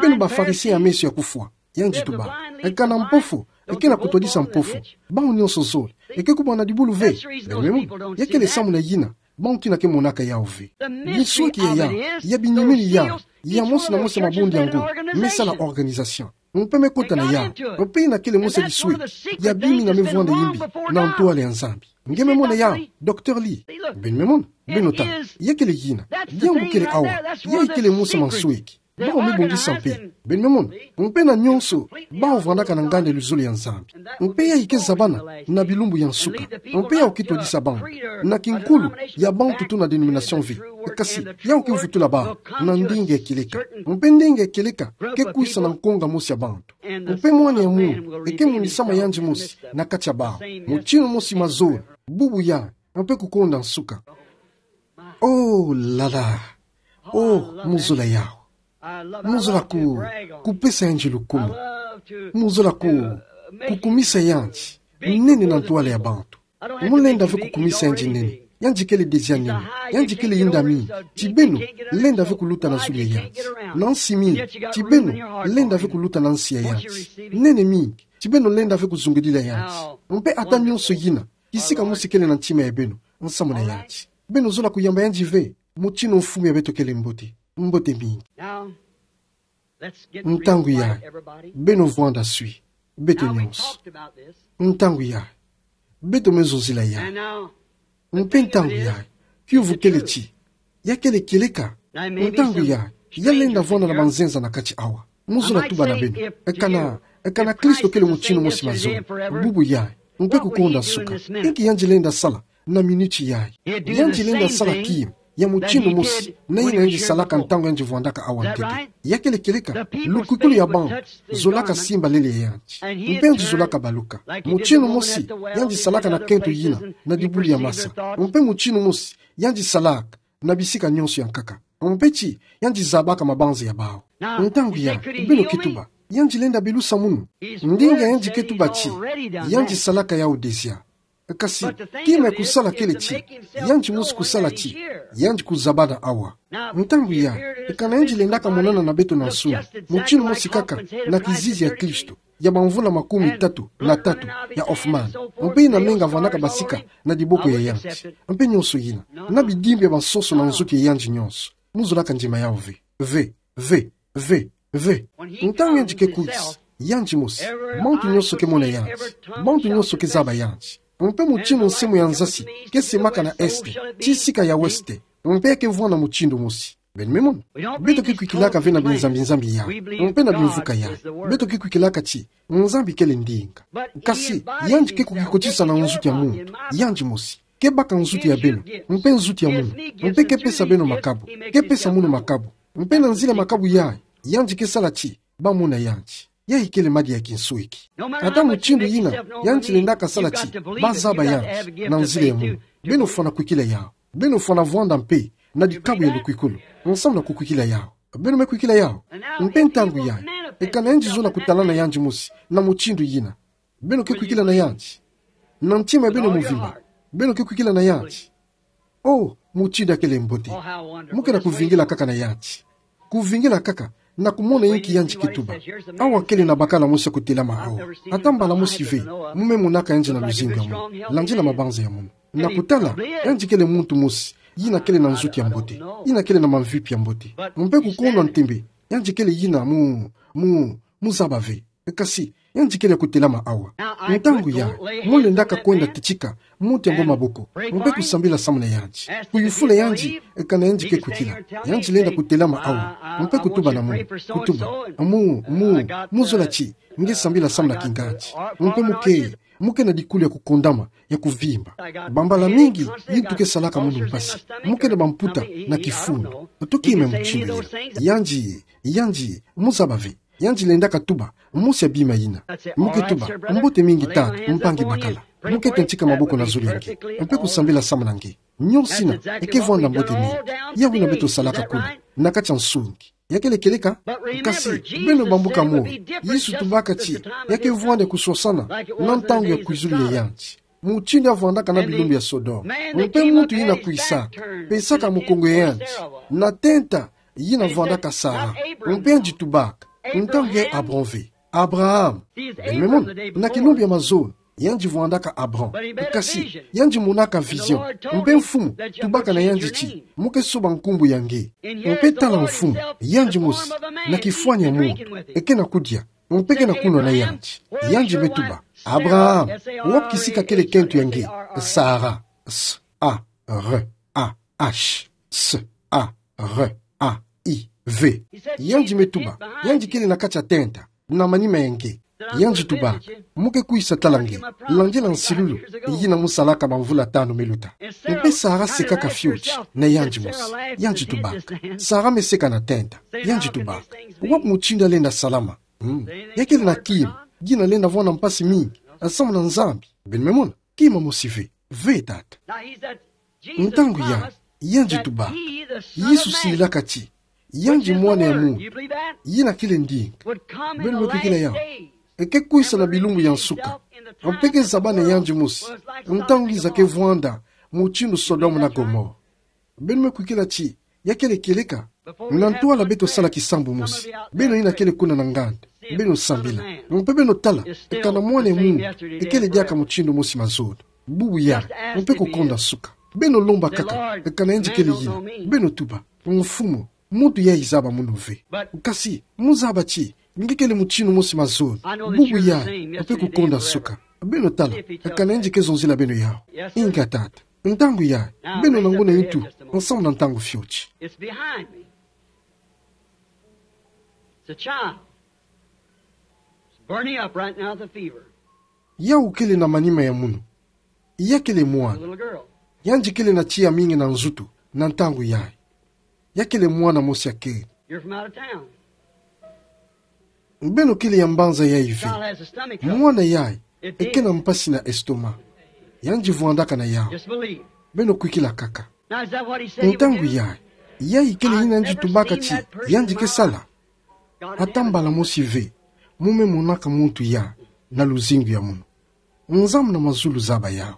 beno ba Farisien ya meso ya kufwa. Yandi tuba, e kana mpofu, e ke na kutwadisa mpofu. Bawu nyonso zole, e ke kubwa na dibulu ve. Beno me mona, ya kele samu na yina, bawu kina ke monaka yawu ve. Binsweki ya, ya binyeminu ya, ya mosi na mosi ya mabundu yango, me sala organisation. Mpe me kota na yawu, mpe yina kele mosi ya bisweki, ya bima me vwanda yimbi, na ntwala ya Nzambi. Nge me mona yawu, Docteur Lee. Beno me mona, beno tala, ya kele yina, yawu kele awa, yayi kele mosi ya mansweki. Bawu me bongisa mpe. Beno me mona. Mpe na nyonso, bawu vandaka na nganda ya luzolo ya Nzambi. Mpe yayi ke zabana, na bilumbu ya nsuka. Mpe yawu ke twadisa bawu. Na kinkulu, ya bawu tutu na dénomination ve. Kasi, yawu ke vutula bawu, na ndinga ya kieleka. Mpe ndinga ya kieleka, ke kwisa na nkonga mosi ya bawu. Mpe Mwana ya Munu, e ke monisama yandi mosi, na kati ya bawu. Mutinu mosi mazolo, bubu ya, mpe kukonda nsuka. Oh là là. Oh, mu zola yawu. Mu zola ku, kupesa yandi lukumu. Mu zola ku, kukumisa yandi. Nene na ntwala ya bantu. Mu lenda ve kukumisa yandi nene. Yandi kele déjà nene. Yandi kele yinda mingi. Ti beno, lenda ve kuluta na zulu ya yandi. Na nsi mingi. Ti beno, lenda ve kuluta na nsi ya yandi. Nene mingi. Ti beno lenda ve kuzungudila yandi. Mpe ata nyonso yina. Kisika mosi kele na ntima ya beno, nsamu na yandi. Beno zola kuyamba yandi ve, mutinu mfumu ya beto kele mbote, mbote mingi. Ntangu yayi, beno vwanda swi, beto nyonso. Ntangu yayi, beto me zonzila yayi. Mpe ntangu yayi, kiuvu kele ti, ya kele kieleka. Ntangu yayi, ya lenda vwanda na banzenza na kati awa. Mu zola tuba na beno. E kana, e kana Kristo kele mutinu mosi mazolo. Bubu yayi. Mpe kukonda nsuka. Inki yandi lenda sala na miniti yayi? Yandi lenda sala kima ya mutinu mosi na yina yandi salaka ntangu yandi vwandaka awa ntete. Ya kele kieleka, lukwikulu ya bawu zolaka simba lele ya yandi. Mpe yandi zolaka baluka. Mutinu mosi yandi salaka na kento yina, na dibulu ya masa. Mpe mutinu mosi yandi salaka na bisika nyonso ya nkaka. Mpe ti, yandi zabaka mabanza ya bawu. Ntangu yayi, beno ke tuba, yandi lenda belusa munu. Ndinga yandi ke tuba ti, yandi salaka yawu déjà. Kasi, kima ya kusala kele ti, yandi mosi kusala ti, yandi kuzaba na awa. Ntangu yayi, e kana yandi lendaka monana na beto na nsuni, mutinu mosi kaka, na kizizi ya Kristo, ya bamvula makumi tatu na tatu ya Hoffman. Mpe yina menga vandaka basika na diboko ya yandi. Mpe nyonso yina, na bidimbu ya bansoso na nzutu ya yandi nyonso. Mu zolaka ndima yawu ve. Ve, ve, ve, ve. Ntangu yandi ke kwisa, yandi mosi, bantu nyonso ke mona yandi, bantu nyonso ke zaba yandi. Mpe mutinu nsemo ya nzasi ke semaka na est, ti sika ya ouest, mpe ya ke vwanda mutindu mosi. Beno me mona. Beto ke kwikilaka ve na binzambi-nzambi yayi, mpe na bimvuka yayi. Beto ke kwikilaka ti Nzambi kele ndinga. Kasi, yandi ke kukikotisa na nzutu ya muntu, yandi mosi. Ke baka nzutu ya beno, mpe nzutu ya munu, mpe ke pesa beno makabu, ke pesa munu makabu. Mpe na nzila makabu yayi, yandi ke sala ti bamona yandi. Yayi kele madia ya kinsweki. Ata mutindu yina, yandi lendaka sala ti bazaba yandi na nzila ya munu. Beno fwana kwikila yawu. Beno fwana vwanda mpe na dikabu ya lukwikulu, nsamu na kukwikila yawu. Beno me kwikila yawu. Mpe ntangu yayi, e kana yandi zola kutalana yandi mosi na mutindu yina, beno ke kwikila na yandi na ntima ya beno mvimba? Beno ke kwikila na yandi? Oh, mutindu ya kele mbote. Mu ke na kuvingila kaka na yandi. Kuvingila kaka na kumona inki yandi ke tuba. Awa kele na bakala mosi ya kutelama awa. Ata mbala mosi ve mu me monaka yandi na luzingu ya munu, landila mabanza ya munu. Na kutala, yandi kele muntu mosi yina kele na nzutu ya mbote, yina kele na mamvipi ya mbote. Mpe kukondwa ntembe, yandi kele yina mu, mu, mu zaba ve. Kasi, yandi kele kutelama awa. Ntangu yayi, mu lendaka kwenda titika muntu yango maboko, mpe kusambila samu na yandi, kuyufula yandi e kana yandi ke kwikila. Yandi lenda kutelama awa, mpe kutuba na munu, kutuba: Mu, mu, mu zola ti nge sambila samu na kingandi? Mpe mu ke, Mu ke na dikulu ya kukondama, ya kuvimba. Bambala mingi, yintu ke salaka munu mpasi. Mu ke na bamputa na kifunu. Toki me mutindu yina. Yandi, yandi, mu zaba ve. Yandi lendaka tuba, mosi ya bima yina. Mu ke tuba, mbote mingi tata, mpangi bakala. Mu ke tantika maboko na zulu ya nge. Mpe kusambila samu na nge. Nionso yina, eke vwanda mbote mingi. Yawu yina beto salaka kuna. Na kati ya nsungi. Ya kele kieleka, kasi, beno bambuka mo. Yesu tubaka ti, ya ke vwanda kuswasana, na ntangu ya kwizulu ya yandi. Mutindu ya vwandaka na bilumbu ya Sodome. Mpe muntu yina kwisaka, pesaka mukongo ya yandi. Na tenta, yina vwandaka Sara. Mpe yandi tubaka. Ntangu ya Abraham ve. Abraham. Beno me mona, na kilumbu ya mazono. Yandi vwandaka Abraham. Kasi, yandi monaka vision. Mpe Mfumu, tubaka na yandi ti, mu ke soba nkumbu ya nge. Mpe tala Mfumu, yandi mosi, na kifwani ya muntu, eke na kudia, mpe ke na kunwa na yandi. Yandi me tuba, Abraham, wapi kisika kele kento ya nge, Sara, S A R A H, S A R A I V. Yandi me tuba, yandi kele na kati ya tenta, na manima ya nge. Yandi tubaka, mu ke kwisa tala nge, landila nsilulu, yina mu salaka bamvula tanu me luta. Mpe Sara sekaka fioti, na yandi mosi. Yandi tubaka, Sara me seka na tenta. Yandi tubaka, wapi mutindu ya lenda salama? Hmm. Ya kele na kima, yina lenda vwanda mpasi mingi, samu na Nzambi. Beno me mona, kima mosi ve, ve tata. Ntangu ya, yandi tubaka. Yesu silaka ti, yandi mwana ya muntu. Yina kele ndinga. Beno me kwikila yawu. Eke kwisa na bilumbu ya nsuka. Mpe ke zaba na yandi mosi. Ntangu ngiza ke vwanda, mutindu Sodome na Gomore. Beno me kwikila ti, ya kele kieleka. Na ntwala beto sala kisambu mosi. Beno yina kele kuna na nganda. Beno sambila. Mpe beno tala, kana mwana ya muntu, ekele diaka mutindu mosi mazono. Bubu ya, mpe kukonda nsuka. Beno lomba kaka, kana yandi kele yina. Beno tuba, Mfumu, muntu yayi zaba munu ve. Kasi, mu zaba ti, nge kele mutindu mosi mazono. Bubu ya, mpe kukonda nsuka. Beno tala, kana yandi ke zonzila beno yawu. Inga tata. Ntangu ya, beno na nguna ntu, nsamu na ntangu fioti. It's behind me. It's a child. It's burning up right now with a fever. Yawu kele na manima ya munu. Ya kele mwana. A little girl. Yandi kele na tiya mingi na nzutu, na ntangu yayi. Ya kele mwana mosi ya keni. You're from out of town. Beno kele ya mbanza yayi ve. Child has a stomach trouble. Mwana yayi, eke na mpasi na estomac. Yandi vwandaka na yawu. Just believe. Beno kwikila kaka. Now, is that what he said he would do? Ntangu yayi, yayi kele yina yandi tubaka ti, yandi ke sala. Ata mbala mosi ve, mu me monaka muntu ya, na luzingu ya munu. Nzambi na mazulu zaba yawu.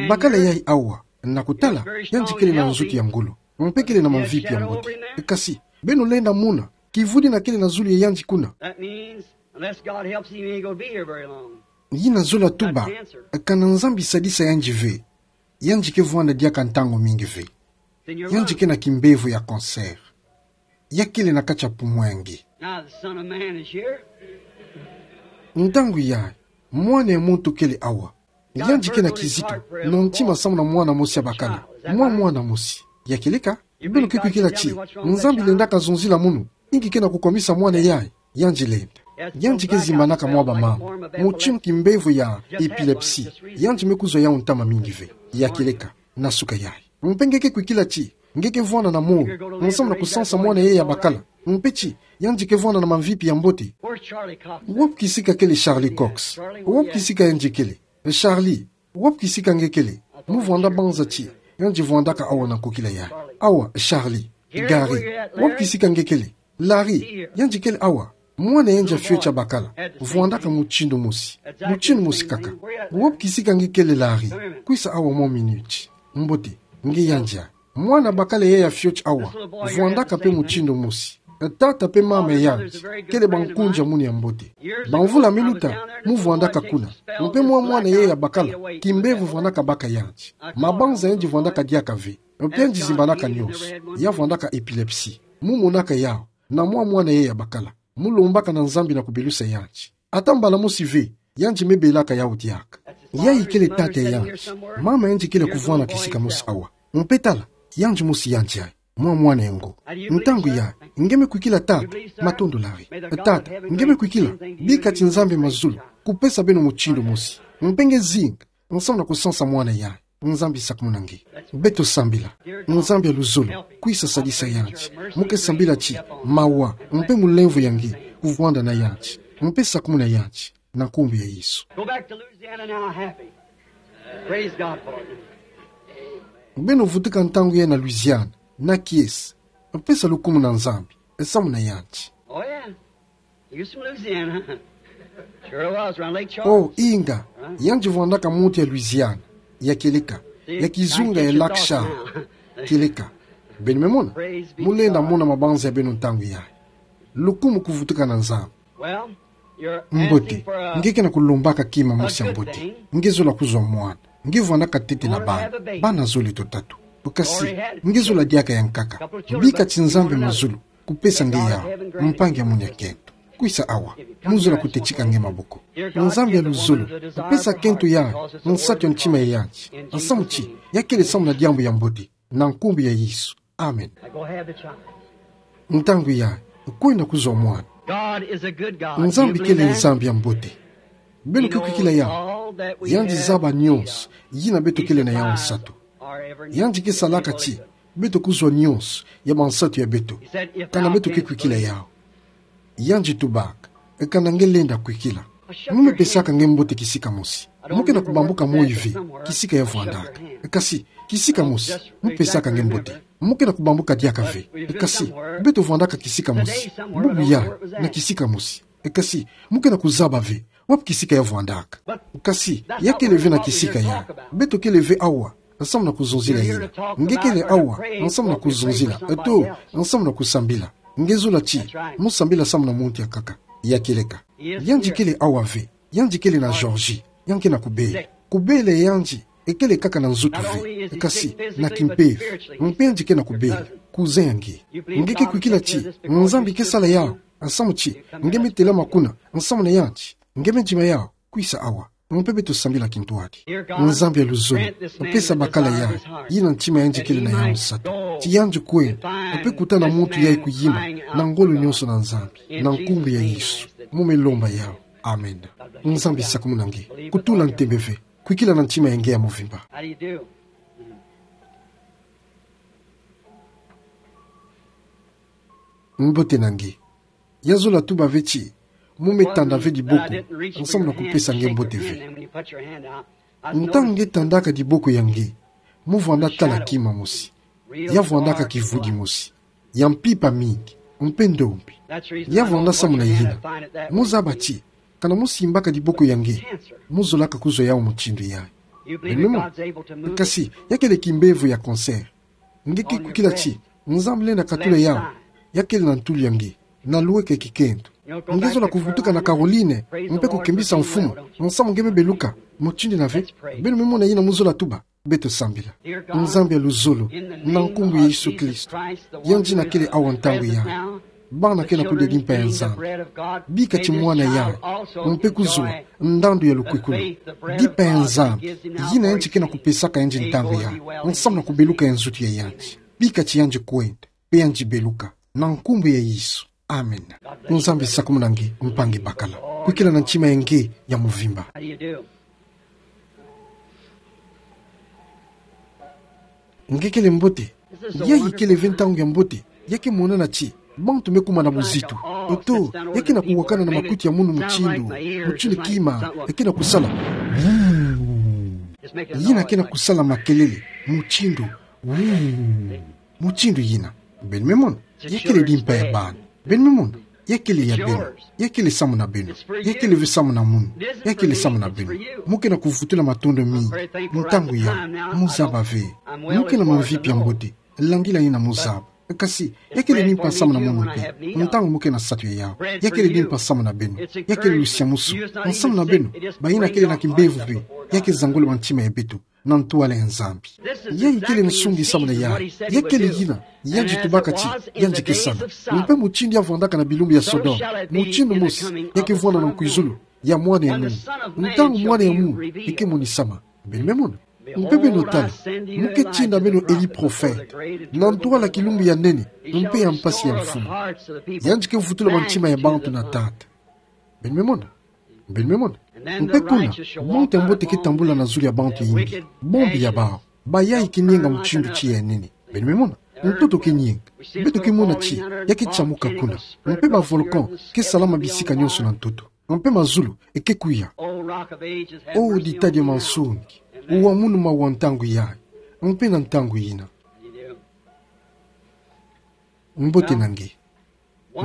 Bakala yayi awa, na kutala, yandi kele na nzutu ya ngolo. Mpe kele na mamvipi ya mbote. Kasi, beno lenda mona, kivwidi yina kele na zulu ya yandi kuna. That means, unless God helps him, he ain't gonna be here very long. Yina zola tuba, kana Nzambi sadisa yandi ve. Yandi ke vwanda diaka ntangu mingi ve. Yandi ke na kimbevo ya cancer. Ya kele na kati ya poumon ya nge. Now the Son of Man is here. Ntangu yayi, mwana ya muntu kele awa. Yandi ke na kizitu, na ntima samu na mwana mosi ya bakala. Mwa mwana mosi. Ya kieleka, beno ke kwikila ti, Nzambi lendaka zonzila munu, inki ke na kukomisa mwana yayi, yandi lenda. Yandi ke zimbanaka mwa bamambu, mutindu kimbevo ya epilepsie, yandi me kuzwa yawu ntama mingi ve. Ya kieleka, na suka yayi. Mpe nge ke kwikila ti, nge ke vwanda na molo, nsamu na kusansa mwana yayi ya bakala. Mpe ti, yandi ke vwanda na mamvipi ya mbote. Where's Charlie Cox? Wapi kisika kele Charlie Cox? Wapi kisika yandi kele? Charlie, wapi kisika nge kele? Mu vwanda banza ti, yandi vwandaka awa na nkokila yayi. Awa, Charlie, Gary, wapi kisika nge kele? Larry, yandi kele awa. Mwana yandi ya fioti ya bakala, vwandaka mutindu mosi. Mutindu mosi kaka. Wapi kisika nge kele Larry? Kwisa awa mwa miniti. Mbote, nge yandi ya. Mwana bakala yayi ya fioti awa, vwandaka mpe mutindu mosi. Tata mpe mama ya yandi, kele bankunja munu ya mbote. Bamvula me luta, mu vwandaka kuna. Mpe mwa mwana yayi ya bakala, kimbevo vwandaka baka yandi. Mabanza yandi vwandaka diaka ve. Mpe yandi zimbanaka nionso. Ya vwandaka epilepsie. Mu monaka yawu, na mwa mwana yayi ya bakala. Mu lombaka na Nzambi na kubelusa yandi. Ata mbala mosi ve, yandi me belaka yawu diaka. Yayi kele tata ya yandi. Mama yandi kele kuvwanda kisika mosi awa. Mpe tala, yandi mosi yandi yayi. Mwa mwana ya ngo. Ntangu yayi, nge me kwikila tata, matondo Larry. Tata, nge me kwikila, bika ti Nzambi ya mazulu, kupesa beno mutindu mosi. Mpe nge zinga, nsamu na kusansa mwana yayi. Nzambi sakumuna nge. Beto sambila. Nzambi ya luzolo, kwisa sadisa yandi. Mo ke sambila ti mawa, mpe mulemvo ya nge kuvwanda na yandi. Mpe sakumuna yandi, na nkumbu ya Yesu. Go back to Louisiana now happy. Praise God for it. Beno vutuka ntangu yayi na Louisiana, na kiese. Pesa lukumu na Nzambi, samu na yandi. Oh, yeah. Houston, Louisiana. Sure was, around Lake Charles. Oh, inga, yandi vwandaka muntu ya Louisiana, ya kieleka, ya kizunga ya Lake Charles, kieleka. Beno me mona, mulenda mona mabanza ya beno ntangu yayi. Lukumu kuvutuka na Nzambi. Well, you're asking for a, a good thing. Mbote, nge ke na kulombaka kima mosi ya mbote. Nge zola kuzwa mwana. Nge vwandaka ntete na bana. Bana zole to tatu. Kasi, nge zola diaka ya nkaka. Bika ti Nzambi ya mazulu kupesa nge yawu, mpangi ya munia kento. Kwisa awa, mo zola kutetika nge maboko. Nzambi ya luzolo, pesa kento yayi, nsatu ya ntima ya yandi. Nsamu ti, ya kele samu na diambu ya mbote, na nkumbu ya Yesu. Amen. Ntangu yayi, kwenda kuzwa mwana. Nzambi kele Nzambi ya mbote. Beno ke kwikila yawu. Yandi zaba nyonso yina beto kele na yawu nsatu. Yandi ke salaka ti beto kuzwa nyonso ya bansatu ya beto, kana beto ke kwikila yawu. Yandi tubaka, kana nge lenda kwikila, mo me pesaka nge mbote kisika mosi. Mo ke na kubambuka moyo ve kisika ya vwandaka. Kasi, kisika mosi, mo pesaka nge mbote. Mo ke na kubambuka diaka ve. Kasi, beto vwandaka kisika mosi. Bubu yayi, na kisika mosi. Kasi, mo ke na kuzaba ve wapi kisika ya vwandaka. Kasi, ya kele ve na kisika yayi. Beto kele ve awa, nsamu na kuzonzila yina. Nge kele awa, nsamu na kuzonzila. Eto, nsamu na kusambila. Nge zola ti, mo sambila samu na muntu ya nkaka, ya kieleka. Yandi kele awa ve. Yandi kele na Georgie, yandi ke na kubela. Kubela yandi, ekele kaka na nzutu ve, kasi na kimpeve. Mpe yandi ke na kubela, cousin ya nge. Nge ke kwikila ti Nzambi ke sala yawu, nsamu ti nge me telama kuna, nsamu na yandi. Nge me ndima yawu, kwisa awa. Mpe beto sambila kintwadi. Nzambi ya luzolo, pesa bakala yayi, yina ntima ya yandi kele na yawu nsatu. Ti yandi kwenda, mpe kutana muntu yayi kuyimba na ngolo nyonso na Nzambi, na nkumbu ya Yesu. Mo me lomba yawu. Amen. Nzambi sakumuna nge. Kutula ntembe ve. Kwikila na ntima ya nge ya mvimba. How do you do? Mbote na nge. Ya zola tuba ve ti mo me tanda ve diboko, nsamu na kupesa nge mbote ve. Ntangu nge tandaka diboko ya nge, mo vwanda tala kima mosi. Ya vwandaka kivudi mosi ya mpimpa mingi, mpe ndombi. Ya vwanda samu na yina mo zaba ti, kana mo simbaka diboko ya nge, mo zolaka kuzwa yawu mutindu yayi. Beno me mona? Kasi, ya kele kimbevo ya cancer. Nge ke kwikila ti Nzambi lenda katula yawu. Ya kele na ntulu ya nge, na lweke kikento. Nge zola kuvutuka na Caroline, mpe kukembisa Mfumu, nsamu nge me beluka mutindu yina ve. Beno me mona yina mo zola tuba. Beto sambila. Nzambi ya luzolo, na nkumbu ya Yesu Kristo, yandi yina kele awa ntangu yayi. Bana ke na kudia dimpa ya Nzambi. Bika ti mwana yayi, mpe kuzwa ndandu ya lukwikulu. Dimpa ya Nzambi, yina yandi ke na kupesaka yandi ntangu yayi, nsamu na kubeluka ya nzutu ya yandi. Bika ti yandi kwenda, mpe yandi beluka. Na nkumbu ya Yesu. Amen. Nzambi sakumuna nge, mpangi bakala. Kwikila na ntima ya nge ya mvimba. Nge kele mbote. Yayi kele ve ntangu ya mbote. Ya ke monana ti bantu me kuma na buzitu. Oto, ya ke na kuwakana na makutu ya munu mutindu. Mutindu kima, ya ke na kusala. Yina ke na kusala makelele. Mutindu. Mutindu yina. Beno me mona? Ya kele dimpa ya bana. Beno me mona? Ya kele ya beno. Ya kele samu na beno. Ya kele ve samu na munu. Ya kele samu na beno. Mo ke na kuvutula matondo mingi. Ntangu yayi, mo zaba ve. Mo ke na mamvipi ya mbote. Langila yina mo zaba. Kasi, ya kele dimpa samu na munu mpe. Ntangu mo ke na satu ya yawu. Ya kele dimpa samu na beno. Ya kele lusiamusu. Nsamu na beno. Bayina kele na kimbevo ve. Ya ke zangula bantima ya beto na ntwala ya Nzambi. Yayi kele nsungi samu na yayi. Ya kele yina yandi tubaka ti yandi ke sala. Mpe mutindu ya vwandaka na bilumbu ya Sodome, mutindu mosi ya ke vwanda na nkwizulu ya Mwana ya munu. Ntangu Mwana ya munu e ke monisama. Beno me mona? Mpe beno tala, mo ke tinda beno Elie prophète na ntwala kilumbu ya nene mpe ya mpasi ya Mfumu. Yandi ke vutula bantima ya bantu na Tata. Beno me mona? Beno me mona? Mpe kuna, monte mbote ke tambula na zulu ya bantu yimbi. Bombi ya bawu. Bayai ke nienga mutindu tiya ya nene. Beno me mona. Ntoto ke nienga. Beto ke mona ti, ya ke tiamuka kuna. Mpe ba volcan ke salama bisika nionso na ntoto. Mpe mazulu, e ke kuya. O ditadi ya mansoni. Wa munu mawa ntangu yayi. Mpe na ntangu yina. Mbote na nge.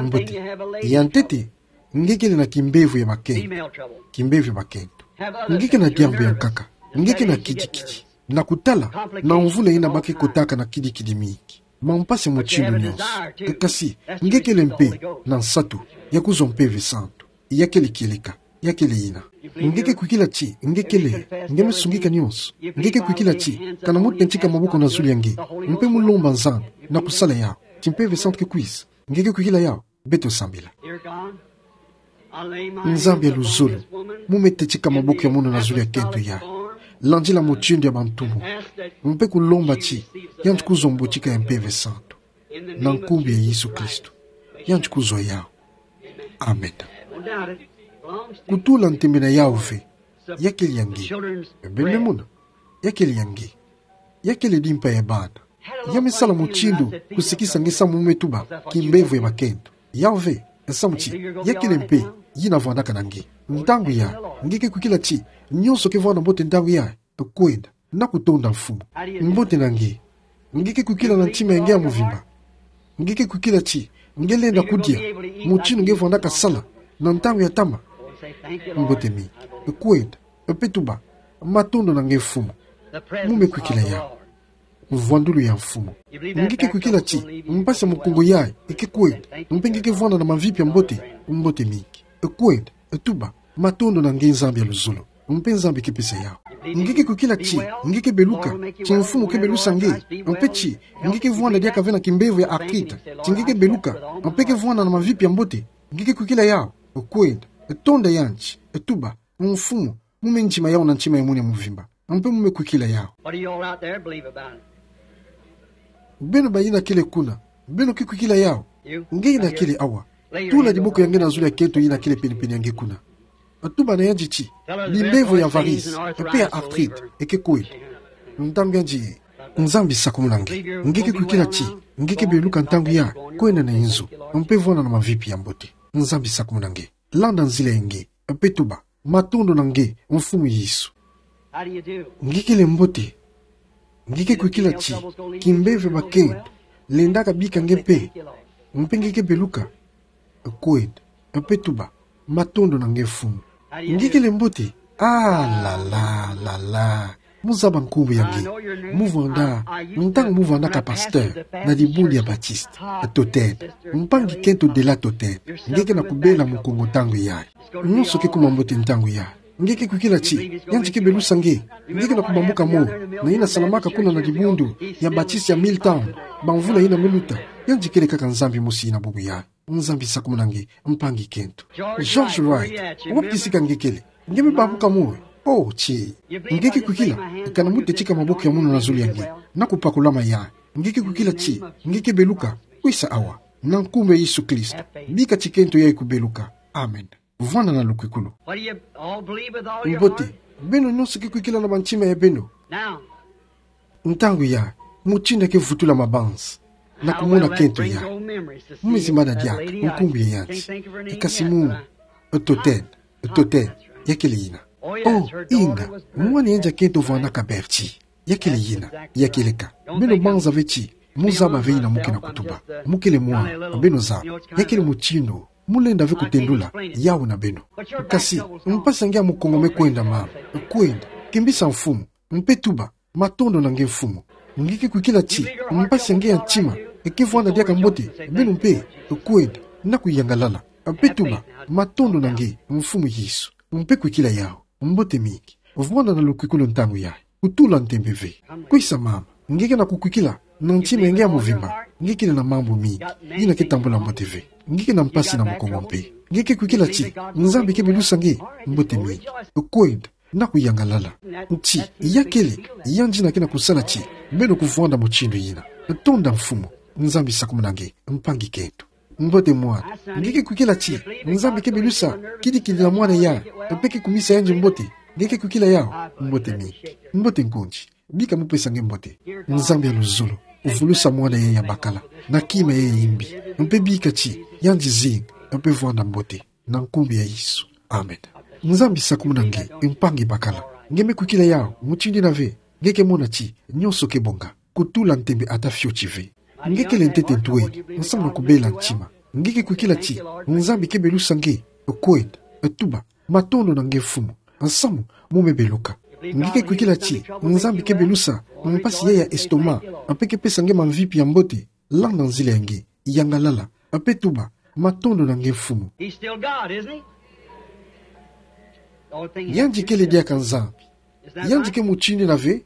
Mbote. Ya ntete, nge kele na kimbevo ya bakento. Kimbevo ya bakento. Nge ke na diambu ya nkaka. Nge ke na kidikidi. Na kutala, na mvula yina ba ke kotaka na kidikidi mingi. Mampasi ya mutindu nionso. Kasi, nge kele mpe na nsatu ya kuzwa Mpeve Santu. Ya kele kieleka. Ya kele yina. Nge ke kwikila ti, nge kele, nge me sungika nionso. Nge ke kwikila ti, kana mu tentika maboko na zulu ya nge. Mpe mu lomba Nzambi, na kusala yawu. Ti Mpeve Santu ke kwisa. Nge ke kwikila yawu, beto sambila. Nzambi ya luzolo, mu me tentika maboko ya mono na zulu ya kento yayi. Landila mutindu ya bantu mo. Mpe kulomba ti, yandi kuzwa mbotika ya Mpeve Santu. Na nkumbu ya Yesu Kristo. Yandi kuzwa yawu. Amen. Kutula ntembe na yawu ve. Ya kele ya nge. Beno me mona. Ya kele ya nge. Ya kele dimpa ya bana. Ya me sala mutindu kusikisa nge samu mu me tuba kimbevo ya bakento. Yawu ve, samu ti, ya kele mpe, yina vandaka na nge. Ntangu yayi, nge ke kwikila ti, nionso ke vwanda mbote ntangu yayi, kwenda, na kutonda Mfumu. Mbote na nge. Nge ke kwikila na ntima ya nge ya mvimba. Nge ke kwikila ti, nge lenda kudia, mutindu nge vandaka sala, na ntangu ya ntama. Mbote mingi. Kwenda, mpe tuba, matondo na nge Mfumu. Mu me kwikila yawu. Mvwandulu ya Mfumu. Nge ke kwikila ti, mpasi ya mukongo yayi, e ke kwenda, mpe nge ke vwanda na mavipi ya mbote, mbote mingi. Kwenda, tuba, matondo na nge Nzambi ya luzolo. Mpe Nzambi ke pesa yawu. Nge ke kwikila ti, nge ke beluka, ti Mfumu ke belusa nge, mpe ti, nge ke vwanda diaka ve na kimbevo ya arthrite, ti nge ke beluka, mpe ke vwanda na mavipi ya mbote, nge ke kwikila yawu, kwenda, tonda yandi, tuba, Mfumu, mu me ndima yawu na ntima ya mono ya mvimba. Mpe mu me kwikila yawu. What do you all out there believe about it? Beno bayina kele kuna. Beno ke kwikila yawu. You? Nge yina kele awa. Tula diboko ya nge na zulu ya kento yina kele pene-pene ya nge kuna. Tuba na yandi ti, bimbevo ya varices, mpe ya arthrite, e ke kwenda. Ntangu yandi, Nzambi sakumuna nge. Nge ke kwikila ti, nge ke beluka ntangu yayi, kwenda na inzo. Mpe vwanda na mavipi ya mbote. Nzambi sakumuna nge. Landa nzila ya nge, mpe tuba, matondo na nge, Mfumu Yesu. How do you do? Nge kele mbote. Nge ke kwikila ti, kimbevo ya bakento lendaka bika nge mpe. Mpe nge ke beluka. Kwenda, mpe tuba, matondo na nge Mfumu. Nge kele mbote. Ah, la, la, la, la. Mu zaba nkumbu ya nge. Mu vwanda, ntangu mu vwandaka pasteur na dibundu ya Baptiste. Totene. Mpangi kento Della Totene. Nge ke na kubela mukongo ntangu yayi. Nionso ke kuma mbote ntangu yayi. Nge ke kwikila ti, yandi ke belusa nge. Nge ke na kubambuka moyo. Na yina salamaka kuna na dibundu ya Baptiste ya Milltown. Bamvula yina me luta. Yandi kele kaka Nzambi mosi yina bubu yayi. Nzambi sakumuna nge, mpangi kento. George Wright, wapi kisika nge kele? Nge me bambuka moyo. Oh, ti. Nge ke kwikila, kana mu tentika maboko ya mono na zulu ya nge. Na kupakula mayayi. Nge ke kwikila ti, nge ke beluka. Kwisa awa. Na nkumbu ya Yesu Kristo. Bika ti kento yayi kubeluka. Amen. Vwanda na lukwikulu. What do you all believe with all your heart? Mbote, beno nionso ke kwikila na bantima ya beno. Now, ntangu yayi, mutindu ke vutula mabanza. Na kumona kento yayi. Mu me zimbana diaka, nkumbu ya yandi. Kasi mu, Totene, Totene, ya kele yina. Oh, inga, mwana yandi ya kento vwandaka Bertie. Ya kele yina, ya keleka. Beno banza ve ti, mu zaba ve yina mu ke na kutuba. Mu kele mwana, beno zaba. Ya kele mutindu, mu lenda ve kutendula, yawu na beno. Kasi, mpasi ya nge ya mukongo me kwenda mama, kwenda, kimbisa Mfumu, mpe tuba, matondo na nge Mfumu. Nge ke kwikila ti, mpasi ya nge ya ntima, e ke vwanda diaka mbote, beno mpe, kwenda, na kuyangalala. Mpe tuba, matondo na nge, Mfumu Yesu. Mpe kwikila yawu. Mbote mingi. Vwanda na lukwikulu ntangu yayi. Kutula ntembe ve. Kwisa mama. Nge ke na kukwikila. Na ntima ya nge ya mvimba. Nge kele na mambu mingi. Yina ke tambula mbote ve. Nge ke na mpasi na mukongo mpe. Nge ke kwikila ti, Nzambi ke belusa nge. Mbote mingi. Kwenda. Na kuyangalala. Ti, ya kele. Yandi yina ke na kusala ti, beno kuvwanda mutindu yina. Tonda Mfumu. Nzambi sakumuna nge. Mpangi kento. Mbote mwana. Nge ke kwikila ti Nzambi ke belusa kidikidi na mwana ya, mpe ke kumisa yandi mbote? Nge ke kwikila yawu? Mbote mingi. Mbote nkonji. Bika mupesa nge mbote. Nzambi ya luzolo, vulusa mwana ya ya bakala na kima ya ya imbi, mpe bika ti yandi zinga mpe vwanda mbote, na nkumbu ya Yesu. Amen. Nzambi sakumuna nge, mpangi bakala. Nge me kwikila yawu? Mutindu ina ve, nge ke mona ti nyonso ke bonga, kutula ntembe ata fioti ve. Nge kele ntete ntwenya, nsamu na kubela ntima. Nge ke kwikila ti Nzambi ke belusa nge kwenda, tuba: Matondo na nge Mfumu, nsamu mo me beluka. Nge ke kwikila ti Nzambi ke belusa mpasi ya ya estomac, mpe ke pesa nge mamvipi ya mbote, landa nzila ya nge, yangalala, mpe tuba: Matondo na nge Mfumu. He's still God, isn't he? Don't think he has. Yandi kele diaka Nzambi. Is that right? Yandi ke mutindu ina ve?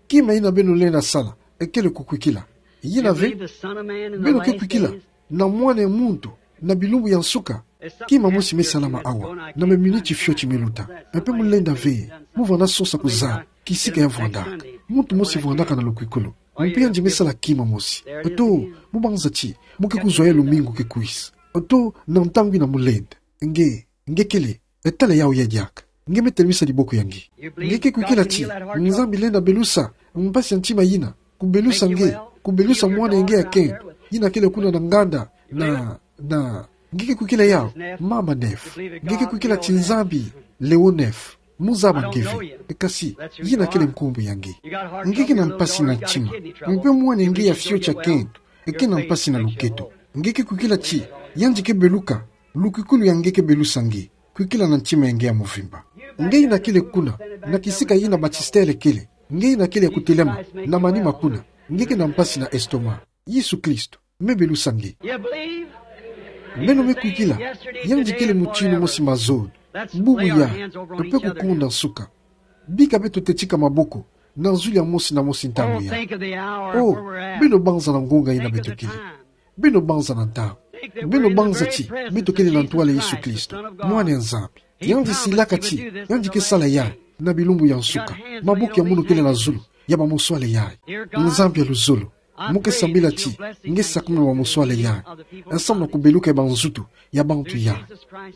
Kima ina beno lenda sala, e kele kukwikila. Ina ve? You believe the Son of Man in the last days? Beno ke kwikila na Mwana ya Muntu na bilumbu ya nsuka? Kima mosi me salama awa, na maminiti fioti me luta. Mpe mu lenda ve, mu vwanda sosa kuzaba kisika ya vwandaka. Muntu mosi vwandaka na lukwikulu. Mpe yandi me sala kima mosi. Eto, mu banza ti mu ke kuzwa ya lumingu ke kwisa. Eto, na ntangu ina mu lenda. Nge, nge kele, e tala yawu ya diaka. Nge me telemisa diboko ya nge. Nge ke kwikila ti Nzambi lenda belusa mpasi ya ntima ina, kubelusa nge, kubelusa mwana ya nge ya kento, ina kele kuna na nganda, na, na, nge ke kwikila yawu? Mama Neff. Nge ke kwikila ti Nzambi, Leo Neff, mu zaba nge ve. Kasi, ina kele nkumbu ya nge. Nge ke na mpasi na ntima. Mpe mwana ya nge ya fioti ya kento ke na mpasi na luketo. Nge ke kwikila ti yandi ke beluka, lukwikulu ya nge ke belusa nge, kwikila na ntima ya nge ya mvimba. Nge ina kele kuna, na kisika ina Batistele kele. Nge ina kele ya kutelama na manima kuna. Nge ke na mpasi na estomac. Yesu Kristo me belusa nge. Beno me kwikila, yandi kele mutindu mosi mazono, bubu yayi, mpe kukonda nsuka. Bika beto tetika maboko na zulu ya mosi na mosi ntangu yayi. Oh, beno banza na ngonga ina beto kele. Beno banza na ntangu. Beno banza ti beto kele na ntwala Yesu Kristo, Mwana ya Nzambi. Yandi silaka ti yandi ke sala yayi na bilumbu ya nsuka. Maboko ya munu kele na zulu ya bamuswale yayi. Nzambi ya luzolo, mu ke sambila ti nge sakumuna bamuswale yayi, nsamu na kubeluka ya banzutu ya bantu yayi,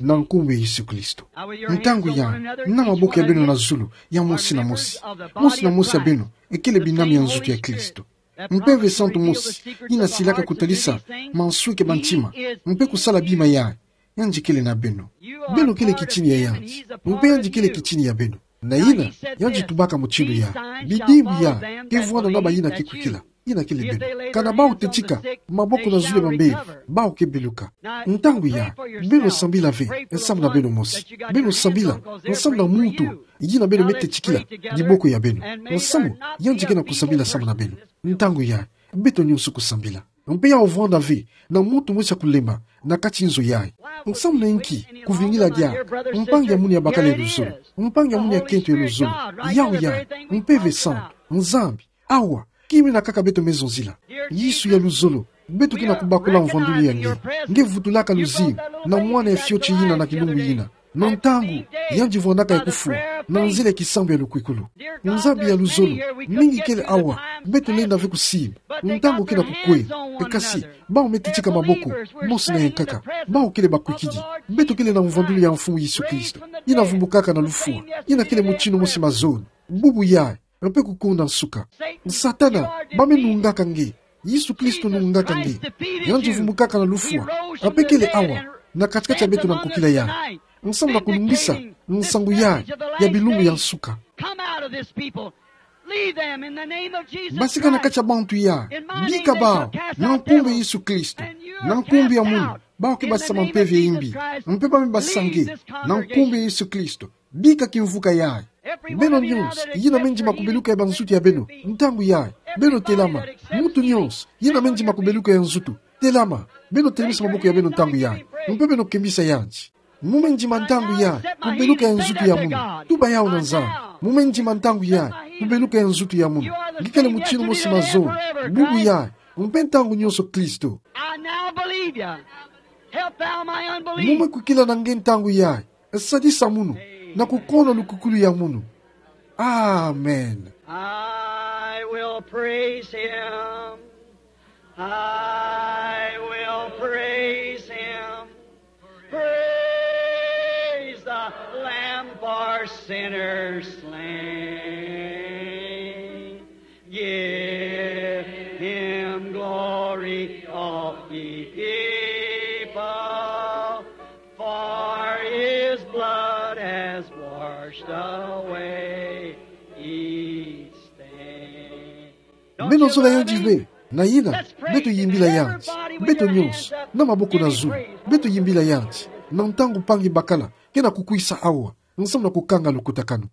na nkumbu ya Yesu Kristo. Ntangu yayi, na maboko ya beno na zulu ya mosi na mosi. Mosi na mosi ya beno e kele binami ya nzutu ya Kristo. Mpeve santu mosi ina silaka kutalisa mansweki ma ntima mpe kusala bima yayi, yandi kele na beno. Beno kele kitini ya yandi, mpe yandi kele kitini ya beno. Na ina, yandi tubaka mutindu yayi: Bidimbu yayi ke vwanda na bayina ke kwikila. Ina kele beno. Kana bawu tetika maboko na zulu ya bambevo, bawu ke beluka. Ntangu yayi, beno sambila ve nsamu na beno mosi. Beno sambila nsamu na muntu yina beno me tetikila diboko ya beno. Nsamu yandi ke na kusambila samu na beno. Ntangu yayi, beto nyonso kusambila. Mpe yawu vwanda ve na muntu mosi ya kulemba na kati nzo yayi. Nsamu na inki kuvingila diaka mpangi ya munu ya bakala ya luzolo, mpangi ya munu ya kento ya luzolo? Yawu yayi, Mpeve Santu, Nzambi. Awa, kima ina kaka beto me zonzila. Yesu ya luzolo, beto ke na kubakula mvwandulu ya nge. Nge vutulaka luzingu na mwana ya fioti yina na kilumbu yina. Na ntangu yandi vwandaka ya kufwa, na nzila ya kisambu ya lukwikulu. Nzambi ya luzolo, mingi kele awa, beto lenda ve kusimba. Ntangu ke na kukwenda. Kasi, bawu me tetika maboko, mosi na yankaka, bawu kele bakwikidi. Beto kele na mvwandulu ya Mfumu Yesu Kristo, yina vumbukaka na lufwa, yina kele mutindu mosi mazono, bubu yayi, mpe kukonda nsuka. Satana, ba me nungaka nge. Yesu Kristo nungaka nge. Yandi vumbukaka na lufwa, mpe kele awa na kati-kati ya beto na nkokila yayi, nsamu na kulungisa nsangu yayi ya bilumbu ya nsuka. Basika na kati ya bantu yayi, bika bawu na nkumbu ya Yesu Kristo. Na nkumbu ya munu, bawu ke basisa mpeve ya imbi, mpe ba me basisa nge na nkumbu ya Yesu Kristo. Bika kimvuka yayi. Beno nyonso yina me ndima kubeluka ya banzutu ya beno ntangu yayi, beno telama. Muntu nyonso yina me ndima kubeluka ya nzutu, telama. Beno telemisa maboko ya beno ntangu yayi, mpe beno kembisa yandi. Mu me ndima ntangu yayi kubeluka ya nzutu ya munu? Tuba yawu na Nzambi. Mu me ndima ntangu yayi kubeluka ya nzutu ya munu? Nge kele mutindu mosi mazono, bubu yayi, mpe ntangu nyonso Kristo. I now believe you. Help thou my unbelief. Mu me kwikila na nge ntangu yayi. Sadisa munu na kukono lukwikulu ya munu. Amen. I will praise him. I will praise Sinner slain. Give him glory, all ye people, for his blood has washed away each stain. Meno zoleka yandi bê, na ina, beto yimbila yandi, beto nyonso, na maboko na zulu, beto yimbila yandi, na ntangu mpangi bakala, kena kukwisa awa, nsamu na kukanga lukutakano.